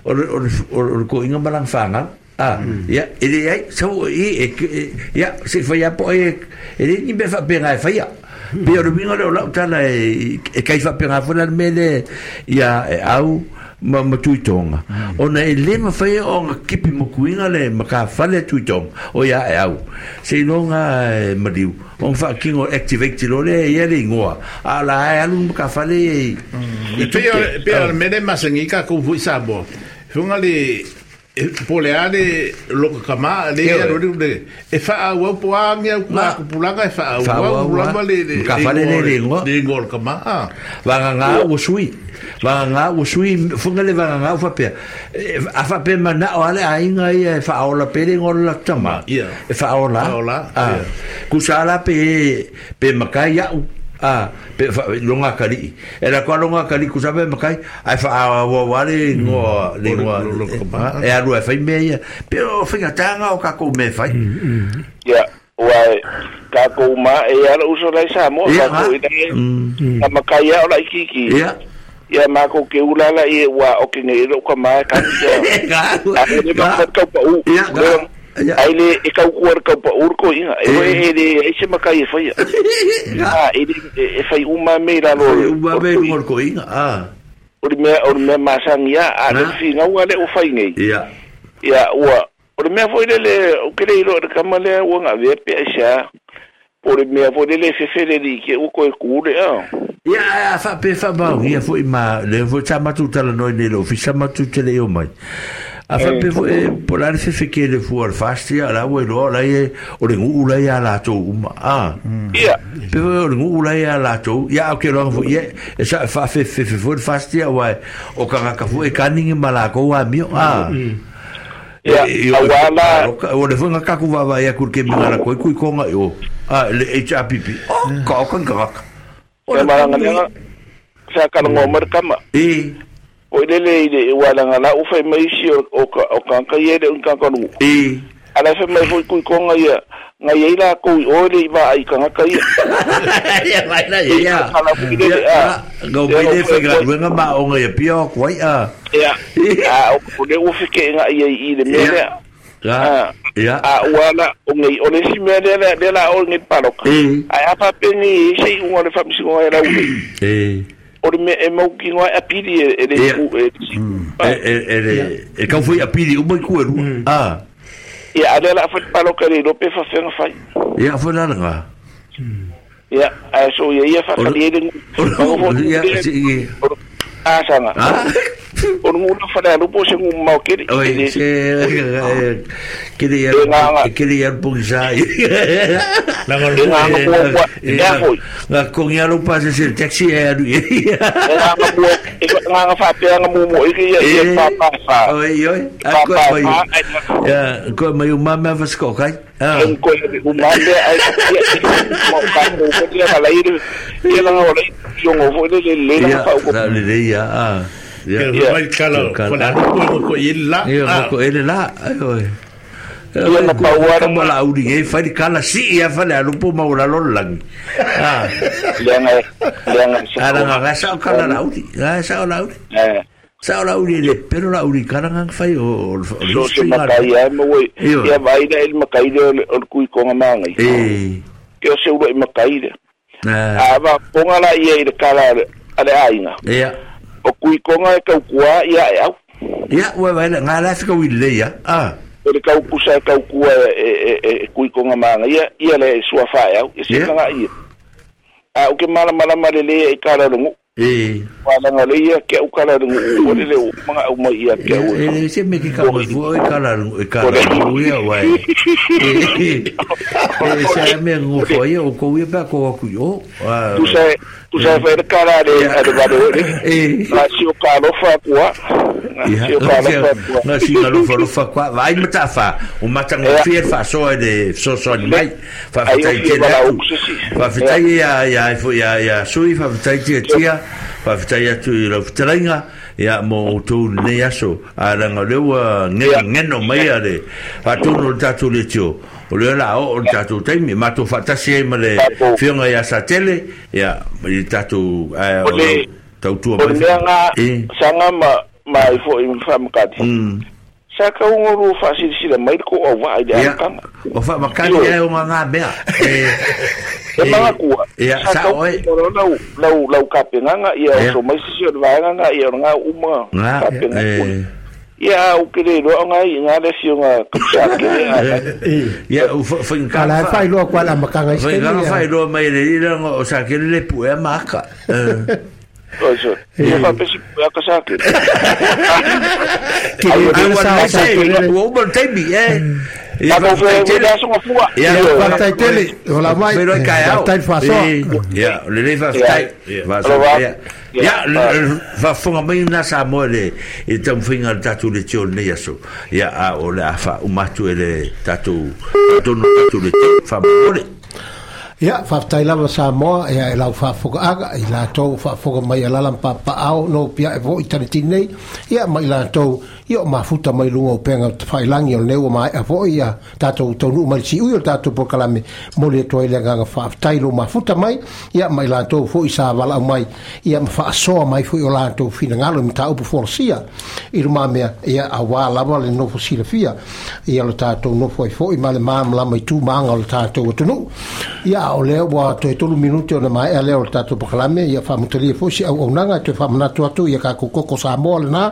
C: o o o ko inga malang fanga ah ia e le ai so e ia se fai a po e e le ni be fa pe ngai fai ia pe o minga le o tala e kai fa pe ngai fo la mele ia e au ma ma tuitonga ona e le ma fai o kipi mo kuinga le ma ka fale tuitonga o ia e au se longa mariu on fa kingo activate lo le ia le ngoa ala e alu ma ka fale
G: e pe pe al mele masengi ka ku fu sabo funga le pole ale lo kama le lo le e fa au po angia ku ku pulanga e fa au lama le le
C: ka fale le le ngoa
G: le ngol kama ah
C: va nga o sui va nga o sui funga le va nga fa pe a fa pe mana o ale ainga ia fa ola pe le ngol la tama e fa ola ah ku sala pe pe makai ya ah pe longa kali era ko longa kali ku sabe makai ai fa wa wa le ngo le ngo e alu e fai me ia pero finga tanga o ka ko me fai
E: ia wa ka ko ma e ala uso lai sa mo ka ko ina ka makai o lai kiki
C: ia
E: ia ma ko ke ulala i wa o ke ngi ro ka ma ka
C: ka
E: le ma ka pa u ai le e kau kuar kau pa urko inga e e le e se makai e fai ah e e fai uma me la lo
C: uma me ngol ko inga ah
E: o me o me masangia a le finga ua le o fai nei
C: ia
E: ia ua o me foi le o ke le ro ka male ua nga ve pe sa o me foi le fe fe le ke o ko e ku le ah
C: ia a fa pe fa ba ia foi ma le foi chama tu tala noi le ofisa ma tu tele o mai a fa pe foi por la fe fe ke le fu al fastia la we lo la ye o le ngu la ya la to uma ah
E: ia
C: pe o le ngu la ya la to ia o ke lo fu ye sa fa fe fe fe fu fastia wa o ka ka fu e kaningi mala ko wa mi ah
E: ia awala
C: o le fu nga ka ku va va ya ku ke mi la ko ku ko nga yo ah le H R P P o ka ka ka
E: o le maranga sa ka ngo mar kama
C: e
E: o le le le wala nga la u fai mai si o o ka ka ye le ka ka nu
C: e
E: ala fai mai foi ku ko nga ya nga ye la ko o le va ai ka ka ye
C: ya vai la ya ya go mai le fai ga nga ma o nga ya pio ko ai a
E: ya a o le u fi ke nga ye i le me le
C: ya ya
E: a wala o ngi o le si me le le la o ngi palo ai a pa pe ni sei u le fa mi si ngo la u
C: e
E: o me e mau ki ngo a pili e le ku e
C: e e e ka foi a pili o mai ku eru ah
E: ia ale la fa palo ka le pe fa fa fa
C: ia fa la nga
E: ia a so ia ia fa ka le
C: ia si
E: a sanga o ngu na fa la po se ngu mau ke
C: oi se ke le ke le ya po sa
G: la
E: nga nga
C: nga ko ngi alo pa se se taxi e alu
E: nga nga mo nga nga fa pe nga mo mo e ia ia pa pa fa
C: oi oi a ko mai ya ko mai o mama fa sko kai
E: ah ko o mama ai mo ka ko ko ia la ir ia la ngo le yo ngo fo le le la fa ko
C: la le ya ah
G: ya mai kala ko la ko ko ila
C: ko ele la oi
E: ia na pauara
C: mo la uri e fai kala si ia fa le lupo ma ula lo lang ah
E: le nga le nga
C: ala nga sa kala la uri la sa la uri
E: eh
C: sa la uri le pero la uri kala nga fai o
E: o se makai ai mo ia vai da el makai le o kui ko nga mangai
C: eh
E: ke o se uro i makai le a va ponga la ia i le kala ale ainga
C: ia
E: o kui ko nga ka kua ia e au
C: ia ua vai nga la fika wi le ia ah
E: o le kau kusa kau kua e e e kui ko nga manga ia ia le sua fa au e se nga ia a o ke mala mala mala le e kala longu
C: E
E: wala le ia ke au kala ngu o le o manga au mai ia ke au
C: e se me ke ka mo e kala e kala o ia wai e se me ngu fo ia o ko ia pa ko ku yo
E: tu sai tu sai fa kala le ale ba le
C: e
E: na si o kalo fa kwa
C: na si o kalo fa kwa na si kalo fa fa kwa vai matafa o matanga fie fa so de so so ni mai fa fa tai te fa fa tai ia ia ia ia sui fa fa tai te tia fa fa atu i lau fetalainga ia mo outou lenei aso a laga o lea ua geno mai a le faatonu o le tatou leitio o lea la oo o le tatou taimi matou faatasi ai ma le fioga iā Satele ia i le tatou ae o lau tautua
E: mai o le mea saga ma ma ai foʻi faamakati sa kauga lua faasilasila mai le kou auvaa i le amataga
C: o faamakali ae o gagā mea
E: e magatua
C: sa oe
E: lau lau lau kapegaga ia oso mai sisi o le vaegaga ia o lagā uma kapegaga ia o ke le iloa oga iiga le afioga kapisakele
C: ia
B: ala e faailoa kua le amataga
C: i faailoa mai le lilaga o sakele le puea ma aka
E: Oso, ia faapesi puea ka sakele.
C: Ua uma le taimi, e.
E: Ia faafetai
C: Ia
B: faafetai tele ola mai faafetai le faasoa
C: ia lelei faafetai faasoa ia faafofoga mai lena Samoa le i le taumafaiga o le tatou leitio lenei aso ia a o le a faauma atu e le tatou faatonu o le tatou leitio faamolemole.
B: Ia, faafetai lava Samoa, ia e lau faafogaaga, i latou faafoga mai alala ma papaao, no pia e foʻi tanetini nei, ia ma i latou, ia o mafuta mai luga o pega tafailangi o lenei ua maea foʻi, ia tatou taunuu mai le siui o le tatou polokalame, moli atu ai le agaga faafetai lo mafuta mai, ia ma i latou foʻi sa valaau mai, ia ma faasoa mai foʻi o latou finagalo i mataupu folasia, i lumamea, ia auā lava le nofo silafia, ia lo tatou nofo ai foʻi ma le malamalama i tu ma aga o le tatou atunuu. Ia o lea ua toe tolu minute ona maea lea o le tatou polokalame, ia faamutalia foʻi se auaunaga e toe faamanatu atu ia kakou koko Samoa lenā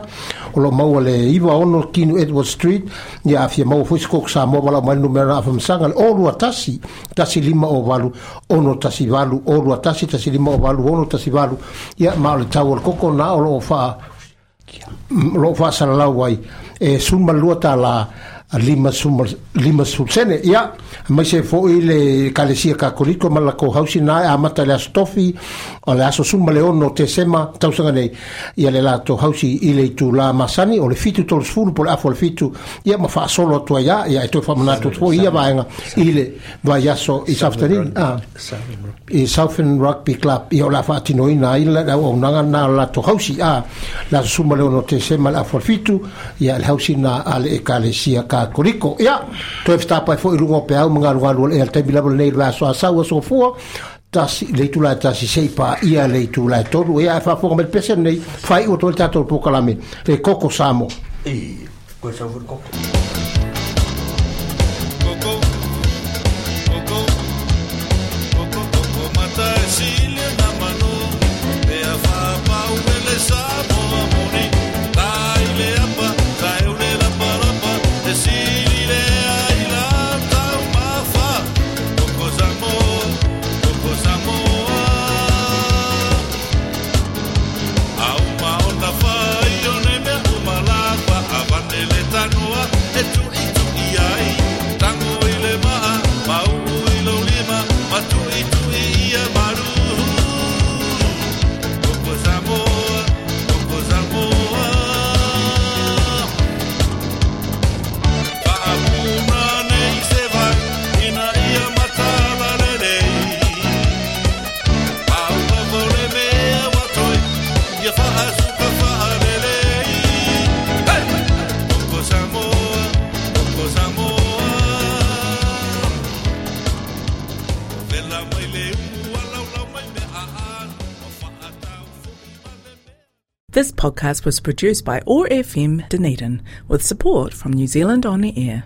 B: o loo maua le iva ono Kinu Edward Street, ia afia maua foʻi se koko Samoa valaau mai le numera afamasaga le o lua tasi tasi lima o valu ono tasi valu o lua tasi tasi lima o valu ono tasi valu, ia ma o le tau o le koko na o loo faa loo faasalalau ai e suma lua tālā lima suma lima sene ia mai se foʻi le kalesia kakoliko ma lakou hausi na e amata le aso tofi o le aso suma le ono Tesema tausaga nei ia le latou hausi i le itulā masani o le fitu tolu sefulu po le afa o le fitu ia ma faasolo atu ai a ia e toe faamanatu atu foʻi ia vaega i le vaiaso i Safetanini i Southern Rugby Club ia o le a faatinoina ai le auaunaga na o le latou hausi a le aso suma le ono Tesema le afa o le fitu ia le hausi na a le ekalesia kakoliko. Ia toe fetapai foʻi luga o peau ma galugalu o le ea le taimi lava lenei le vaiaso asau aso fua tasi le itula e tasi seʻi paia le itula e tolu ia e faafofoga mai le pese lenei faaiʻu atu ai le tatou polokalame le koko Samoa.
C: E koe sau foi le koko.
D: Koko, koko, koko, koko mata e sili na manu, pea faapau ele Samoa moni, tai le apa, tai ule lapa lapa, e sili le ai la tau mafa, koko Samoa, koko Samoa. Au maona fai o ne mea umalapa, avane le tanoa, e tui tui ai, tango i le maa, mau i lo lima, ma tui tui ia maru. Koko Samoa, koko Samoa. Faapuna nei se vai, ina ia matala lelei. Au lava o le mea ua toe, ia faasuka faalelei. Hey! Koko Samoa, koko Samoa. Vela mai le ua laulau mai mea aano, ma faatau foʻi ma le mea.
A: This podcast was produced by O R F M Dunedin with support from New Zealand On Air.